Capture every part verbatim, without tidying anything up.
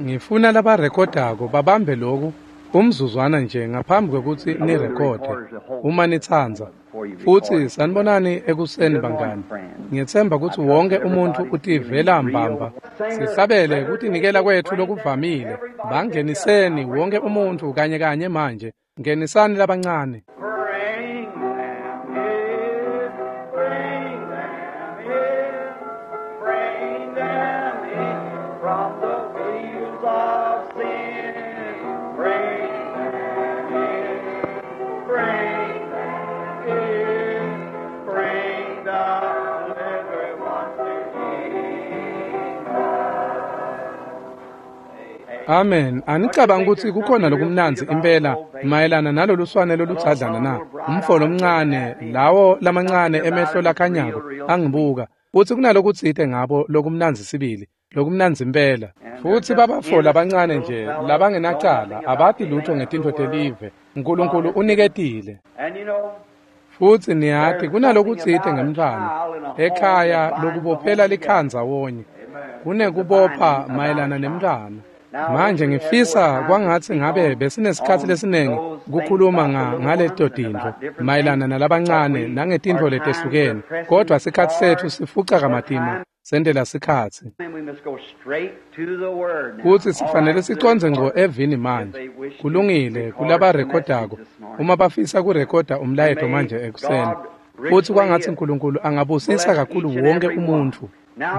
Ngifuna labarekhodako babambe loku umzuzwana nje ngaphambi kwekutsi nirekhode uma nitsandza. Futsi sanibonani ekuseni bangani. Ngiyetsemba kutsi wonke umuntfu utivela mbamba. Sihlabele kutinikela kwetfu lokuvamile. Bangeniseni wonke umuntfu kanye kanye manje. Ngenisani labancane. Bring them in, bring them in, bring them in from the fields of sin. Bring them in, bring them in, bring the little ones to Jesus. Amen. Anicabanga kutsi kukhona lokumnandzi impela mayelana naloluswane loludzadlana na? Umfo lomncane, lawo lamancane emehlo lakhanyako angibuka. Futsi kunalokutsite ngabo lokumnandzi sibili, lokumnandzi impela. Futsi babafo labancane nje labangenacala abati lutho ngetintfo telive. Nkulunkulu uniketile. And you know, Futsi niyati kunalokutsite ngemntfwana ekhaya lokubophela likhandza wonye kunekubopha mayelana nemntfwana. Manje ngifisa kwangatsi ngabe besinesikhatsi lesinengi kukhuluma nga ngaleto tintfo mayelana nalabancane nangetintfo letehlukene, kodvwa sikhatsi setfu sifuca kamatima sentela sikhatsi. and we must go straight to the Word now. Kutsi sifanele sicondze ngco evini manje. Kulungile kulabarekhodako uma bafisa kurekhoda umlayeto manje ekuseni. Futsi kwangatsi Nkulunkulu angabusisa kakhulu wonke umuntfu.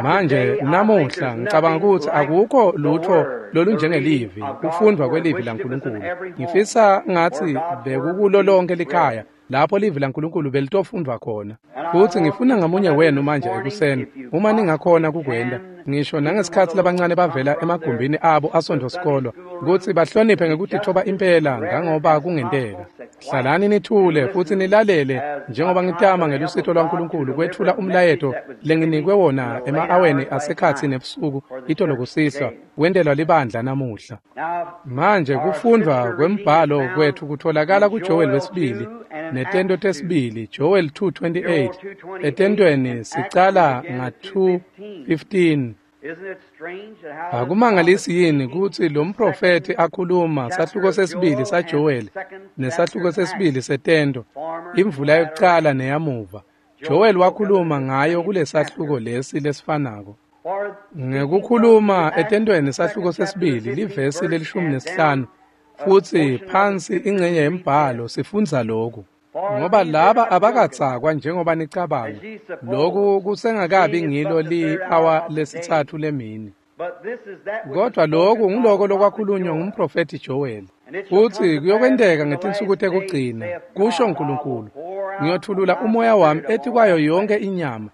Manje namuhla ngicabanga kutsi akukho lutho lolunjengelivi kufundvwa kwelivi laNkulunkulu. Ngifisa ngatsi bekukulo lonke likhaya lapho livi laNkulunkulu belitofundvwa khona. Futsi ngifuna ngamunye wenu manje ekuseni uma ningakhona kukwenta ngisho nangesikhatsi labancane bavela emagumbini abo asontfo sikolo kutsi bahloniphe ngekutitfoba impela ngangoba kungenteka. Hlalani nithule futsi nilalele njengoba ngitama ngelusito lwaNkulunkulu kwetfula umlayeto lenginikwe wona ema-aweni asekhatsi nebusuku itolo kusihlwa wentelwa libandla namuhla. Now, Manje kufundvwa kwembhalo kwetfu kutholakala kuJoel wesibili netento tesibili Joel two twenty-eight etentweni sicala nga two fifteen. isn't it strange that how Akumangalisi yini kutsi lo mprofethi akhuluma sahluko sesibili saJoel nesahluko sesibili setento imvula yokucala neyamuva. Joel wakhuluma ngayo kulesahluko lesi lesifanako. for Ngekukhuluma etentweni sahluko sesibili livesi lelishumi nesihlanu futsi phansi ingcenye yembhalo sifundza lokhu. Ngoba laba abakatsakwa njengoba nicabanga, lokhu kusengakabi ngilo li-awa lesitsatfu lemini. but this is that which Kodwa is lokhu spoken by nguloko the lokwakhulunywa prophet ngumprofethi Joel. And it shall Futsi come to pass kuyokwenteka in the ngetinsuku last days, tekugcina, saith kusho God, I will Nkulunkulu, pour out ngiyothulula my umoya wami spirit etikwayo upon all yonke flesh. inyama.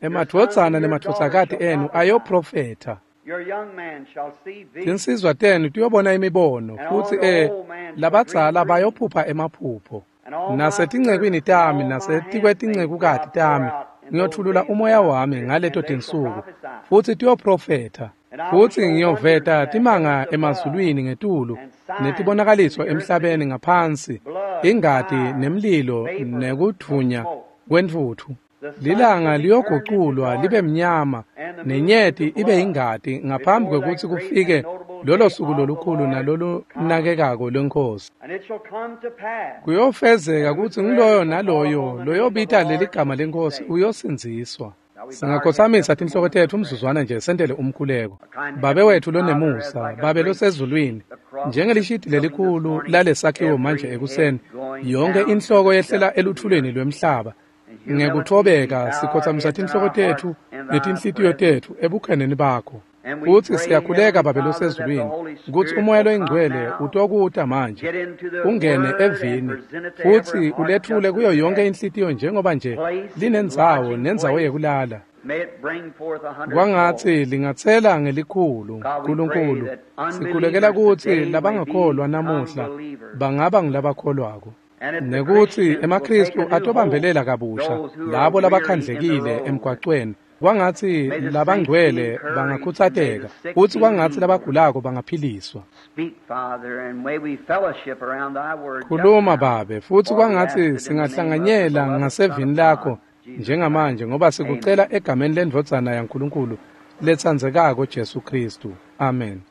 Emadvodzana nemadvodzakati enu ayoprofetha. Your young man shall see visions, Tinsizwa tenu tiyobona imibono futsi eh labadzala bayophupha emaphupho. and all my Nasetincekwini servants and tami all my nasetikwetinceku handmaids shall I pour tami out in those ngiyothulula days umoya my wami spirit, ngaleto and they shall tinsuku prophesy. futsi tiyoprofetha. And I will Futsi show wonders ngiyoveta in the timanga heavens above emazulwini ngetulu and signs in netibonakaliso the earth emhlabeni beneath, ngaphansi, blood, ingati fire, nemlilo vapor of nekudvunya smoke. kwentfutfu. The sun Lilanga shall be turned into liyoguculwa libe darkness mnyama and the moon nenyeti into ibe blood ingati ngaphambi before that kwekutsi great kufike and notable lolo day suku of the lolukhulu Lord come. nalolunakekako lweNkhosi. And it shall come to pass Kuyofezeka that kutsi whosoever nguloyo shall call naloyo upon the name of the loyobita leli Lord shall gama be leNkhosi saved. uyosindziswa. Now we bow our heads Singakhothamisa just a tinhloko moment for tetfu prayer. umzuzwana nje sentele umkhuleko. Our kind Babe Heavenly wethu Father, as lonemusa, like a Babe great losezulwini, sheet across this njengelishidi building this lelikhulu morning, lalesakhiwo manje every head ekuseni, going yonke down to inhloko the yehlela dust of the elutfuleni earth. lwemhlaba. In humility we Ngekuthobeka bow our sikhothamisa heads and tinhloko our hearts tetfu in thy netinhlitiyo presence. tetfu ebukheneni bakho. And we Futsi pray, siyakhuleka Heavenly Babe Father, that the losezulwini Holy kutsi Spirit umoya will come loyingcwele now, utokuta manje get into the ungene Word and evini present it to every futsi heart ulethule just kuyo as it yonke has inhlitiyo njengoba nje place and linendzawo lodging nendzawo place. yekulala. May it bring forth a hundredfold. Kwangatsi lingatsela ngelikhulu God, we pray Nkulunkulu. that Sikhulekela unbelievers kutsi today may labangakholwa become namuhla believers. bangaba ngulabakholwako. And if the Nekutsi Christians will take emaKhristu a new hold, atobambelela kabusha those who are labo weary in the labakhandlekile road, emgwacweni. Kwangatsi may the saints be labangcwele encouraged and may the bangakhutsateka sick futsi be kwangatsi healed. labagulako bangaphiliswa. Speak, Father, and may we fellowship around thy word just Khuluma now. Babe futsi For we ask kwangatsi it in the name of the singahlanganyela beloved Son ngasevini of lakho God, Jesus Christ. njengamanje ngoba Amen. sikucela egameni lendvodzana yaNkulunkulu letsandzekako Jesu Khristu. Amen.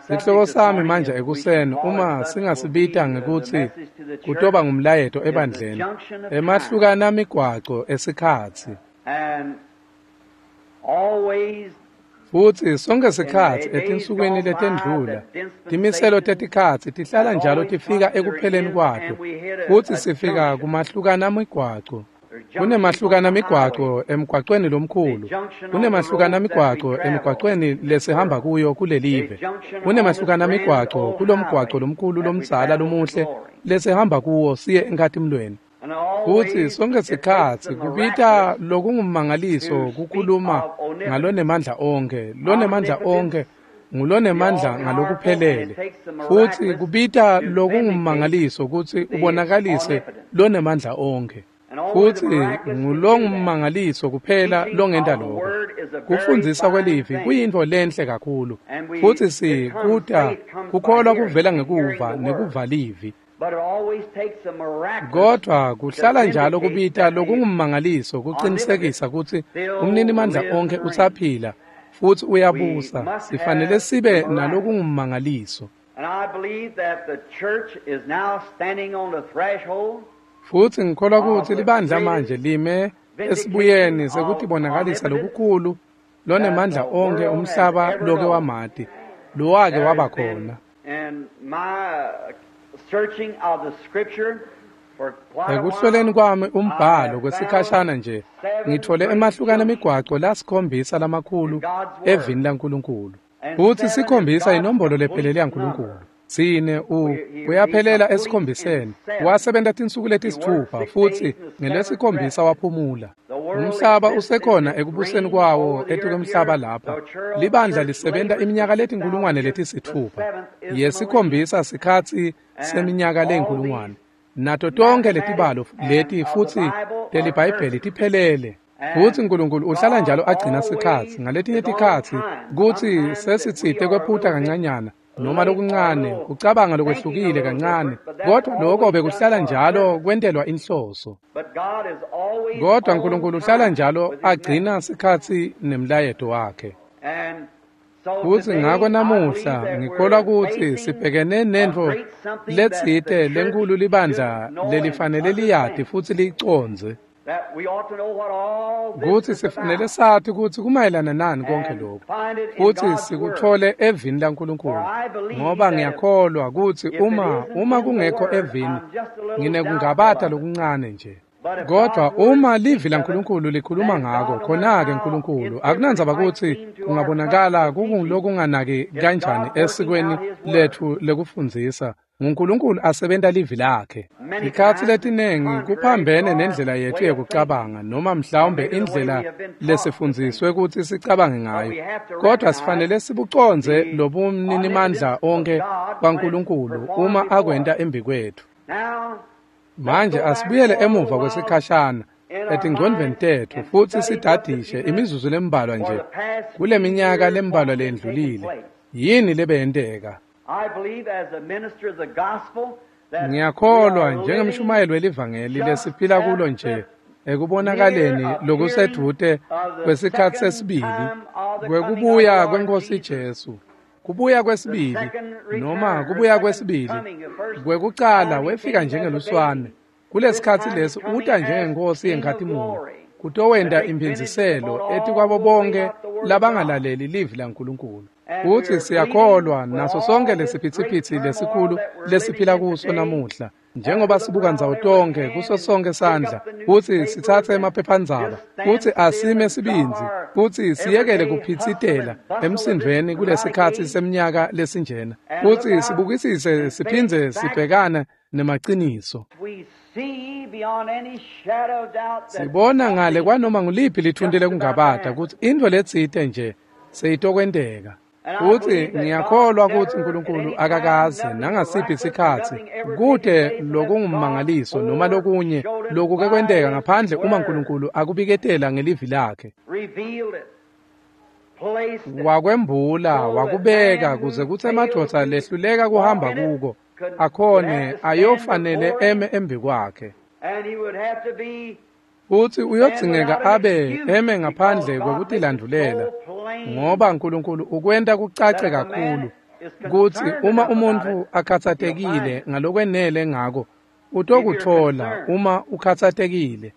Sihloko sami manje ekuseni, uma singasibita ngekutsi kutoba ngumlayeto ebandleni, emahlukana migwaco esikhatsi. Futsi sonke sikhatsi etinsukwini letendlula, timiselo tetikhatsi tihlala njalo tifika ekupheleni kwato, futsi sifika kumahlukana migwaco. Kunemahlukana migwaco emgwacweni lomkhulu, kunemahlukana migwaco emgwacweni lesihamba kuyo kulelive, kunemahlukana migwaco kulomgwaco lomkhulu lomdzala lomuhle lesihamba kuwo siye enkhatimlweni. Futsi sonke sikhatsi kubita lokungummangaliso kukhuluma ngalonemandla onkhe, lonemandla onkhe ngulonemandla ngalokuphelele. Futsi kubita lokungummangaliso kutsi ubonakalise lonemandla onkhe. Futsi ngulongummangaliso kuphela longenta lokho. Kufundzisa kwelivi kuyintfo lenhle kakhulu. Futsi sikuta kukholwa kuvela ngekuva nekuva livi. Kodvwa kuhlala njalo kubita lokungummangaliso kucinisekisa kutsi umninimandla onkhe usaphila futsi uyabusa. Sifanele sibe nalokungummangaliso. Futsi ngikholwa kutsi libandla manje lime esibuyeni sekutibonakalisa lokukhulu lonemandla onkhe umhlaba loke wamati, lowake waba khona. Ekuhloleni kwami umbhalo kwesikhashana nje, ngithole emahlukana emigwaco lasikhombisa lamakhulu evini laNkulunkulu. Futsi sikhombisa inombolo lephelele yaNkulunkulu. Sine u uyaphelela esikhombiseni, wasebenta tinsuku letisitfupha futsi ngelwesikhombisa waphumula. Umhlaba usekhona ekubuseni kwawo etukwemhlaba lapha. Libandla lisebenta iminyaka letinkulungwane letisitfupha. Yesikhombisa sikhatsi seminyaka leyinkulungwane. Nato tonkhe letibalo leti futsi teliBhayibheli tiphelele. Futsi Nkulunkulu uhlala njalo agcina sikhatsi ngaletinye tikhatsi kutsi sesitsite kwephuta kancanyana noma lokuncane, kucabanga lokwehlukile kancane, kodwa lokho bekuhlala njalo kwentelwa inhloso. Kodwa Nkulunkulu uhlala njalo agcina sikhatsi nemlayeto wakhe. Futsi ngako namuhla ngikholwa kutsi sibhekene nentfo letsite lenkhulu libandla lelifanele liyati futsi liyicondze. Kutsi sifanele sati kutsi kumayelana nani konke lokhu, futsi sikuthole evini laNkulunkulu, ngoba ngiyakholwa kutsi uma uma kungekho evini, nginekungabata lokuncane nje. Kodwa uma livi laNkulunkulu likhuluma ngako, khona-ke Nkulunkulu akunandzaba kutsi kungabonakala kungulokunganaki kanjani esikweni letfu lekufundzisa, nguNkulunkulu asebenta livi lakhe. Tikhatsi letinengi kuphambene nendlela yetfu yekucabanga noma mhlawumbe indlela lesifundziswe kutsi sicabange ngayo. Kodwa sifanele sibucondze lobumninimandla onkhe baNkulunkulu uma akwenta embikwetfu. Manje asibuyele emuva kwesikhashana etingcondvweni tetfu futsi sidadishe imizuzu lembalwa nje kule minyaka lembalwa lendlulile. Yini lebeyenteka? Ngiyakholwa njengemshumayeli welivangeli lesiphila kulo nje ekubonakaleni lokusedvute kwesikhatsi sesibili kwekubuya kweNkhosi Jesu. Kubuya kwesibili noma kubuya kwesibili kwekucala wefika njengeluswane. Kulesikhatsi lesi uta njengenkosi yenkhatimulo kutowenta imphindziselo etikwabo bonke labangalaleli livi laNkulunkulu. Futsi siyakholwa naso sonke lesiphithiphithi lesikhulu lesiphila kuso namuhla, njengoba sibuka ndzawo tonkhe kuso sonke sandla, futsi sitsatse emaphephandzaba, futsi asime sibindzi, futsi siyekele kuphitsitela emsindvweni kulesikhatsi seminyaka lesinjena, futsi sibukisise siphindze sibhekane nemaciniso. Sibona ngale kwanoma nguliphi lithunti lekungabata kutsi intfo letsite nje seyitokwenteka. Futsi ngiyakholwa kutsi Nkulunkulu akakaze nangasiphi sikhatsi kute lokungummangaliso noma lokunye lokuke kwenteka ngaphandle uma Nkulunkulu akubiketela ngelivi lakhe. Wakwembula, wakubeka kuze kutsi emadvodza lehluleka kuhamba kuko akhone ayofanele eme embikwakhe. Futsi uyodzingeka abe eme ngaphandle kwekutilandulela, ngoba Nkulunkulu ukwenta kucace kakhulu Kutsi uma umuntfu akhatsatekile ngalokwenele ngako, utokutfola uma ukhatsatekile.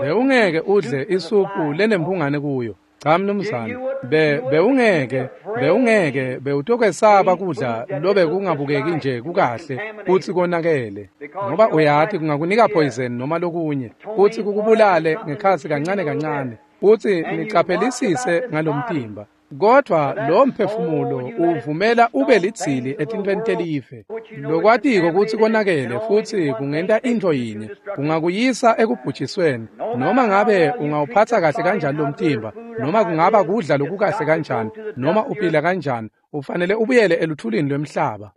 Bewungeke udle isuphu lenemphungane kuyo. Cha mnumzane, be bewungeke, bewungeke bewutokwesaba kudla lobe kungabukeki nje kukahle kutsi konakele, ngoba uyati kungakunika poison noma lokunye, kutsi kukubulale ngekhatsi kancane kancane. Futsi niqaphelisise ngalomtimba. Kodwa lo mphefumulo uvumela ube lidzili etintfweni telive. Lokwatiko kutsi konakele futsi kungenta intfo yinye, kungakuyisa ekubhujisweni. Noma ngabe ungawuphatsa kahle kanjani lo mtimba, noma kungaba kudla lokukahle kanjani, noma uphila kanjani, ufanele ubuyele eluthulini lwemhlaba.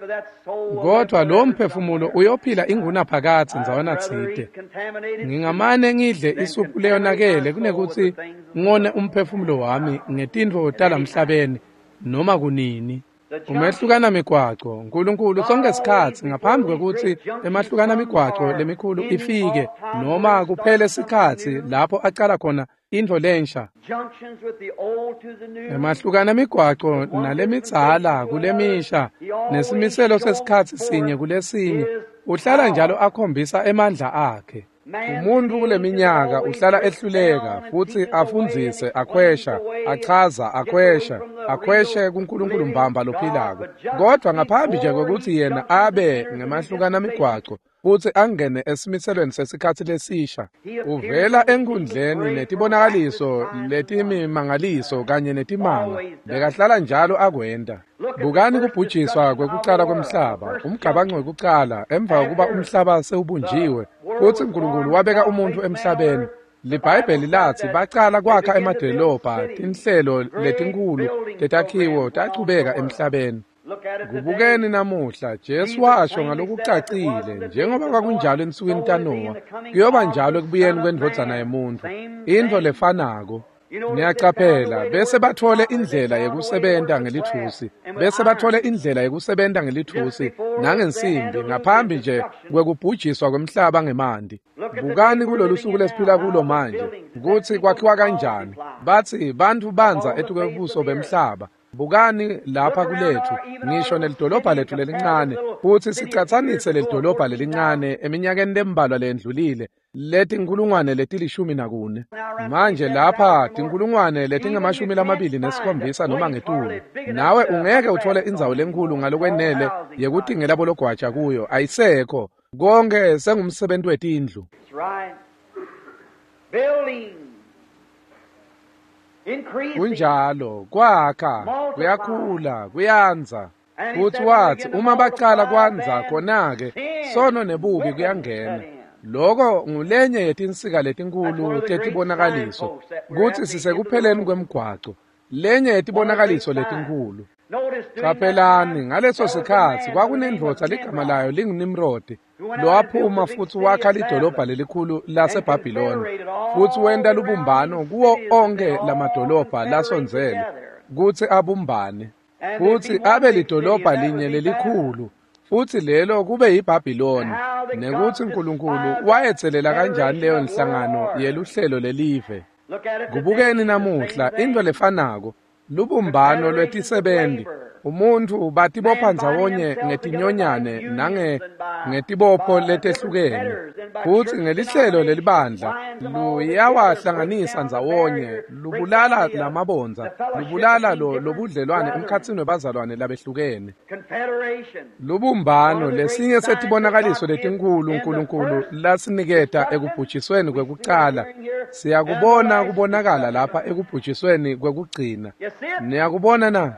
Kodwa lo mphefumulo uyophila ingunaphakadze ndzawana tsite. Ngingamane ngidle isuphu leyonakele kunekutsi ngone umphefumulo wami ngetintfo talamhlabeni noma kunini. Umehlukana migwaco Nkulunkulu sonke sikhatsi ngaphambi kwekutsi emahlukana migwaco lemikhulu ifike noma kuphele sikhatsi lapho acala khona intfo lensha. Emahlukana migwaco nalemitsala kulemisha nesimiselo sesikhatsi sinye kulesinye, uhlala njalo akhombisa emandla akhe. Umuntu kuleminyaka uhlala ehluleka futsi afundzise akhwesha, achaza akhwesha, akhweshe kuNkulunkulu mbamba lophilako. Kodwa ngaphambi nje kwekutsi yena abe ngemahlukana migwaco futsi angene esimiselweni sesikhatsi lesisha, uvela enkundleni netibonakaliso letimimangaliso kanye netimanga. Bekahlala njalo akwenta. Bukani kubhujiswa kwekucala kwemhlaba, umgabanco wekucala emva kokuba umhlaba sewubunjiwe, futsi Nkulunkulu wabeka umuntfu emhlabeni. LiBhayibheli latsi bacala kwakha emadolobha, tinhlelo letinkhulu tetakhiwo tachubeka emhlabeni. Kubukeni namuhla, Jesu washo ngalokucacile, njengoba kwakunjalo ensukwini taNowa, kuyoba njalo ekubuyeni kwendvodzana yemuntfu, intfo lefanako. Niyacaphela, bese batfole indlela yekusebenta ngelithusi, bese batfole indlela yekusebenta ngelithusi nangensimbi ngaphambi nje kwekubhujiswa kwemhlaba ngemanti. Bukani kulolu suku lesiphila kulo manje, kutsi kwakhiwa kanjani. Batsi bantfu bandza etukwebuso bemhlaba. Bukani lapha kulethu, ngisho nelidolobha lethu lelincane, futsi sicatsanise lelidolobha lelincane eminyakeni lembalwa lendlulile, letinkulungwane letilishumi nakune. Manje lapha tinkulungwane letingamashumi lamabili nesikhombisa noma ngetulu. Nawe ungeke uthole indzawo lenkhulu ngalokwenele yekutingela bologwaja kuyo, ayisekho. Konke sengumsebenzi wetindlu. Kunjalo, kwakha, kuyakhula, kuyanza. Futsi watsi uma bacala kwandza khona-ke sono nebubi kuyangena. Loko ngulenye yetinsika letinkulu tetibonakaliso, kutsi sisekupheleni kwemgwaco, lenye yetibonakaliso letinkulu. Caphelani, ngaleso sikhatsi kwakunendvodza ligama layo linguNimrodi, lowaphuma futsi wakha lidolobha lelikhulu laseBhabhiloni, futsi wenta lubumbano kuwo onkhe lamadolobha lasondzele kutsi abumbane, futsi abe lidolobha linye lelikhulu, futsi lelo kube yiBhabhiloni. Nekutsi Nkulunkulu wayetselela kanjani leyo nhlangano yeluhlelo lelive. Kubukeni namuhla, intfo lefanako, lubumbano lwetisebenti. Umuntfu batibopha ndzawonye ngetinyonyane nange ngetibopho letehlukene, futsi ngelihlelo lelibandla luyawahlanganisa ndzawonye, lubulala lamabondza, lubulala lo lobudlelwane emkhatsini webazalwane labehlukene. Lubumbano lesinye setibonakaliso letinkhulu Nkulunkulu lasiniketa ekubhujisweni kwekucala. Siyakubona kubonakala lapha ekubhujisweni kwekugcina. Niyakubona na?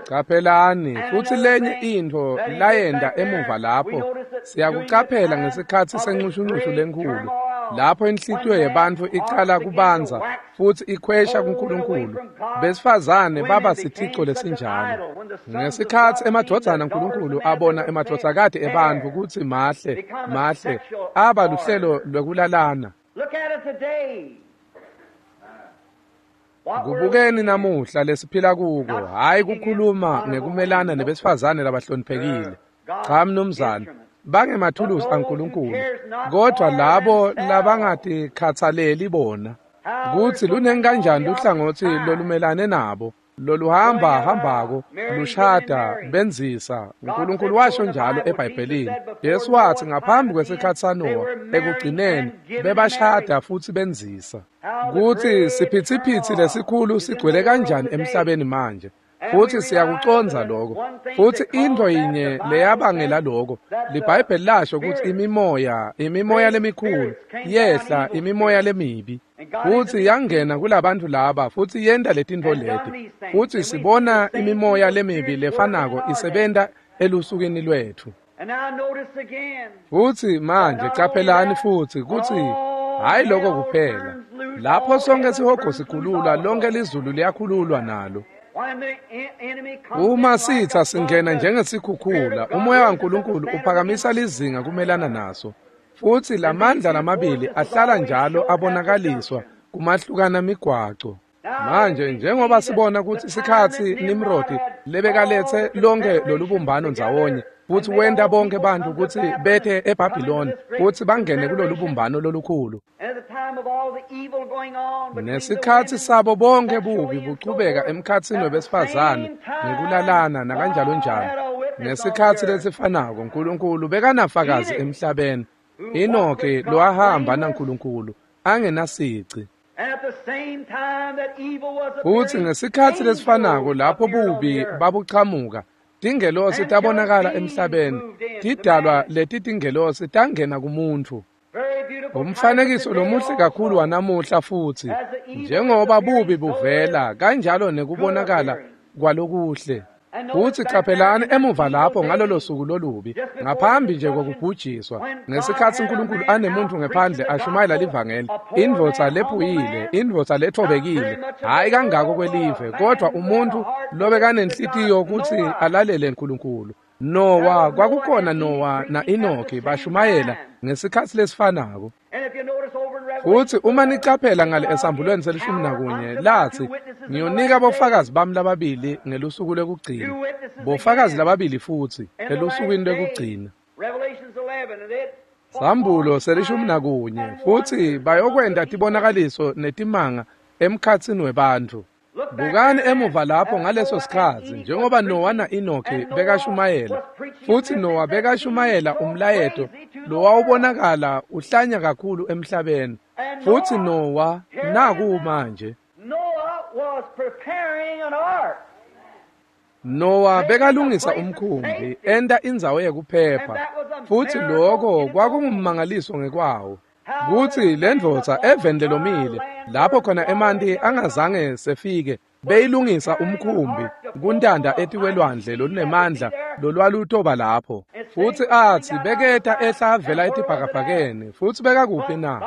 Caphelani, futsi lenye intfo layenta emuva lapho, siyakucaphela ngesikhatsi sencushunqushu lenkhulu, lapho inhlitiyo yebantfu icala kubanza futsi ikhwesha kuNkulunkulu. Besifazane baba sithico lesinjalo. Ngesikhatsi emadvodzana aNkulunkulu abona emadvodzakati ebantfu kutsi mahle, mahle, aba luhlelo lwekulalana. Kubukeni namuhla lesiphila kuko, hhayi kukhuluma ngekumelana nebesifazane labahloniphekile. Cha mnumzane, bangemathulusi aNkulunkulu, kodwa labo labangatikhatsaleli bona, kutsi lunengi kanjani luhlangotsi lolumelane nabo. Loluhamba hambako lushada benzisa. uNkulunkulu washo njalo eBhayibhelini. Jesu wathi ngaphambi kwesikhathi saNowa ekugcineni bebashada futhi benzisa. Kuthi siphithiphithi lesikhulu sigcwele kanjani emhlabeni manje, futhi siyakucondza lokho. Futhi into yinye leyabangela lokho, liBhayibheli lasho ukuthi imimoya, imimoya lemikhulu yehla, imimoya lemibi, futhi yangena kulabantu laba futhi yenta letintfo leti. Futhi sibona imimoya lemibi lefanako isebenta elusukwini lwethu. Futhi manje caphelani futhi kutsi hayi lokho kuphela, lapho sonke sihogo sikhululwa, lonke lizulu liyakhululwa nalo. Uma sitha singena njengesikhukhula, umoya waNkulunkulu uphakamisa lizinga kumelana naso. Futhi lamandla lamabili ahlala njalo abonakaliswa kumahlukana migwaco. Manje njengoba sibona ukuthi isikhathi Nimrodi lebekalethe lonke lolubumbano ndzawonye futhi wenta bonke bantu ukuthi bethe eBhabhiloni futhi bangene kulolu bumbano lolukhulu. Nesikhathi sabo bonke bubi buchubeka emkhatsini webesifazane ngekulalana nakanjalo njalo. Ngesikhathi lesifanako uNkulunkulu bekanafakazi emhlabeni, Enoki lowahamba naNkulunkulu angenasici. Futhi ngesikhathi lesifanako lapho bubi babuchamuka, tingelosi tabonakala emhlabeni, tidalwa leti tingelosi tangena kumuntu. Umfanekiso lomuhle kakhulu wanamuhla futhi, njengoba bubi buvela kanjalo nekubonakala kwalokuhle. Futhi caphelani emuva lapho ngalolo suku lolubi, ngaphambi nje kokubhujiswa, ngesikhathi uNkulunkulu anemuntu ngephandle ashumayela livangeli, indvodza lephuyile, indvodza lethobekile, hayi kangako kwelive, kodwa umuntu lobekanenhlitiyo ukuthi alalele uNkulunkulu. Nowa, kwakukhona Nowa na-Enoki bashumayela ngesikhathi lesifanako. Futhi uma nicaphela ngale esambulweni selishumi nakunye, lathi ngiyonika bofakazi bami lababili ngelusuku lwekugcina, bofakazi lababili futhi elusukwini lwekugcina. Sambulo selishumi nakunye, futhi bayokwenta tibonakaliso netimanga emkhatsini webantfu. Bukani emuva lapho ngaleso sikhathi njengoba Nowa na-Enoki bekashumayela, futhi Nowa bekashumayela umlayeto lowawubonakala uhlanya kakhulu emhlabeni. Futhi Nowa naku manje, Nowa bekalungisa umkhumbi enta indzawo yekuphepha, futhi lokho kwakungummangaliso ngekwawo. Kuthi lendvodza eveni lelomile lapho khona emanti angazange sefike, beyilungisa umkhumbi kuntanda etikwelwandle lolunemandla lolwalutoba lapho. Futhi athi beketa ehla avela etibhakabhakeni, futhi bekakuphi na?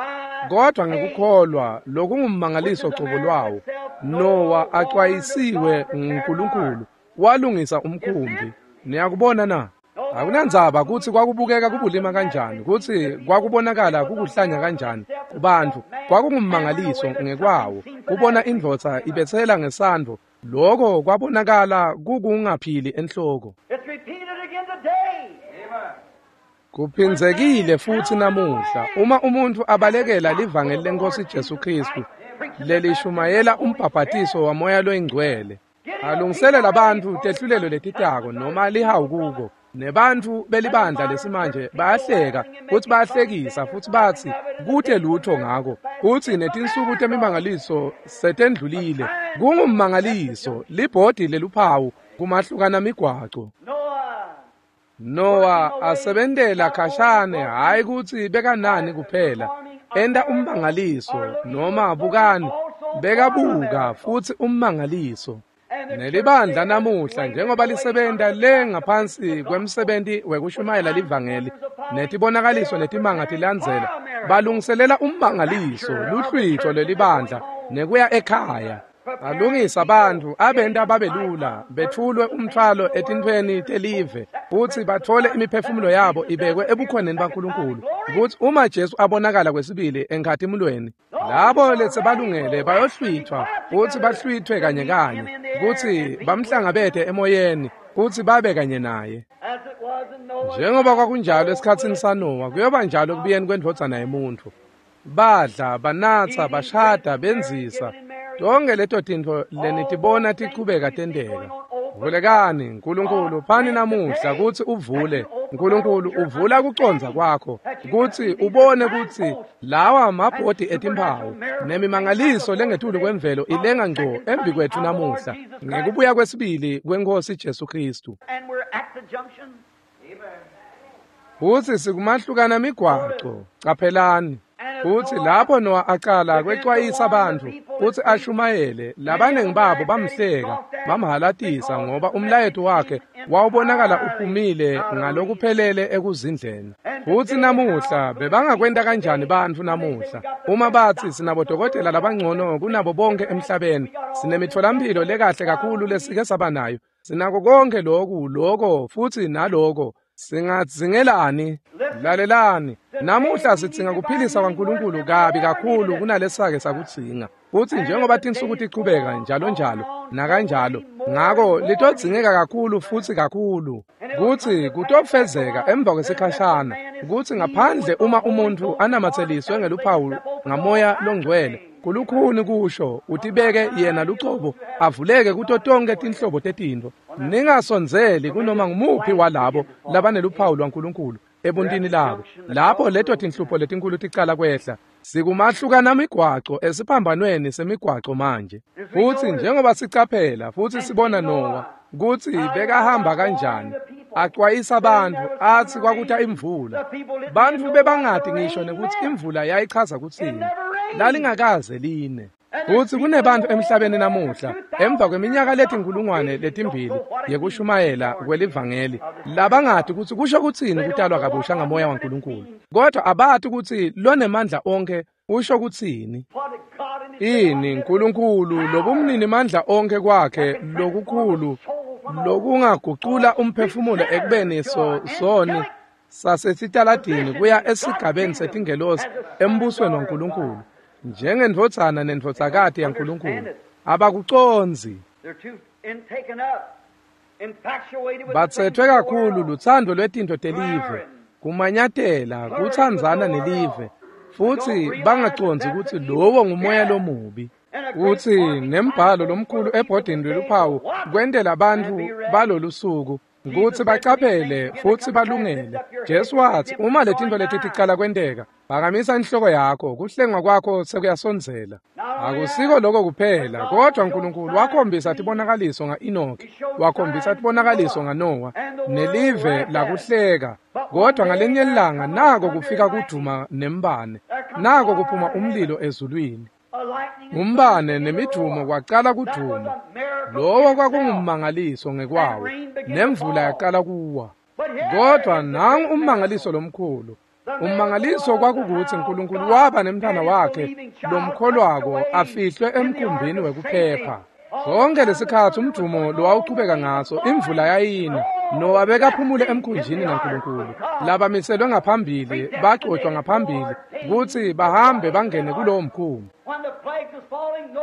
Kodwa ngekukholwa lokungummangaliso cobo lwawo, Nowa axwayisiwe nguNkulunkulu walungisa umkhumbi. Niyakubona na? Akunandzaba kutsi kwakubukeka kubulima kanjani, kutsi kwakubonakala kukuhlanya kanjani kubantu, kwakungummangaliso ngekwawo kubona indvodza ibetsela ngesandvo. Lokho kwabonakala kukungaphili enhloko. Kuphindzekile futhi namuhla uma umuntu abalekela livangeli lenkosi Jesu Kristu lelishumayela umbhabhatiso wamoya loyingcwele, alungiselela abantu tehlulelo letitako noma lihawu kuko. Nebantu belibandla lesimanje bayahleka futhi bayahlekisa futhi bathi kute lutho ngako, futhi netinsuku temimangaliso setendlulile. Kungummangaliso libhodi leluphawu kumahlukana migwaco. Nowa asebentela khashane, hayi kutsi bekanani kuphela enta ummangaliso, noma bukani bekabuka futhi ummangaliso. Nelibandla namuhla njengoba lisebenta le ngaphansi kwemsebenti wekushumayela livangeli netibonakaliso netimanga tilandzela, balungiselela ummangaliso luhlwitho lelibandla nekuya ekhaya. Alungisa abantu abenta babelula bethulwe umthwalo etintfweni telive futhi bathole imiphefumulo yabo ibekwe ebukhoneni baNkulunkulu, ukuthi uma Jesu abonakala kwesibili enkhatimulweni, labo lesebalungele bayohlwithwa futhi bahlwithwe kanye kanye ukuthi bamhlangabete emoyeni futhi babe kanye naye. Njengoba kwakunjalo esikhatsini saNowa, kuyoba njalo ekubuyeni kwendvodzana yemuntfu. Badla, banatsa, bashada, benzisa, Tonke leto tintfo lenitibona tichubeka tenteka. Vulekani, Nkulunkulu, phani namuhla kutsi uvule. Nkulunkulu uvula kucondza kwakho kutsi ubone kutsi lawa mabhodi etimphawu nemimangaliso lengetulu kwemvelo ilenga ngco embi kwetfu namuhla ngekubuya kwesibili kweNkhosi Jesu Khristu. Futsi sikumahlukana migwaco, caphelani. Futsi lapho Noah acala kwecwayisa bantfu kutsi ashumayele, labaningi babo bamhleka, bamhalatisa ngoba umlayeto wakhe wawubonakala uphumile ngalokuphelele ekuzindleni. Futsi namuhla bebangakwenta kanjani bantfu namuhla uma batsi sinabodokotela labangcono kunabo bonke emhlabeni, sinemitfolamphilo lekahle kakhulu lesike saba nayo, sinako konke loku, loko futsi naloko. Singadzingelani? Lalelani, namuhla sidzinga kuphilisa kwaNkulunkulu kabi kakhulu kunalesake sakudzinga. Futsi njengoba tinsuku tichubeka njalo njalo nakanjalo, ngako litodzingeka kakhulu futsi kakhulu kutsi kutofezeka emva kwesikhashana kutsi ngaphandle uma umuntfu anamatseliswe ngeluphawu ngamoya longcwele, kulukhuni kusho utibeke yena lucobo avuleke kuto tonke tinhlobo tetintfo. Ningasondzeli kunoma ngumuphi walabo labaneluphawu lwaNkulunkulu ebuntini labo. Lapho leto tinhlupho letinkulu ticala kwehla, sikumahlukana migwaco esiphambanweni semigwaco manje. Futsi njengoba sicaphela futsi sibona Noah kutsi bekahamba kanjani, acwayisa bantfu atsi kwakuta imvula. Bantfu bebangati ngisho nekutsi imvula yayichaza kutsini, lalingakaze line. Futsi kunebantfu emhlabeni namuhla emva kweminyaka letinkulungwane letimbili yekushumayela kwelivangeli labangati kutsi kusho kutsini kutalwa kabusha ngamoya waNkulunkulu, kodwa abati kutsi lonemandla onke usho kutsini. Ini Nkulunkulu lobumnini mandla onke kwakhe lokukhulu lokungagucula umphefumulo ekubeni so soni sasesitaladini kuya esigabeni setingelosi embusweni waNkulunkulu njengendvodzana nendvodzakati yaNkulunkulu. Abakucondzi. Batsetfwe kakhulu lutsandvo lwetintfo telive, kumanyatela, kutsandzana nelive, futsi bangacondzi kutsi lowo ngumoya lomubi. Utsi nembhalo lomkhulu ebhodini lweluphawu kwentela bantfu balolusuku kutsi bacaphele futsi balungele. Jesu watsi uma letintfo leti ticala kwenteka, phakamisa inhloko yakho, kuhlengwa kwakho sekuyasondzela. Akusiko lokho kuphela, kodwa Nkulunkulu wakhombisa tibonakaliso nga-Enoki, wakhombisa tibonakaliso ngaNoah, nelive lakuhleka. Kodwa ngalenye ilanga nako kufika kuduma nembane, nako kuphuma umlilo ezulwini. Umbane nemidumo kwacala kuduma. Lowo kwakungummangaliso ngekwawo, nemvula yaqala kuwa. Kodwa nangu ummangaliso lomkhulu. Ummangaliso kwakukutsi Nkulunkulu waba nemntfwana wakhe lomkholwako afihlwe emkhumbini wekuphepha. Sonke lesikhatsi umdumo lowawuchubeka ngaso, imvula yayina. Noah bekaphumule emkhunjini naNkulunkulu. Labamiselwe ngaphambili bagcotshwa ngaphambili kutsi bahambe bangene kulowo mkhumbi.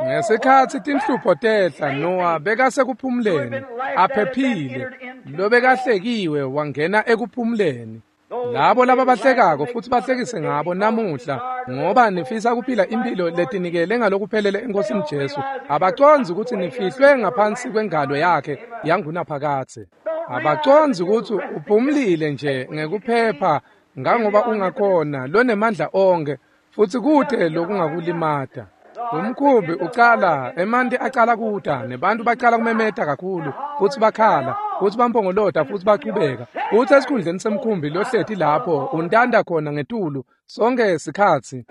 Ngesikhatsi tinhlupho tehla, Noah bekasekuphumuleni, aphephile, lobekahlekiwe wangena ekuphumuleni. Labo lababahlekako futsi bahlekise ngabo namuhla ngoba nifisa kuphila impilo letinikele ngalokuphelele eNkosini Jesu, abacondzi kutsi nifihlwe ngaphansi kwengalo yakhe yangunaphakadze. Abacondzi kutsi uphumulile nje ngekuphepha ngangoba ungakhona lonemandla onke futsi kute lokungakulimata. Umkhumbi ucala, emanti acala kuta, nebantu bacala kumemeta kakhulu futsi bakhala futsi bampongolota futsi bachubeka. Futsi esikhundleni semkhumbi lohleti lapho untanta khona ngetulu sonke sikhatsi.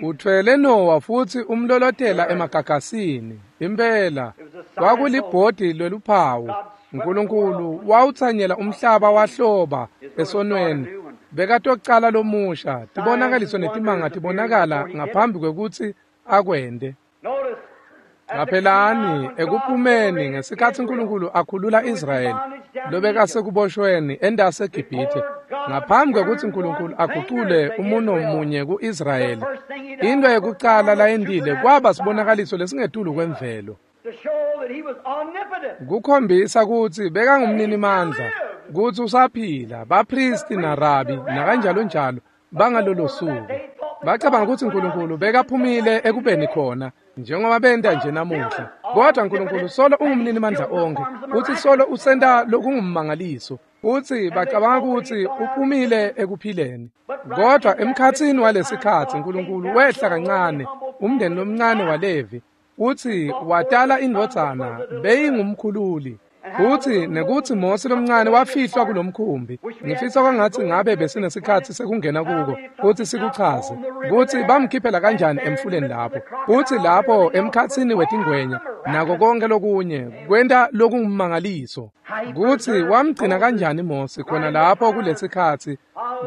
Uthwele Noah futsi umlolotela emagagasini. Impela kwakulibhodi lweluphawu. Nkulunkulu wawutsanyela umhlaba wahloba esonweni. Bekatocala lomusha, tibonakaliso netimanga tibonakala ngaphambi kwekutsi akwente. Qaphelani ekuphumeni ngesikhatsi Nkulunkulu akhulula Israyeli lobekasekuboshweni endase eGibhithe, ngaphambi kwekutsi Nkulunkulu agucule umuno munye ku-Israyeli, into yekucala layentile kwaba sibonakaliso lesingetulu kwemvelo, kukhombisa kutsi bekangumninimandla, kutsi usaphila. Baphristi narabi nakanjalo njalo bangalolo suku Bacabanga kutsi Nkulunkulu bekaphumile ekubeni khona njengoba benta nje namuhla. Kodwa Nkulunkulu solo ungumninimandla onkhe, futsi solo usenta lokungummangaliso. Futsi bacabanga kutsi uphumile ekuphileni. Kodwa emkhatsini walesikhatsi Nkulunkulu wehla kancane umndeni lomncane waLevi, futsi watala indvodzana beyingumkhululi. Futsi nekutsi Mose lomncane wafihlwa kulomkhumbi. Ngifisa kwangatsi ngabe besinesikhatsi sekungena kuko futsi sikuchaze kutsi bamkhiphela kanjani emfuleni lapho. Futsi lapho emkhatsini wetingwenya nako konke lokunye kwenta lokungummangaliso. Kutsi wamgcina kanjani Mose khona lapho kulesikhatsi,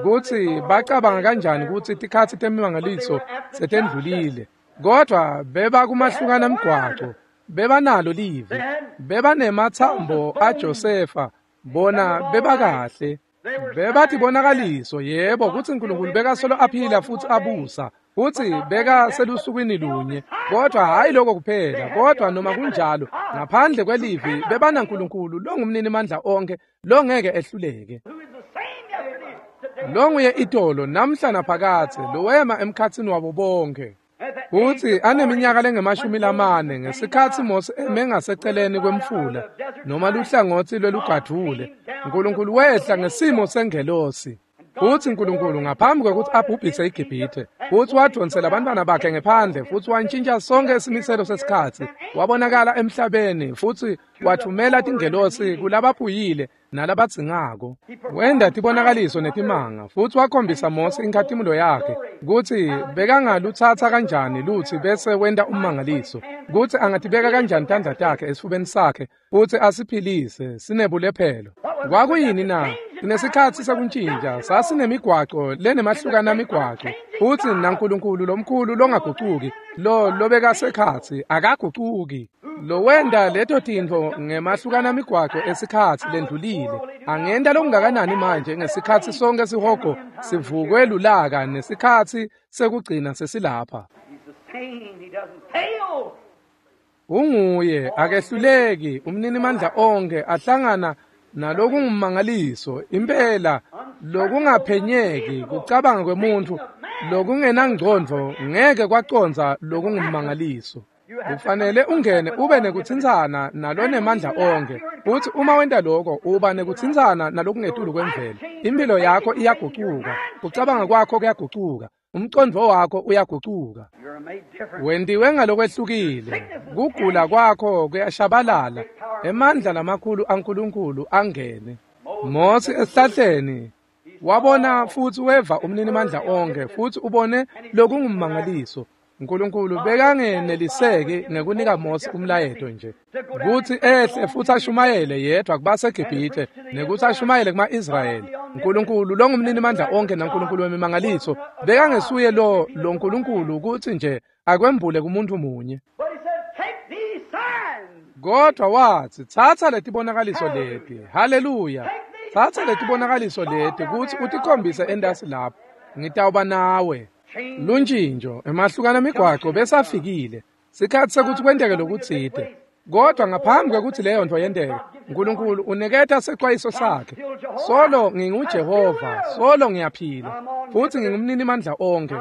kutsi bacabanga kanjani kutsi tikhatsi temimangaliso setendlulile. Kodwa beba kumahlukana mgwaco, bebanalo livi, bebanematsambo aJosefa, bona bebakahle, bebatibonakaliso, yebo, kutsi Nkulunkulu bekasolo aphila futsi abusa, futsi beka selusukwini lunye. Kodwa hhayi lokho kuphela, kodwa noma kunjalo, ngaphandle kwelivi bebanaNkulunkulu longumninimandla onke, longeke ehluleke, longuye itolo namhla naphakadze, lowema emkhatsini wabo bonke. Futsi aneminyaka lengemashumi lamane ngesikhatsi Mose eme ngaseceleni kwemfula noma luhlangotsi lwelugadvule, Nkulunkulu wehla ngesimo sengelosi. Futsi Nkulunkulu ngaphambi kwekutsi abhubhise iGibhithe, futsi wadvonsela abantwana bakhe ngephandle, futsi wantshintsha sonke isimiselo sesikhatsi, wabonakala emhlabeni, futsi wathumela tingelosi kulabaphuyile nalabadzingako. Wenta tibonakaliso netimanga, futsi wakhombisa Mose inkhatimulo yakhe, kutsi bekangalutsatsa kanjani lutsi bese wenta ummangaliso, kutsi angatibeka kanjani tandla takhe esifubeni sakhe futsi asiphilise sinebulephelo. Kwakuyini na? Sinesikhatsi sekuntjintja, sasinemigwaco lenemahlukana migwaco, futsi naNkulunkulu lomkhulu longagucuki, lo lobekasekhatsi akagucuki, lowenta leto tintfo ngemahlukana migwaco esikhatsi lendlulile, angenta lokungakanani manje ngesikhatsi sonke sihogo sivukwe lulaka nesikhatsi sekugcina sesilapha. Unguye akehluleki, umninimandla onke ahlangana nalokungummangaliso, impela lokungaphenyeki kucabanga kwemuntfu lokungenangcondvo ngeke kwacondza lokungummangaliso. Kufanele ungene ube nekutsintsana nalonemandla onke, futsi uma wenta lokho uba nekutsintsana nalokungetulu kwemvelo. Impilo yakho iyagucuka, kucabanga kwakho kuyagucuka, umcondvo wakho uyagucuka. Wentiwe ngalokwehlukile, kugula kwakho kuyashabalala, emandla lamakhulu aNkulunkulu angene. Mose esihlahleni wabona futsi weva umninimandla onke, futsi ubone lokungummangaliso. Nkulunkulu bekangeneliseki ngekunika Mose umlayeto nje kutsi ehle futsi ashumayele yedwa kubaseGibhithe nekutsi ashumayele kuma-Israyeli. Nkulunkulu longumninimandla onke naNkulunkulu wemimangaliso bekangesuye lo lo Nkulunkulu kutsi nje akwembule kumuntu munye. Kodwa watsi, tsatsa letibonakaliso leti, haleluya, tsatsa letibonakaliso leti kutsi utikhombise entasi lapho, ngitawuba nawe. Luntjintjo emahlukana migwaco besafikile, sikhatsi sekutsi kwenteke lokutsite. Kodwa ngaphambi kwekutsi leyo nto yenteke, Nkulunkulu uniketa secwayiso sakhe. Solo nginguJehova, solo ngiyaphila, futsi ngingumninimandla onke,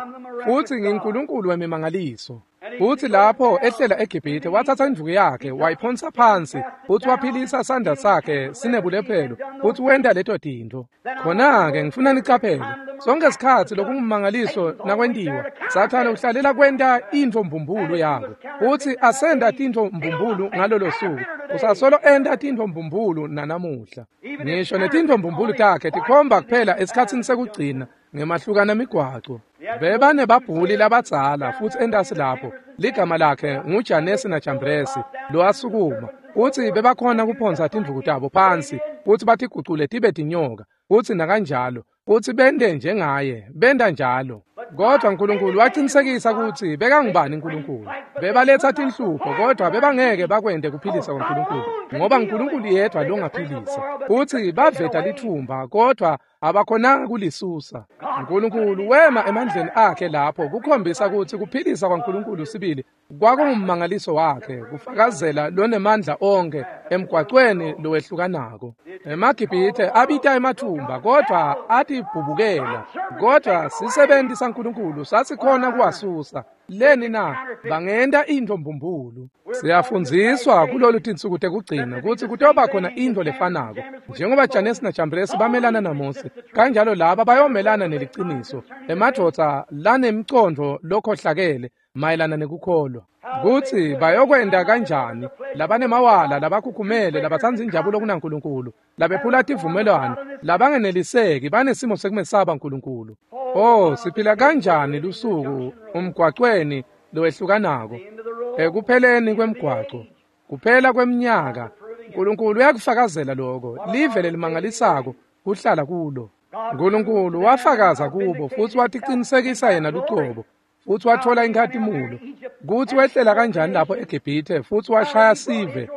futsi nginguNkulunkulu wemimangaliso. Futsi lapho ehlela eGibhithe watsatsa indvuku yakhe wayiphonsa phansi, futsi waphilisa sandla sakhe sinebulephelo, futsi wenta leto tintfo. Khona-ke ngifuna nicaphele, sonke sikhatsi lokungummangaliso nakwentiwa, Sathane uhlalela kwenta intfo mbumbulu yakho, futsi asenta tintfo mbumbulu ngalolo suku, usasolo enta tintfo mbumbulu nanamuhla. Ngisho netintfo mbumbulu takhe tikhomba kuphela esikhatsini sekugcina ngemahlukana migwaco. Bebanebabhuli labadzala futsi entasi lapho, ligama lakhe nguJanesi naJambresi, lowasukuma, futsi bebakhona kuphonsa tindvuku tabo phansi, futsi batigucule tibe tinyoka, futsi nakanjalo, futsi bente njengaye, benta njalo. Kodwa Nkulunkulu waqinisekisa kutsi bekangubani Nkulunkulu. Bebaletsa tinhlupho, kodwa bebangeke bakwente kuphilisa kwaNkulunkulu, ngoba Nkulunkulu yedwa longaphilisa. Futsi baveta lithumba, kodwa Abakhonanga kulisusa. Nkulunkulu wema emandleni akhe lapho kukhombisa kutsi kuphilisa kwaNkulunkulu sibili kwakungummangaliso wakhe, kufakazela lonemandla onke emgwacweni lowehlukanako. EmaGibhithe abita emathumba kodvwa atibhubukela, kodvwa sisebenti saNkulunkulu sasikhona kuwasusa. Leni na? Bangenta intfo mbumbulu. Siyafundziswa kulolu tinsuku tekugcina kutsi kutoba khona intfo lefanako. Njengoba Janesi naJambresi bamelana naMose, kanjalo laba bayomelana neliciniso. Emadvodza lanemcondvo lokhohlakele mayelana nekukholwa. Kutsi bayokwenta kanjani labanemawala, labakhukhumele, labatsandza injabulo kunaNkulunkulu, labephula tivumelwano, labangeneliseki, banesimo sekumesaba Nkulunkulu. Oh, siphila kanjani lusuku umgwacweni lowehlukanako, ekupheleni kwemgwaco, kuphela kweminyaka. Nkulunkulu uyakufakazela lokho, live lelimangalisako kuhlala kulo. Nkulunkulu wafakaza kubo futsi waticinisekisa yena lucobo, futsi watfola inkhatimulo. Kutsi wehlela kanjani lapho eGibhithe futsi washaya sive,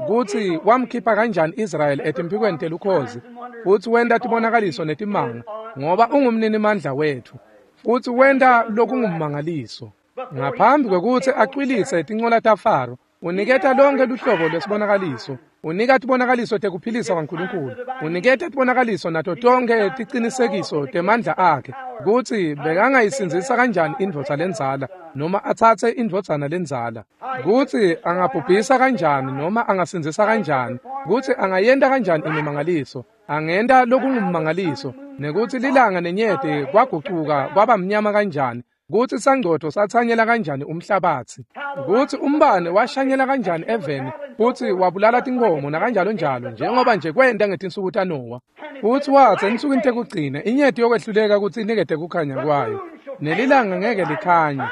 kutsi wamkhipha kanjani Israyeli etimphikweni telukhozi, futsi wenta tibonakaliso netimanga, ngoba ungumninimandla wetfu, futsi wenta lokungummangaliso. Ngaphambi kwekutsi acwilise tincola taFaro, uniketa lonke luhlobo lwesibonakaliso, unika tibonakaliso tekuphilisa kwaNkulunkulu, uniketa tibonakaliso nato tonkhe ticinisekiso temandla akhe, kutsi bekangayisindzisa kanjani indvodza lendzala noma atsatse indvodzana lendzala, kutsi angabhubhisa kanjani noma angasindzisa kanjani, kutsi angayenta kanjani imimangaliso, angenta lokungummangaliso, nekutsi lilanga nenyeti kwagucuka kwaba mnyama kanjani, kutsi sangcotfo satsanyela kanjani umhlabatsi, kutsi umbane washanyela kanjani eveni futsi wabulala tinkhomo nakanjalo njalo, njengoba nje kwenta ngetinsuku taNowa. Futsi watsi ensukwini tekugcina inyeti yokwehluleka kutsi inikete kukhanya kwayo, nelilanga ngeke likhanye,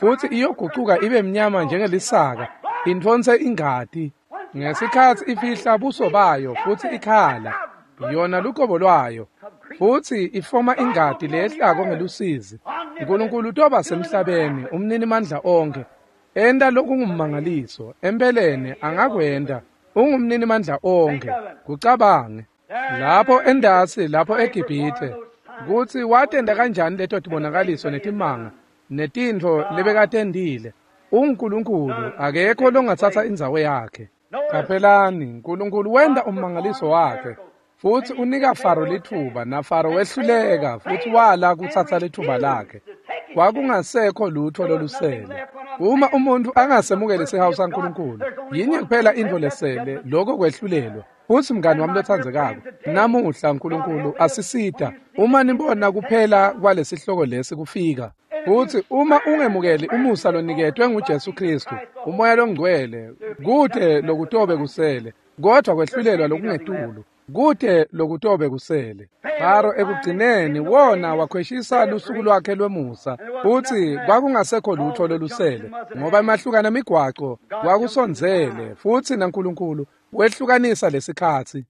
futsi iyogucuka ibe mnyama njengelisaka, intfonse ingati. Ngesikhatsi ifihla buso bayo futsi ikhala, yona luqobo lwayo, futsi ifoma ingati leyehlako ngelusizi. Nkulunkulu utoba semhlabeni, umninimandla onke, enta lokungummangaliso. Empeleni angakwenta, ungumninimandla onke. Kucabange lapho endasi lapho eGibhithe, kutsi watenta kanjani leto tibonakaliso netimanga netintfo lebekatentile. UNkulunkulu akekho longatsatsa indzawo yakhe. Qaphelani, Nkulunkulu wenta ummangaliso wakhe, futsi unika Faro litfuba, naFaro wehluleka futsi wala kutsatsa litfuba lakhe. Kwakungasekho lutho lolusele. Uma umuntu angasemukeli sihawu saNkulunkulu, yinye kuphela intfo lesele, lokho kwehlulelwa. Futsi mngani wami lotsandzekako, namuhla Nkulunkulu asisita uma nibona kuphela kwalesihloko lesi kufika. Futsi uma ungemukeli umusa loniketwe nguJesu Kristu, umoya longcwele, kute lokutobe kusele, kodvwa kwehlulelwa lokungetulu, kute lokutobe kusele. Faro ekugcineni wona wakhweshisa lusuku lwakhe lwemusa, futsi kwakungasekho lutho lolusele, ngoba emahlukana emigwaco kwakusondzele, futsi naNkulunkulu wehlukanisa lesikhatsi.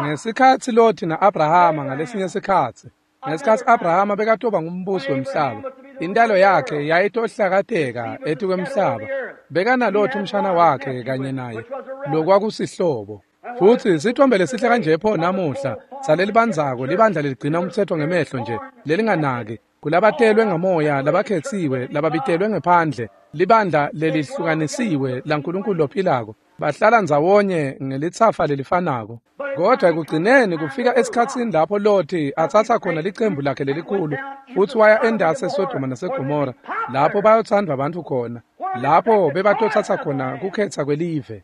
Ngesikhatsi Loti na-Abrahama ngalesinye sikhatsi, ngesikhatsi Abrahama bekatoba ngumbusi wemhlaba, intalo yakhe yayitohlakateka etikwemhlaba. BekanaLothi umshana wakhe kanye naye, lokwakusihlobo. Futsi sithombe lesihle kanje pho namuhla salelibandzako libandla leligcina umtsetfo ngemehlo nje, lelinganaki kulabatelwe ngamoya, labakhetsiwe, lababitelwe ngephandle, libandla lelihlukanisiwe laNkulunkulu lophilako, bahlala ndzawonye ngelitsafa lelifanako. Kodwa ekugcineni kufika esikhatsini lapho Loti atsatsa khona licembu lakhe lelikhulu futsi waya endasi eSodoma naseGomora, lapho bayotsandvwa bantfu khona, lapho bebatotsatsa khona kukhetsa kwelive.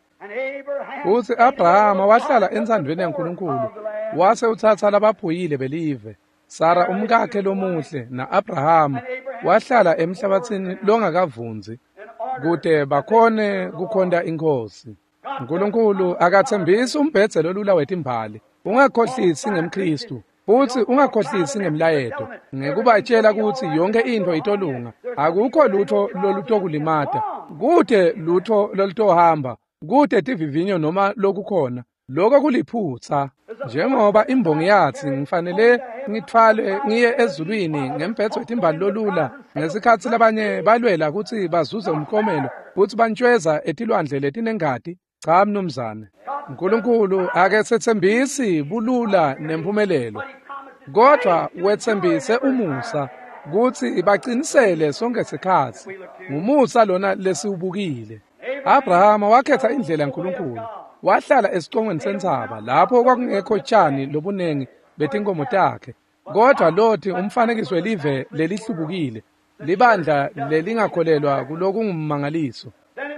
Futsi Abrahama wahlala entsandvweni yaNkulunkulu, wase utsatsa labaphuyile belive. Sara umkakhe lomuhle na-Abrahama wahlala emhlabatsini longakavundzi, kute bakhone kukhonta iNkhosi. Nkulunkulu akatsembisi umbhedze lolula wetimbali. Ungakhohlisi ngemKhristu, futsi ungakhohlisi ngemlayeto, ngekubatshela kutsi yonke intfo itolunga. Akukho lutho lolutokulimata, kute lutho lolutohamba, kute tivivinyo noma lokukhona. Lokho kuliphutsa. Njengoba imbongi yathi, ngifanele ngithwale ngiye ezulwini ngembhedze wetimbali lolula, ngesikhatsi labanye balwela kutsi bazuze umklomelo futsi bantjweza etilwandle letinengati. Cha mnumzane, Nkulunkulu aketsetsembisi bulula nemphumelelo, Kodwa wetsembise umusa kutsi bacinisele sonke sikhatsi. Ngumusa lona lesiwubukile. Abrahama wakhetha indlela yaNkulunkulu. Wahlala esicongweni sentsaba lapho kwakungekho tjani lobunengi betinkomo takhe. Kodwa Loti umfanekiso welive lelihlubukile, libandla lelingakholelwa kulokungummangaliso.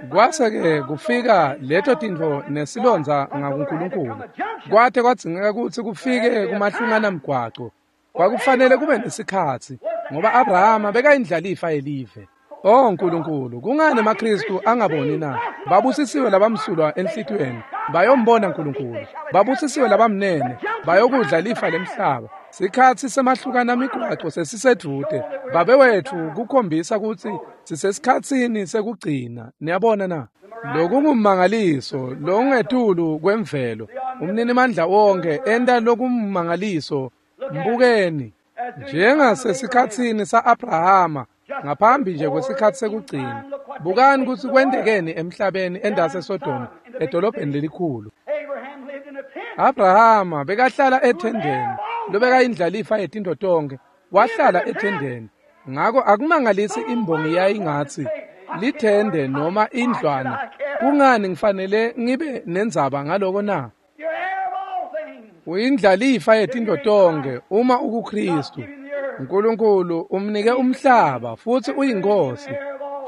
Kwase-ke kufika leto tintfo nesilondza ngakuNkulunkulu. Kwate kwadzingeka kutsi kufike kumahlungana mgwaco. Kwakufanele kube nesikhatsi, ngoba Abrahama bekayindlalifa yelive. Oh Nkulunkulu, kungani emaKhristu angaboni na? Babusisiwe labamsulwa enhlitiyweni, bayombona Nkulunkulu. Babusisiwe labamnene, bayokudla lifa lemhlaba. Sikhatsi semahlukana migwaco sesisedvute. Babe wetfu kukhombisa kutsi sisesikhatsini sekugcina. Niyabona na? Lokungummangaliso lokungetulu kwemvelo. Umninimandla wonke enta lokummangaliso. Mbukeni. Njengasesikhatsini sa-Abrahama, ngaphambi nje kwesikhatsi sekugcina. Bukani kutsi kwentekeni emhlabeni endase Sodoma, edolobheni lelikhulu. Abrahama bekahlala ethendeni, lobekayindlalifa yetintfo tonkhe, wahlala ethendeni. Ngako akumangalisi imbongi yayingatsi lithende noma indlwana, kungani ngifanele ngibe nendzaba ngaloko na? Uyindlalifa yetintfo tonkhe uma ukuKhristu. Nkulunkulu umnike umhlaba futsi uyinkosi,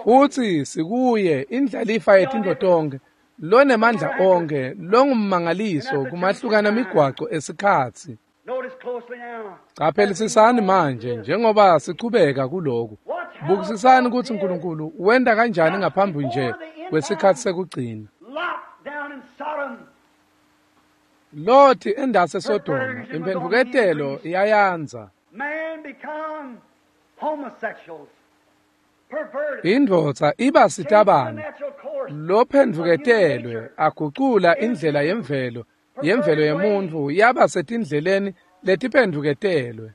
futsi sikuye indlalifa yetintfo tonkhe, lonemandla onkhe, longummangaliso kumahlukana migwaco esikhatsi. Caphelisisani manje njengoba sichubeka kuloku. Bukisisani kutsi Nkulunkulu wenta kanjani ngaphambi nje kwesikhatsi sekugcina. Loti endase Sodoma, imphendvuketelo iyayandza. Indvodza iba sitabane, lophendvuketelwe agucula indlela yemvelo, yemvelo yemuntfu yaba setindleleni letiphendvuketelwe.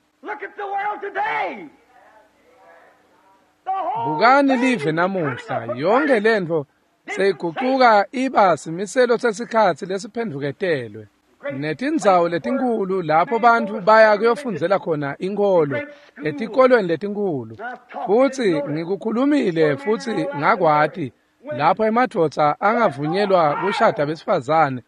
Bukani live namuhla, yonke lentfo seyigucuka iba simiselo sesikhatsi lesiphendvuketelwe. Netindzawo letinkulu lapho bantfu baya kuyofundzela khona inkholo etikolweni letinkulu. Futsi ngikukhulumile futsi ngakwati lapho emadvodza angavunyelwa kushada besifazane,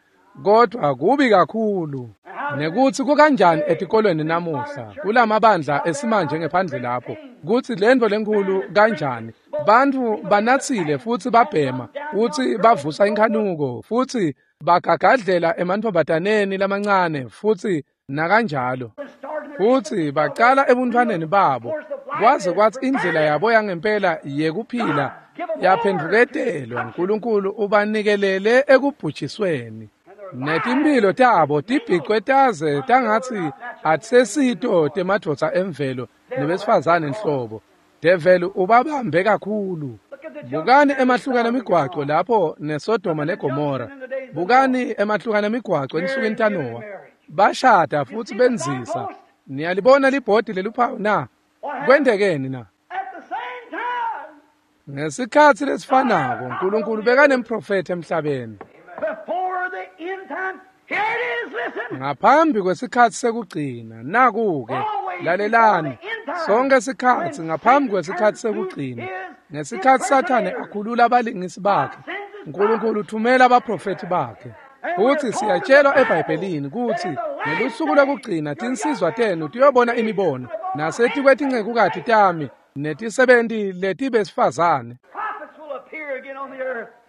kodwa kubi kakhulu. Nekutsi kukanjani etikolweni namuhla kulamabandla esimanje ngephandle lapho, kutsi lentfo lenkhulu kanjani bantfu banatsile futsi babhema futsi bavusa inkhanuko futsi bagagadlela emantfombataneni lamancane futsi nakanjalo, futsi bacala ebuntfwaneni babo kwaze kwatsi indlela yabo yangempela yekuphila yaphendvuketelwa. Nkulunkulu ubanikelele ekubhujisweni. Netimphilo tabo tibhicwe taze tangatsi atisesito temadvodza emvelo nebesifazane nhlobo. Develi ubabambe kakhulu. Bukani emahlukana emigwaco lapho neSodoma neGomora. Bukani emahlukana emigwaco ensukwini taNowa. Bashada futsi benzisa. Niyalibona libhodi leluphawu na? Kwentekeni na? Ngesikhatsi lesifanako Nkulunkulu bekanemprofethi emhlabeni. Ngaphambi kwesikhatsi sekugcina, naku-ke, lalelani, sonke sikhatsi ngaphambi kwesikhatsi sekugcina, ngesikhatsi Sathane akhulula abalingisi bakhe, Nkulunkulu uthumela abaprofethi bakhe. Futsi siyatshelwa eBhayibhelini kutsi ngelusuku lokugcina tinsizwa tenu tiyobona imibono, nasetikwetingcekukati tami netisebenti letibesifazane.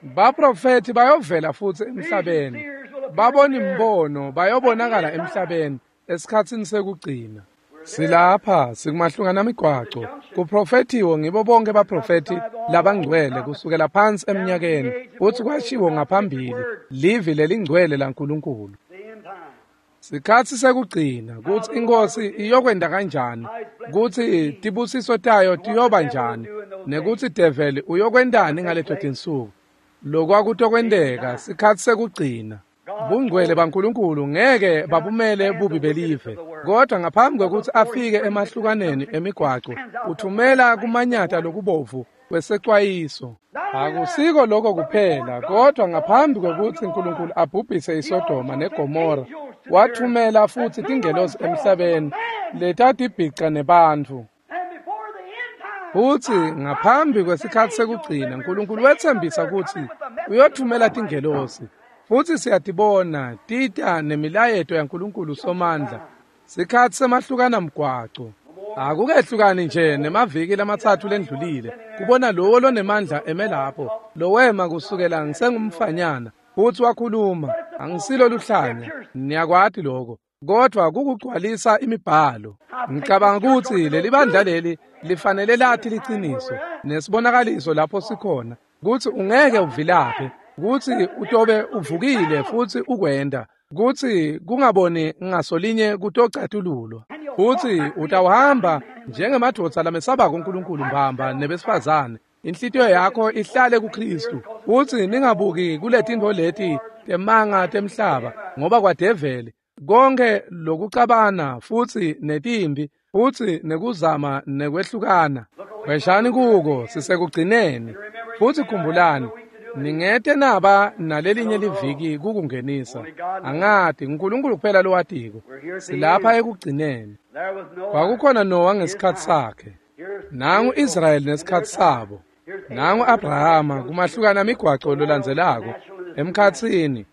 Baprofethi bayovela futsi emhlabeni, babona imbono bayobonakala emhlabeni esikhatsini sekugcina. Silapha sikumahlukana migwaco, kuprofethiwe ngibo bonke baprofethi labangcwele kusukela phansi eminyakeni, futsi kwashiwo ngaphambili livi lelingcwele laNkulunkulu. Sikhatsi sekugcina kutsi inkosi iyokwenta kanjani, kutsi tibusiso tayo tiyoba njani, nekutsi develi uyokwentani ngaleto tinsuku. Lokwakutokwenteka sikhatsi sekugcina. Bungcwele baNkulunkulu ngeke babumele bubi belive, kodwa ngaphambi kwekutsi afike emahlukaneni emigwaco, uthumela kumanyata lokubovu kwesecwayiso. Akusiko lokho kuphela, kodwa ngaphambi kwekutsi Nkulunkulu abhubhise iSodoma neGomora, wathumela futsi tingelosi emhlabeni letatibhica nebantfu. Futsi ngaphambi kwesikhatsi sekugcina Nkulunkulu wetsembisa kutsi uyothumela tingelosi, futsi siyatibona tita nemilayeto yaNkulunkulu Somandla. Sikhatsi semahlukana mgwaco. Akukehlukani nje nemaviki lamatsatfu lendlulile kubona lowo lonemandla eme lapho, lowema kusukela ngisengumfanyana futsi wakhuluma. Angisilo luhlanya, niyakwati lokho, kodwa kukugcwalisa imibhalo. Ngicabanga kutsi leli bandla leli lifanele lathi liciniso nesibonakaliso lapho sikhona, kutsi ungeke uvilaphe, kutsi utobe uvukile futsi ukwenda, kutsi kungaboni ngasolinye kutocatululwa, futsi utawuhamba njengemadvodza lamesabako uNkulunkulu mbamba nebesifazane. Inhlitiyo yakho ihlale kuKristu, futsi ningabuki kuletintfo leti temanga temhlaba, ngoba kwadeveli konke lokucabana futsi netimbi futsi nekuzama nekwehlukana. Khweshani kuko, sisekugcineni. Futsi khumbulani, ningete naba nalelinye liviki kukungenisa. Angati, uNkulunkulu kuphela lowatiko. Silapha ekugcineni. Kwakukhona Nowa ngesikhatsi sakhe, nangu Israyeli nesikhatsi sabo, nangu Abrahama kumahlukana migwaco lolandzelako emkhatsini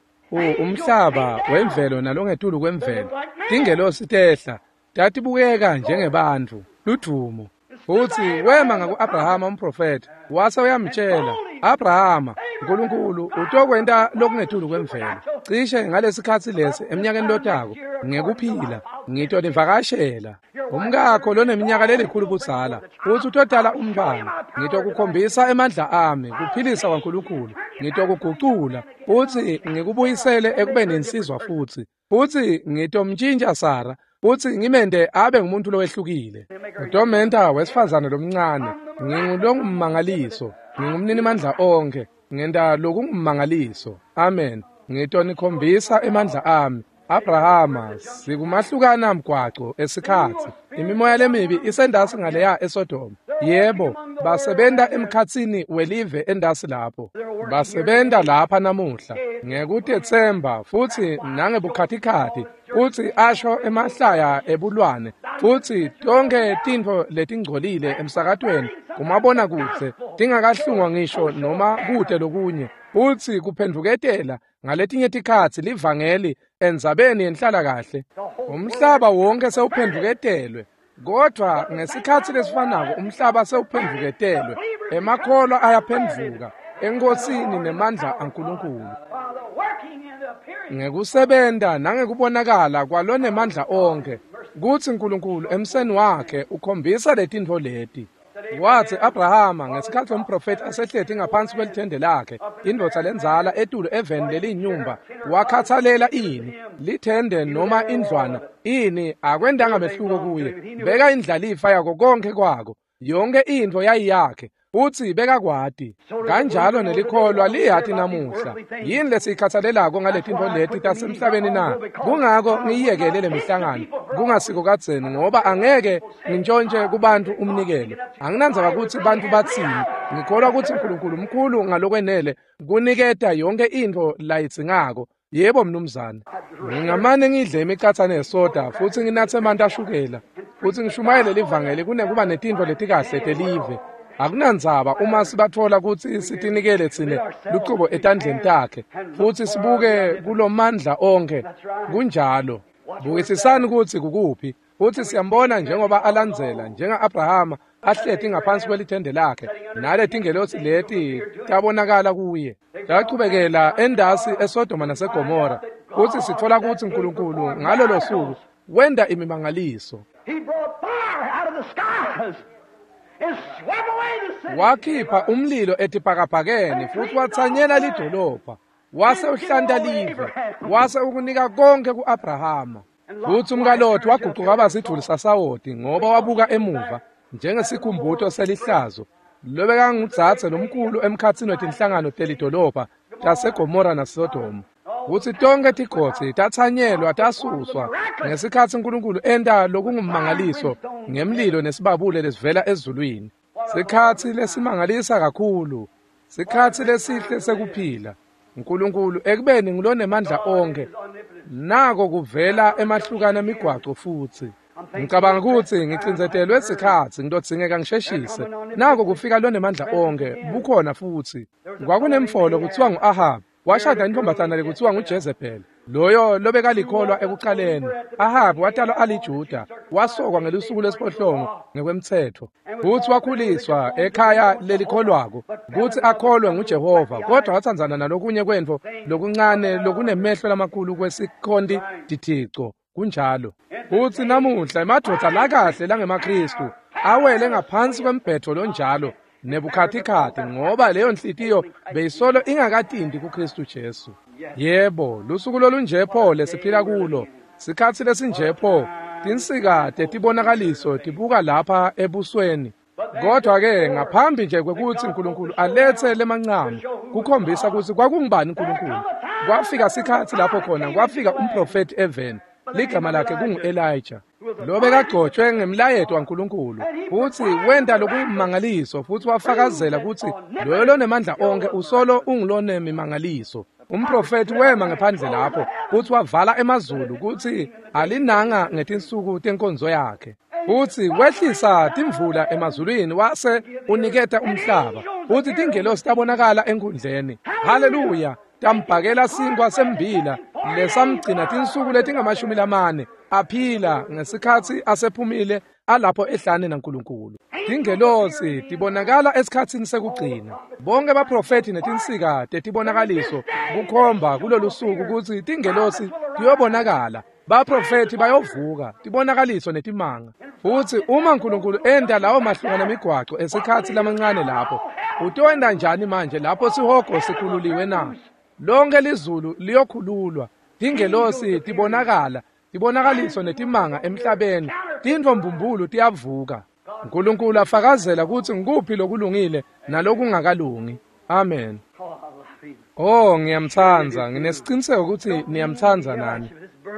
umhlaba wemvelo nalongetulu kwemvelo. Tingelosi tehla tatibukeka njengebantfu ludumo. Futsi wema ngaku-Abrahama umprofethi wase uyamtshela, Abrahama, Nkulunkulu utokwenta lokungetulu kwemvelo cishe ngalesikhatsi lesi eminyakeni lotako ngekuphila ngitonivakashela. Umkakho loneminyaka lelikhulu budzala futsi utotala umntfwana. Ngitokukhombisa emandla ami, kuphilisa kwaNkulunkulu. Ngitokugucula futsi ngikubuyisele ekubeni insizwa futsi. Futsi ngitomtshintsha Sara futsi ngimende abe ngumuntu lowehlukile. Utomenta wesifazane lomncane. Ngingulongumangaliso, ngingumninimandla onke, ngenta lokungumangaliso. Amen. Ngitonikhombisa emandla ami. Abrahama, sikumahlukana mgwaco esikhatsi. Imimoya lemibi isendasi ngaleya eSodoma. Yebo, basebenta emkhatsini welive endasi lapho. Basebenta lapha namuhla ngekutetsemba futsi nangebukhatikhathi, futsi asho emahlaya ebulwane, futsi tonkhe tintfo letingcolile emsakatweni kumabona kudze tingakahlungwa ngisho noma kute lokunye, futsi kuphendvuketela ngaletinye tikhatsi livangeli endzabeni yenhlalakahle. Umhlaba wonke sewuphendvuketelwe, kodvwa ngesikhatsi lesifanako umhlaba sewuphendvuketelwe. Emakholwa ayaphendvuka enkosini nemandla aNkulunkulu ngekusebenta nangekubonakala kwalonemandla onke, kutsi Nkulunkulu emseni wakhe ukhombisa letintfo leti. Watsi Abrahama ngesikhatsi umprofethi asehleti ngaphansi kwelithende lakhe, indvodza lendzala etulu eveni leliyinyumba, wakhathalela ini lithende noma indlwana ini akwendanga mehluko kuye. Beka indlalifa yako konke kwako, yonke intfo yayiyakhe, futsi bekakwati. Kanjalo nelikholwa liyati namuhla. Yini lesiyikhathalelako ngaletintfo leti tasemhlabeni na? Kungako ngiyiyekele lemihlangano kungasiko kadzeni, ngoba angeke ngintshontshe kubantu umnikelo. Anginandzaba kutsi bantfu batsini. Ngikholwa kutsi Nkulunkulu mkhulu ngalokwenele kuniketa yonke intfo layidzingako. Yebo mnumzane. Ngingamane ngidle imicatsane yesoda futsi nginatse emanti ashukela futsi ngishumayele livangeli kunekuba netintfo letikahle telive. Akunandzaba uma sibatfola kutsi sitinikele tsine lucubo etandleni takhe futsi sibuke kulomandla onke. Kunjalo. Bukisisani kutsi kukuphi. Futsi siyambona njengoba alandzela njenga-Abrahama ahleti ngaphansi kwelithende lakhe, naletingelosi leti tabonakala kuye. Tachubekela endasi eSodoma naseGomora, futsi sitfola kutsi Nkulunkulu ngalolo suku wenta imimangaliso. Wakhipha umlilo etibhakabhakeni futsi watsanyela lidolobha, wase uhlanta live, wase ukunika konke ku-Abrahama. Futsi umkaLothi wagucuka waba sidvuli sasawoti ngoba wabuka emuva njengesikhumbuto selihlazo lobekangudzadze lomkhulu emkhatsini wetinhlangano telidolobha taseGomora naseSodoma. Kutsi tonkhe tigodzi tatsanyelwa tasuswa ngesikhatsi Nkulunkulu enta lokungummangaliso ngemlilo nesibabule lesivela ezulwini. Sikhatsi lesimangalisa kakhulu, sikhatsi lesihle sekuphila. Nkulunkulu ekubeni ngulonemandla onkhe, nako kuvela emahlukana emigwaco futsi. Ngicabanga kutsi ngicindzetelwe sikhatsi, ngitodzingeka ngisheshise. Nako kufika lonemandla onkhe, bukhona futsi. Kwakunemfolo kuthiwa ngu-Ahab, washada intombazana lekuthiwa nguJezebel, loyo lobekalikholwa ekuqaleni. Ahab watalwa aliJuda, wasokwa ngelusuku lwesiphohlongo ngekwemtsetfo, futsi wakhuliswa ekhaya lelikholwako kutsi akholwe nguJehova, kodwa watsandzana nalokunye kwentfo lokuncane lokunemehlo lamakhulu kwesikhonti tithico. Kunjalo. Futsi namuhla emadvodza lakahle langemaKhristu awele ngaphansi kwembhetho lonjalo nebukhatikhathi, ngoba leyo nhliziyo beyisolo ingakatinti kuKhristu Jesu. Yebo, lusuku lolunje pho lesiphila kulo, sikhatsi lesinje pho, tinsika tetibonakaliso tibuka lapha ebusweni. Kodwa-ke ngaphambi nje kwekutsi Nkulunkulu aletse lemancamu kukhombisa kutsi kwakungubani Nkulunkulu, kwafika sikhatsi lapho khona kwafika umprofethi eveni, ligama lakhe kungu-Elijah, lobekagcotshwe ngemlayeto waNkulunkulu, futsi wenta lokumangaliso, futsi wafakazela kutsi loyo lonemandla onkhe usolo ungulonemimangaliso. Umprofethi wema ngephandle lapho futsi wavala emazulu kutsi alinanga ngetinsuku tenkonzo yakhe, futsi wehlisa timvula emazulwini wase uniketa umhlaba, futsi tingelosi tabonakala enkundleni. Haleluya! Tambhakela sinkwa sembila lesamgcina tinsuku letingamashumi lamane aphila ngesikhatsi asephumile alapho ehlane naNkulunkulu. Tingelosi tibonakala esikhatsini sekugcina. Bonke baprofethi netinsika tetibonakaliso kukhomba kulolu suku kutsi tingelosi tiyobonakala, baprofethi bayovuka, tibonakaliso netimanga. Futsi uma Nkulunkulu enta lawo mahlukana migwaco esikhatsi lamancane lapho, utoenda njani manje lapho sihogo sikhululiwe na? Lonke lizulu liyokhululwa, tingelosi tibonakala, tibonakaliso netimanga emhlabeni, tintfo mbumbulu tiyavuka. Nkulunkulu afakazela kutsi ngikuphi lokulungile nalokungakalungi. Amen. Oh, ngiyamtsandza, nginesiciniseko kutsi niyamtsandza nani.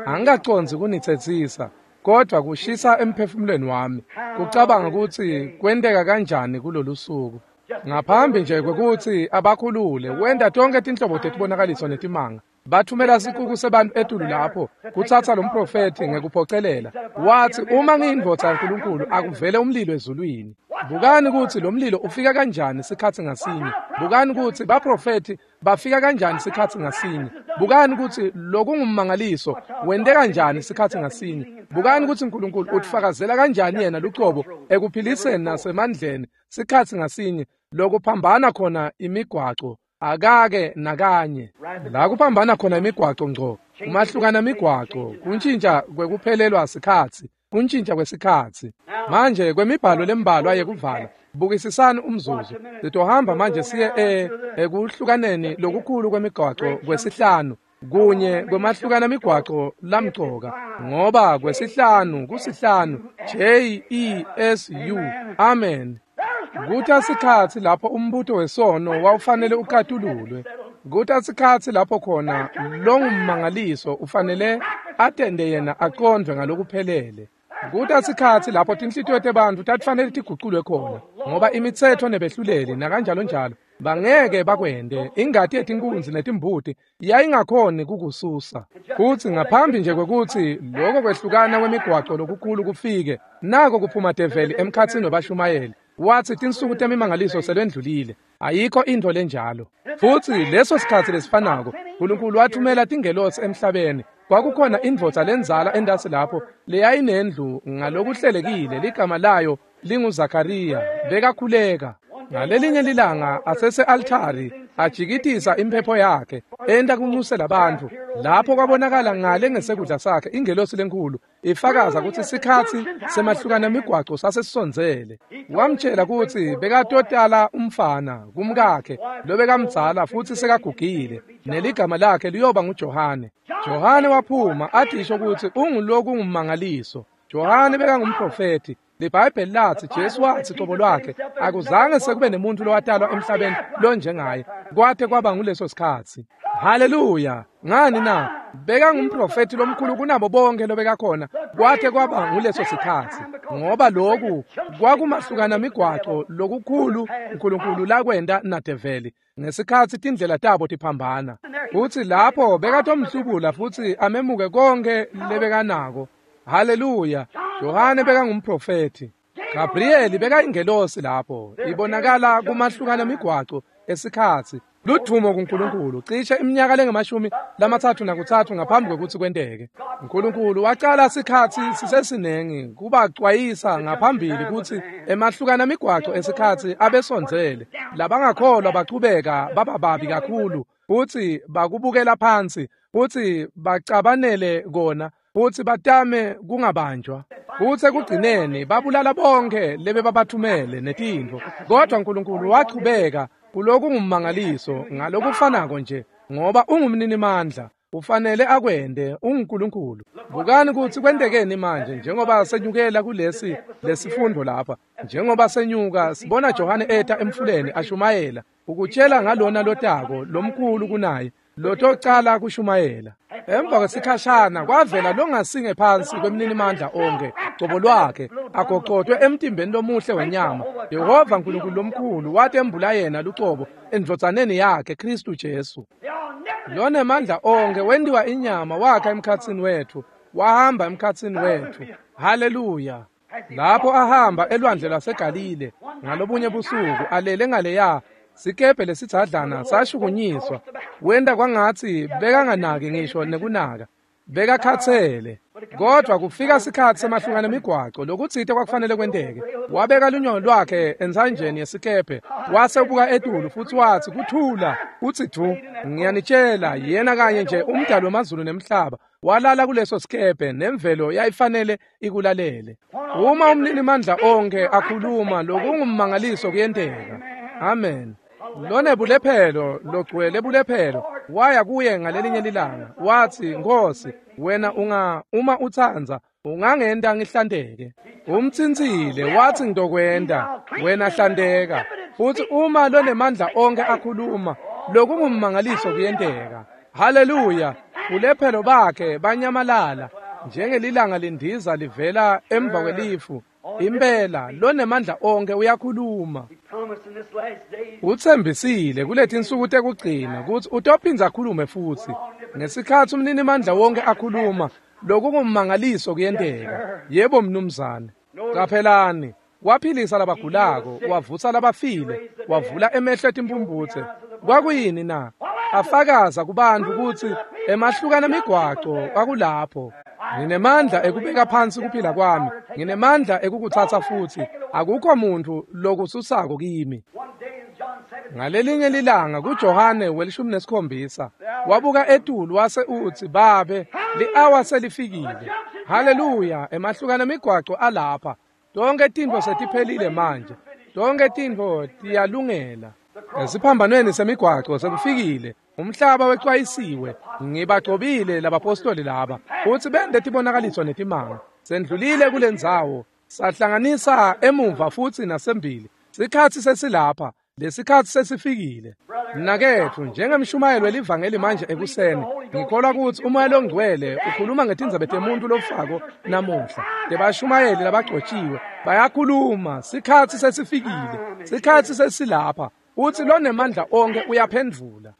Angikacondzi kunitsetsisa, kodwa kushisa emphefumulweni wami kucabanga kutsi kwenteka kanjani kulolu suku. Ngaphambi nje kwekutsi abakhulule, wenta tonke tinhlobo tetibonakaliso netimanga. Bathumela sicuku sebantu etulu lapho kutsatsa lo mprofethi ngekuphocelela. Wathi uma ngiyindvodza yaNkulunkulu akuvele umlilo ezulwini. Bukani kutsi lo mlilo ufika kanjani sikhatsi ngasinye. Bukani kutsi baprofethi bafika kanjani sikhatsi ngasinye. Bukani kutsi lokungummangaliso wenteka kanjani sikhatsi ngasinye. Bukani kutsi Nkulunkulu utifakazela kanjani yena lucobo ekuphiliseni nasemandleni sikhatsi ngasinye, lokuphambana khona imigwaco akake nakanye. La kuphambana khona imigwaco ngco, umahlukana imigwaco, kuntshintsha kwekuphelelwa sikhatsi, kuntshintsha kwesikhatsi. Manje kwemibhalo lembalwa yekuvala, bukisisani umzuzu. Sitohamba manje siye e ekuhlukaneni lokukhulu kwemigwaco kwesihlanu, kunye kwemahlukana imigwaco lamcoka, ngoba kwesihlanu kusihlanu J E S U. Amen. Kuta sikhatsi lapho umbuto wesono wawufanele uqatululwe. Kuta sikhatsi lapho khona longummangaliso ufanele atende yena aqondwe ngalokuphelele. Kuta sikhatsi lapho tinhlitiyo tebantfu tatifanele tiguculwe khona, ngoba imitsetfo nebehluleli nakanjalo njalo bangeke bakwende. Ingati yetinkunzi netimbuti yayingakhoni kukususa. Futsi ngaphambi nje kwekutsi lokho kwehlukana kwemigwaco lokukhulu kufike, nako kuphuma develi emkhatsini webashumayeli. Wathi tinsuku temimangaliso selwendlulile, ayikho intfo lenjalo. Futsi leso sikhatsi lesifanako Nkulunkulu wathumela tingelosi emhlabeni. Kwakukhona indvodza lendzala endasi lapho leyayinendlu ngalokuhlelekile, ligama layo linguZakhariya, bekakhuleka. Ngalelinye lilanga asese-altari ajikitisa imphepho yakhe enta kunxusela bantfu, lapho kwabonakala ngale ngesekudla sakhe ingelosi lenkhulu ifakaza kutsi sikhatsi semahlukana migwaco sasesisondzele. Wamtshela kutsi bekatotala umfana kumkakhe lobekamdzala futsi sekagugile, neligama lakhe liyoba nguJohane. Johane waphuma atisho kutsi ungulokungummangaliso. Johane bekangumprofethi, LiBhayibheli lathi Jesu wathi cobo lwakhe akuzange sekube nemuntu lowatalwa emhlabeni lonjengaye kwate kwaba nguleso sikhatsi. Haleluya! Ngani na? Beka ngumprofeti lomkhulu kunabo bonke lobekakhona kwate kwaba nguleso sikhatsi, ngoba lokhu kwakumahlukana migwaco lokukhulu uNkulunkulu lakwenta nadeveli ngesikhatsi tindlela tabo tiphambana. Futsi lapho bekatomhlubula futsi amemuke konke lebekanako. Haleluya! Johane bekangumprofeti. Gabrieli bekayingelosi lapho ibonakala kumahlukana migwaco esikhatsi. Ludvumo kuNkulunkulu cishe iminyaka lengamashumi lamatsatfu nakutsatfu ngaphambi kwekutsi kwenteke. uNkulunkulu wacala sikhatsi sisesinengi kubacwayisa ngaphambili kutsi emahlukana migwaco esikhatsi abesondzele. Labangakholwa bachubeka babababi kakhulu futsi bakubukela phansi futsi bacabanele kona futsi batame kungabanjwa. Futsi ekugcineni babulala bonke lebebabathumele netintfo. Kodwa uNkulunkulu wachubeka kulokungummangaliso ngalokufanako nje, ngoba ungumninimandla ufanele akwente, unguNkulunkulu. Bukani kutsi kwentekeni manje njengoba senyukela kulesi lesifundo lapha. Njengoba senyuka sibona Johane eta emfuleni ashumayela ukutshela ngalona lotako lomkhulu kunaye lotocala kushumayela. Emva kwesikhashana kwavela longasinge phansi kwemninimandla onke cobo lwakhe agocotwe emtimbeni lomuhle wenyama. Yehova uNkulunkulu lomkhulu watembula yena lucobo endvodzaneni yakhe Kristu Jesu. Lonemandla onke wentiwa inyama wakha emkhatsini wetfu, wahamba emkhatsini wetfu. Haleluya! Lapho ahamba elwandle lwaseGalile ngalobunye busuku alele ngaleya, sikebhe lesidzadlana sashukunyiswa. Wenta kwangatsi bekanganaki ngisho nekunaka, bekakhatsele. Kodwa kufika sikhatsi semahlukana migwaco lokutsite kwakufanele kwenteke. Wabeka lunyawo lwakhe entsanjeni yesikebhe wase ubuka etulu futsi watsi kuthula, utsi du. Ngiyanitshela, yena kanye nje umdali wemazulu nemhlaba walala kuleso sikebhe, nemvelo yayifanele ikulalele. Uma umninimandla onke akhuluma, lokungummangaliso kuyenteka. Amen. Lonebulephelo logcwele bulephelo waya kuye ngalelinye lilanga watsi, Nkosi, wena unga uma utsandza ungangenta ngihlanteke. Umtsintsile watsi, ngitokwenta, wena hlanteka. Futsi uma lonemandla onke akhuluma, lokungummangaliso kuyenteka. Haleluya! Bulephelo bakhe banyamalala njengelilanga lindiza livela emva kwelifu. Impela lonemandla onke uyakhuluma. Utsembisile kuletinsuku tekugcina kutsi utophinza akhulume futsi. Ngesikhatsi umninimandla wonke akhuluma, lokungummangaliso kuyenteka. Yebo mnumzane. Qaphelani, waphilisa labagulako, wavusa labafile, wavula emehlo etimphumphutse. Kwakuyini na? Afakaza kubantfu kutsi emahlukana migwaco kwakulapho. Nginemandla ekubeka phansi kuphila kwami, nginemandla ekukutsatsa futsi, akukho muntu lokususako kimi. Ngalelinye lilanga kuJohane welishumi nesikhombisa wabuka etulu wase utsi, Babe, li-awa selifikile. Haleluya! Emahlukana migwaco alapha. Tonke tintfo setiphelile manje. Tonke tintfo tiyalungela. Esiphambanweni semigwaco sekufikile. Umhlaba wecwayisiwe. Ngibagcobile labapostoli laba futsi bente tibonakaliso netimanga. Sendlulile kulendzawo, sahlanganisa emuva futsi nasembili. Sikhatsi sesilapha, lesikhatsi sesifikile. Mnaketfu, njengemshumayelo welivangeli manje ekuseni, ngikholwa kutsi umoya longcwele ukhuluma ngetindzebe temuntu lofako namuhla. Tebashumayeli labagcotshiwe bayakhuluma, sikhatsi sesifikile, sikhatsi sesilapha. Utsi lonemandla onke uyaphendvula.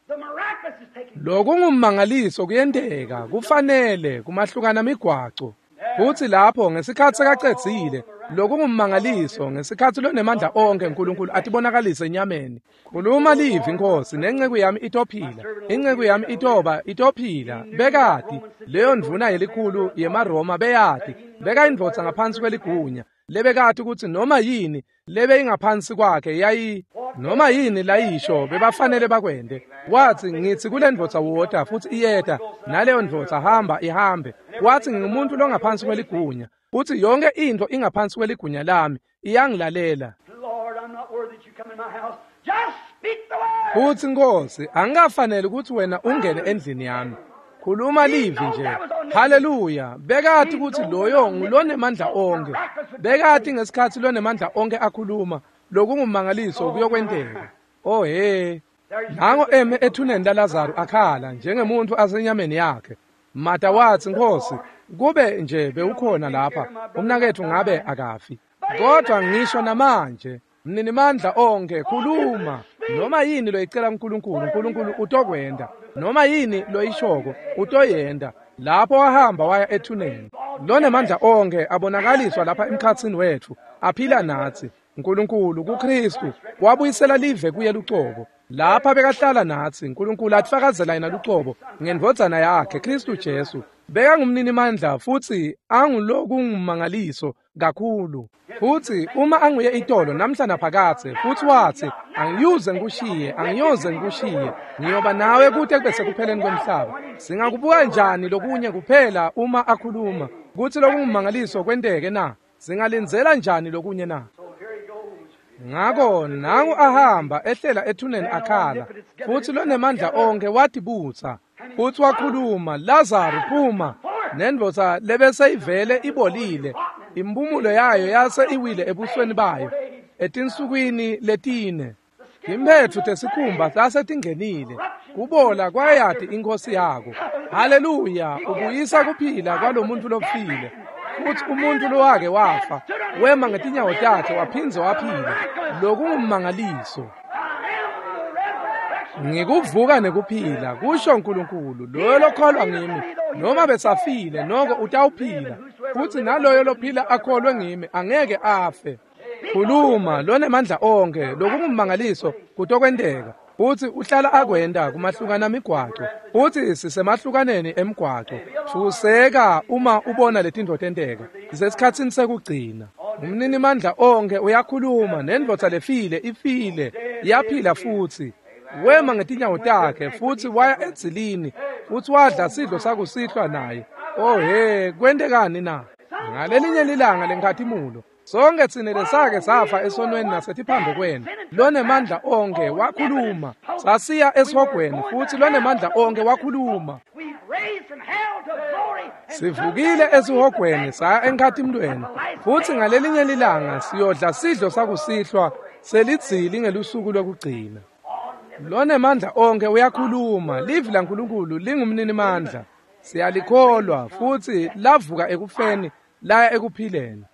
Lokungummangaliso kuyenteka, kufanele kumahlukana migwaco. Futsi lapho ngesikhatsi sekacedzile, lokungummangaliso ngesikhatsi lonemandla onke uNkulunkulu atibonakalise enyameni. Khuluma livi Nkosi, nenceku yami itophila. Inceku yami itoba itophila. Bekati leyo ndvuna yelikhulu yemaRoma beyati. Bekayindvodza ngaphansi kweligunya. Lebekati kutsi noma yini lebeyingaphansi kwakhe yayi noma yini layisho bebafanele bakwente. Watsi, ngitsi kule ndvodza wota futsi iyeta, naleyo ndvodza hamba ihambe. Watsi, ngingumuntu longaphansi kweligunya, futsi yonke intfo ingaphansi kweligunya lami, iyangilalela. Futsi Nkosi, angikafanele kutsi wena ungene endlini yami. Khuluma livi nje. Haleluya. Bekati kutsi loyo ngulonemandla onkhe. Bekati ngesikhatsi lonemandla onkhe akhuluma, lokungumangaliso kuyokwenteka. Oh he. Nango eme ethuneni laLazaru akhala njengemuntu asenyameni yakhe. Mata watsi, Nkhosi, kube nje bewukhona lapha, umnaketfu ngabe akafi. Kodwa ngisho namanje, Mninimandla onkhe, khuluma. Noma yini loyicela kuNkulunkulu, uNkulunkulu utokwenta. Noma yini loyishoko, utoyenta. Lapho wahamba waya ethuneni. Lonemandla onkhe abonakaliswa lapha emkhatsini wetfu, aphila natsi. uNkulunkulu kuKristu wabuyisela live kuye lucobo. Lapha bekahlala natsi, uNkulunkulu atifakazela yena lucobo ngendvodzana yakhe Kristu Jesu. Bekangumninimandla futsi angulokungumangaliso kakhulu. Futsi uma anguye itolo namhla naphakadze, futsi watsi, angiyuze ngikushiye, angiyoze ngikushiye, ngiyoba nawe kute kube sekupheleni kwemhlaba. Singakubuka njani lokunye kuphela uma akhuluma kutsi lokungumangaliso kwenteke na? Singalindzela njani lokunye na? Ngako nangu ahamba ehlela ethuneni akhala, futsi lonemandla onkhe watibutsa, futsi wakhuluma, Lazaru phuma. Nendvodza lebeseyivele ibolile, impumulo yayo yase iwile ebusweni bayo etinsukwini letine. Timphetfu tesikhumba tase tingenile, kubola kwayati inkhosi yako. Haleluya, ubuyisa kuphila kwalomuntu lofile. Futsi umuntu lowake wafa wema ngetinyawo takhe waphindze waphila. Lokungumangaliso. Ngikuvuka nekuphila, kusho uNkulunkulu. Loyo lokholwa ngimi, noma besafile, noko utawuphila. Futsi naloyo lophila akholwe ngimi angeke afe. Khuluma, lonemandla onkhe, lokungumangaliso kutokwenteka. Futsi uhlala akwenta kumahlukana migwaco. Futsi sisemahlukaneni emgwaco. Thuseka uma ubona letintfo tenteka. Sisesikhatsini sekugcina. Umninimandla onkhe uyakhuluma, nendvodza lefile ifile, iyaphila futsi. Wema ngetinyawo takhe futsi waya edzilini, futsi wadla sidlo sakusihlwa naye. Oh he, kwentekani na? Ngalelinye lilanga lenkhatimulo, sonke tsine lesake safa esonweni nasetiphambekweni, lonemandla onkhe wakhuluma. Sasiya esihogweni futsi lonemandla onkhe wakhuluma. Sivukile esihogweni saya enkhatimulweni, futsi ngalelinye lilanga siyodla sidlo sakusihlwa selidzili ngelusuku lwekugcina. Lonemandla onkhe uyakhuluma. Livi laNkulunkulu lingumninimandla. Siyalikholwa futsi lavuka ekufeni laya ekuphileni.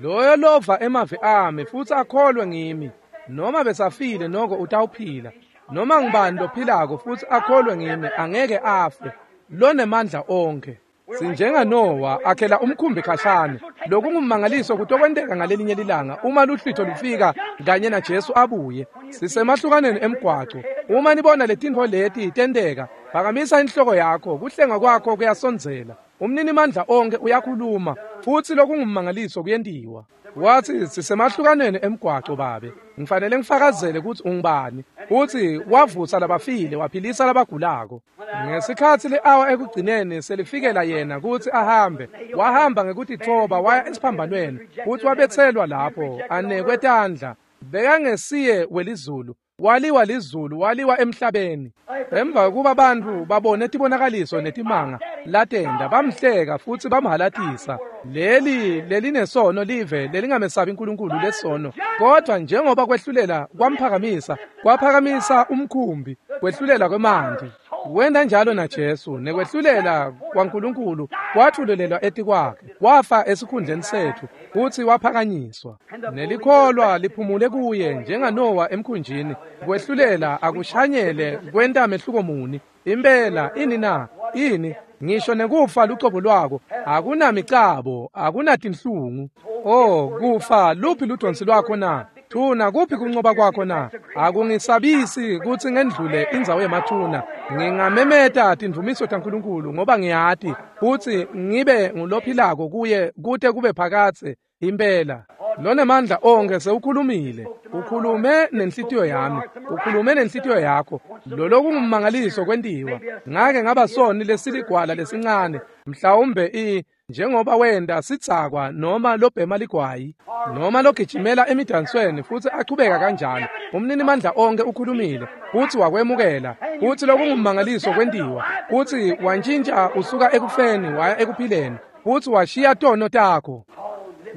Loyo lova emavi ami futsi akholwe ngimi, noma besafile noko utawuphila. Noma ngubani lophilako futsi akholwe ngimi angeke afe. Lonemandla onkhe. Sinjenga Nowa akhela umkhumbi khashane. Lokungumangaliso kutokwenteka ngalelinye lilanga uma luhlwitho lufika kanye naJesu abuye. Sisemahlukaneni emgwaco. Uma nibona letintfo leti tenteka, phakamisa inhloko yakho, kuhlengwa kwakho kuyasondzela. Umninimandla onkhe uyakhuluma futsi lokungumangaliso kuyentiwa. Watsi, sisemahlukaneni emgwaco babe, ngifanele ngifakazele kutsi ungubani. Futsi wavusa labafile, waphilisa labagulako. Ngesikhatsi le-awa ekugcineni selifikela yena kutsi ahambe, wahamba ngekutitfoba waya esiphambanweni, futsi wabetselwa lapho anekwe tandla. Bekangesiye welizulu, waliwa lizulu, waliwa emhlabeni. Emva kokuba bantfu babone tibonakaliso netimanga latenda, bamhleka futsi bamhalatisa. Leli lelinesono live lelingamesabi uNkulunkulu lesono. Kodwa njengoba kwehlulela kwamphakamisa, kwaphakamisa umkhumbi, kwehlulela kwemanti. Wenta njalo naJesu, nekwehlulela kwaNkulunkulu kwathululelwa etikwakhe. Wafa esikhundleni setfu futsi waphakanyiswa. Nelikholwa liphumule kuye njengaNowa emkhunjini. Kwehlulela akushanyele kwenta mehluko muni. Impela ini na? Ini? Ngisho nekufa lucobo lwako akunamicabo, akunatinhlungu. Oh, kufa, luphi ludonsi lwakho na? Thuna, kuphi kuncoba kwakho na? Akungisabisi kutsi ngendlule indzawo yemathuna. Ngingamemeta tindvumiso taNkulunkulu ngoba ngiyati futsi ngibe ngulophilako kuye kute kube phakadze. Impela lonemandla onkhe sewukhulumile. Ukhulume nenhlitiyo yami, ukhulume nenhlitiyo yakho. Lolokungumangaliso kwentiwa. Ngake ngaba soni lesiligwala lesincane, mhlawumbe i njengoba wenda sidzakwa noma lobhema ligwayi noma logijimela emidansweni futsi achubeka kanjalo. Umninimandla onke ukhulumile futsi wakwemukela, futsi lokungummangaliso kwentiwa, futsi wantjintja usuka ekufeni waya ekuphileni, futsi washiya tono takho.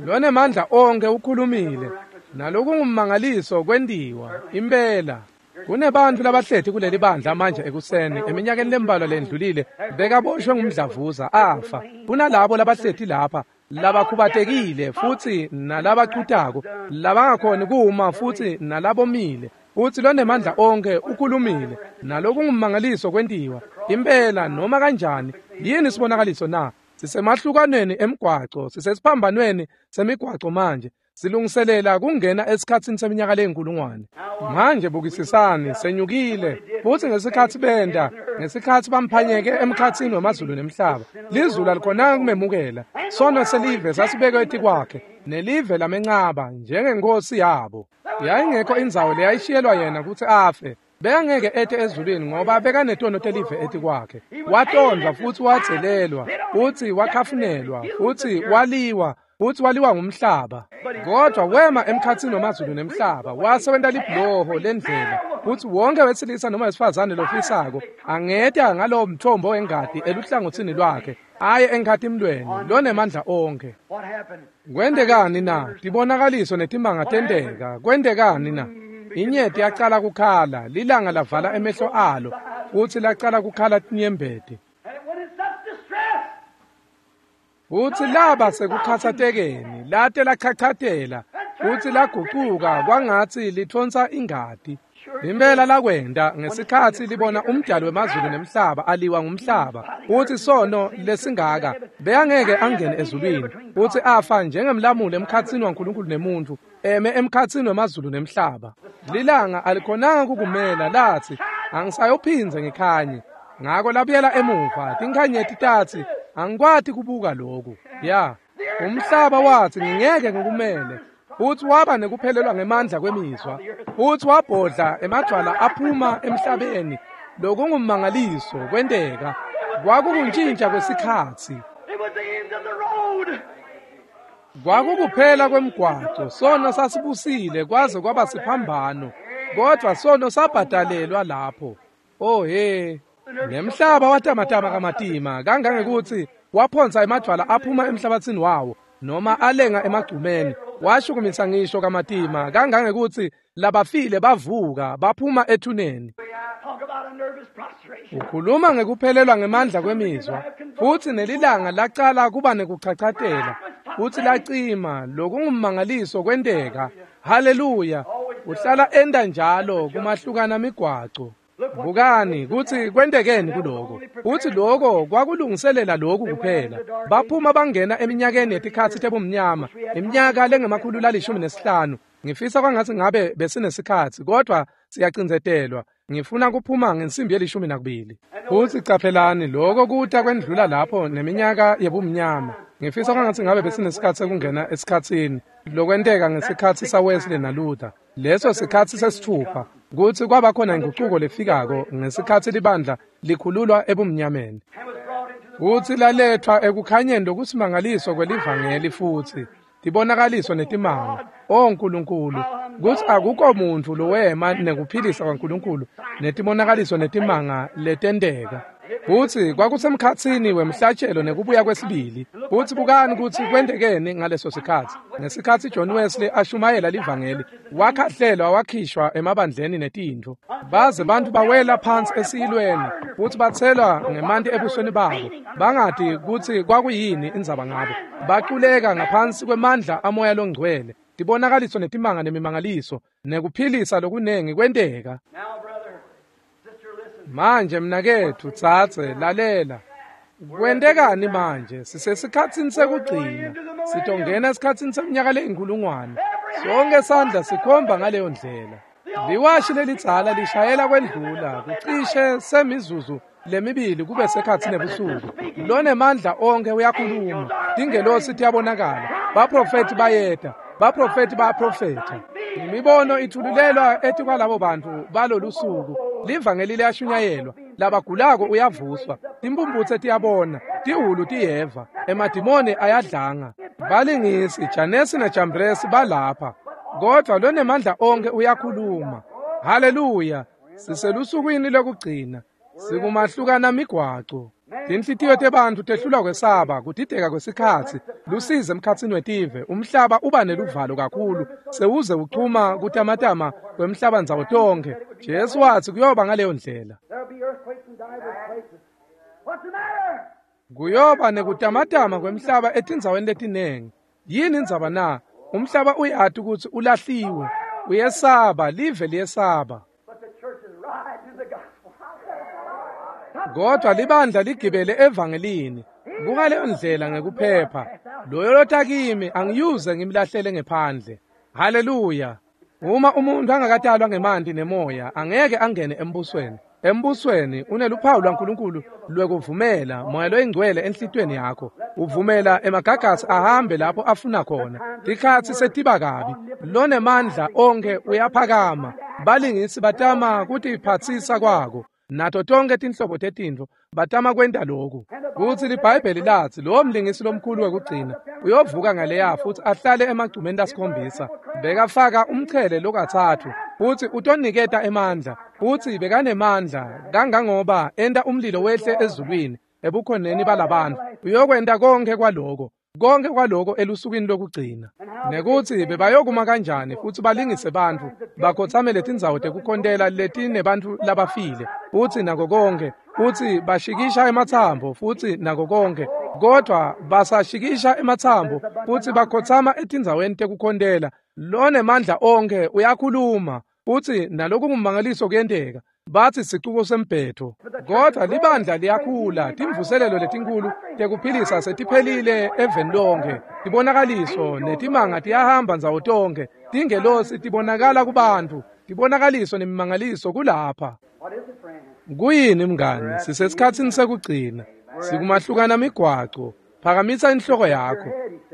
Lonemandla onke ukhulumile, nalokungummangaliso kwentiwa impela. Kunebantu labahleti kuleli bandla manje ekuseni eminyakeni lembalwa lendlulile bekaboshwe ngumdlavuza afa. Kunalabo labahleti lapha labakhubatekile futsi nalabacutako, labangakhoni kuma futsi nalabomile, futsi lonemandla onke ukhulumile, nalokungummangaliso kwentiwa impela. Noma kanjani, yini sibonakaliso na? Sisemahlukanweni emgwaco, sisesiphambanweni semigwaco manje, silungiselela kungena esikhatsini seminyaka leyinkulungwane. Manje bukisisani, senyukile futsi ngesikhatsi benda, ngesikhatsi bamphanyeke emkhatsini wemazulu nemhlaba, lizulu alikhonanga kumemukela. Sono selive sasibekwe etikwakhe, nelive lamencaba njengenkosi yabo. Yayingekho indzawo leyayishiyelwa yena kutsi afe. Bekangeke ete ezulwini ngoba bekanetono telive etikwakhe. Watondwa futsi wadzelelwa, futsi wakhafunelwa, futsi waliwa, futsi waliwa ngumhlaba. Kodwa wema emkhatsini wemazulu nemhlaba, wasebenta libhuloho lendlela, futsi wonke wesilisa noma wesifazane lofisako angeta ngalowo mthombo wengati eluhlangotsini lwakhe aye enkhatimlweni lonemandla onke. Kwentekani na? Tibonakaliso netimanga tenteka. Kwentekani na? Inyeti yacala kukhala, lilanga lavala emehlo alo, futsi lacala kukhala tinyembeti. Futsi laba sekukhatsatekeni, late lachachatela, futsi lagucuka kwangatsi litfonsa ingati. Impela lakwenta ngesikhatsi libona umdali wemazulu nemhlaba aliwa ngumhlaba, futsi sono lesingaka bekangeke angene ezulwini, futsi afa njengemlamuli emkhatsini waNkulunkulu nemuntfu, eme emkhatsini wemazulu nemhlaba. Lilanga alikhonanga kukumela, latsi angisayophindze ngikhanye. Ngako labuyela emuva, tinkhanyeti tatsi angikwati kubuka lokhu. Ya, umhlaba watsi ngingeke ngikumele, futsi waba nekuphelelwa ngemandla kwemizwa, futsi wabhodla emadvwala aphuma emhlabeni. Lokungummangaliso kwenteka, kwakukuntjintja kwesikhatsi, kwakukuphela kwemgwaco. Sono sasibusile kwaze kwaba siphambano, kodwa sono sabhadalelwa lapho. Oh he, nemhlaba watamatama kamatima kangangekutsi waphonsa emadvwala aphuma emhlabatsini wawo noma alenga emagcumeni, washukumisa ngisho kamatima kangangekutsi labafile bavuka baphuma ethuneni. Ukhuluma ngekuphelelwa ngemandla kwemizwa, futsi nelilanga lacala kuba nekuchachatela, futsi lacima. Lokungummangaliso kwenteka. Haleluya! Uhlala enda njalo kumahlukana migwaco. Bukani kutsi kwentekeni kuloko. Futsi loko kwakulungiselela lokhu kuphela. Baphuma bangena eminyakeni yetikhatsi tebumnyama, iminyaka lengemakhulu lalishumi nesihlanu. Ngifisa kwangatsi ngabe besinesikhatsi, kodwa siyacindzetelwa. Ngifuna kuphuma ngensimbi yelishumi nakubili. Futsi caphelani loko kuta kwendlula lapho neminyaka yebumnyama. Ngifisa kwangatsi ngabe besinesikhatsi sekungena esikhatsini lokwenteka ngesikhatsi saWesley naLuther. Leso sikhatsi sesithupha, kutsi kwaba khona ingucuko lefikako ngesikhatsi libandla likhululwa ebumnyameni, futsi lalethwa ekukhanyeni lokusimangaliso kwelivangeli, futsi tibonakaliso netimanga. O Nkulunkulu, kutsi akukho muntfu lowema nekuphilisa kwaNkulunkulu netibonakaliso netimanga letenteka. Futsi kwakusemkhatsini wemhlatshelo nekubuya kwesibili. Futsi bukani kutsi kwentekeni ngaleso sikhatsi. Ngesikhatsi John Wesley ashumayela livangeli, wakhahlelwa wakhishwa emabandleni netintfo, baze bantfu bawela phansi esiyilweni futsi batselwa ngemanti ebusweni babo, bangati kutsi kwakuyini indzaba ngabo. Baculeka ngaphansi kwemandla amoya longcwele. Tibonakaliso netimanga nemimangaliso nekuphilisa lokunengi kwenteka. Manje mnaketfu, tsatse, lalela. Kwentekani manje? Sisesikhatsini sekugcina. Sitongena esikhatsini seminyaka leyinkulungwane. Sonke sandla sikhomba ngaleyo ndlela. Liwashi lelidzala lishayela kwendlula kucishe semizuzu lemibili kube sekhatsi nebusuku. Lonemandla onke uyakhuluma, tingelosi tiyabonakala, baprofethi bayeta, baprofethi bayaprofetha. Imibono ithululelwa etikwalabo bantfu balolu suku. Livangeli liyashunyayelwa, labagulako uyavuswa, timpumputse tiyabona, Tihulu tiyeva, emadimoni ayadlanga. Balingisi Janesi naJambresi balapha, kodvwa lonemandla onkhe uyakhuluma. Haleluya! Siselusukwini lokugcina, sikumahlukana migwaco. Tinhlitiyo tebantfu tehlulwa kwesaba, kudideka kwesikhatsi, lusizi emkhatsini wetive. Umhlaba uba neluvalo kakhulu, sewuze uchuma kutamatama kwemhlaba ndzawo tonkhe. Jesu watsi kuyoba ngaleyo ndlela. Kuyoba nekutamatama kwemhlaba etindzaweni letinengi. Yini indzaba na? Umhlaba uyati kutsi ulahliwe, uyesaba, live liyesaba. Kodwa libandla ligibele evangelini. Kungaleyo ndlela ngekuphepha. Loyo lota kimi angiyuze ngimlahlele ngephandle. Haleluya! Uma umuntu angakatalwa ngemanti nemoya, angeke angene embusweni. Embusweni uneluphawu lwaNkulunkulu lwekuvumela moya loyingcwele enhlitiyweni yakho. Uvumela emagagasi ahambe lapho afuna khona. Tikhatsi setiba kabi. Lonemandla onkhe uyaphakama. Balingisi batama kutiphatsisa kwako. Nato tonke tinhlobo tetintfo batama kwenta lokhu. Kutsi liBhayibheli latsi lowo mlingisi lomkhulu wekugcina uyovuka ngaleya futsi ahlale emagcumeni lasikhombisa. Bekafaka umchele lokatsatfu futsi utoniketa emandla, futsi bekanemandla kangangoba enta umlilo wehle ezulwini ebukhoneni balabantfu. Uyokwenta konke kwaloko, konke kwaloko elusukwini lokugcina. Nekutsi bebayokuma kanjani futsi balingise bantfu bakhotsamele tindzawo tekukhontela letinebantfu labafile, futsi nako konke, futsi bashikisha ematsambo, futsi nako konke, kodvwa basashikisha ematsambo futsi bakhotsama etindzaweni tekukhontela. Lonemandla onkhe uyakhuluma, futsi nalokungummangaliso kuyenteka. Batsi sicuko sembhetho, kodwa libandla liyakhula. Timvuselelo letinkhulu tekuphilisa setiphelile eveni lonke. Tibonakaliso netimanga tiyahamba ndzawo tonkhe. Tingelosi tibonakala kubantfu, tibonakaliso nemimangaliso kulapha. Kuyini mngani? Sisesikhatsini sekugcina, sikumahlukana migwaco. Phakamisa inhloko yakho.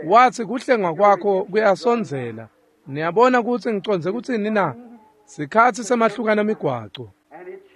Watsi kuhlengwa kwakho kuyasondzela. Niyabona kutsi ngicondze kutsini na? Sikhatsi semahlukana migwaco.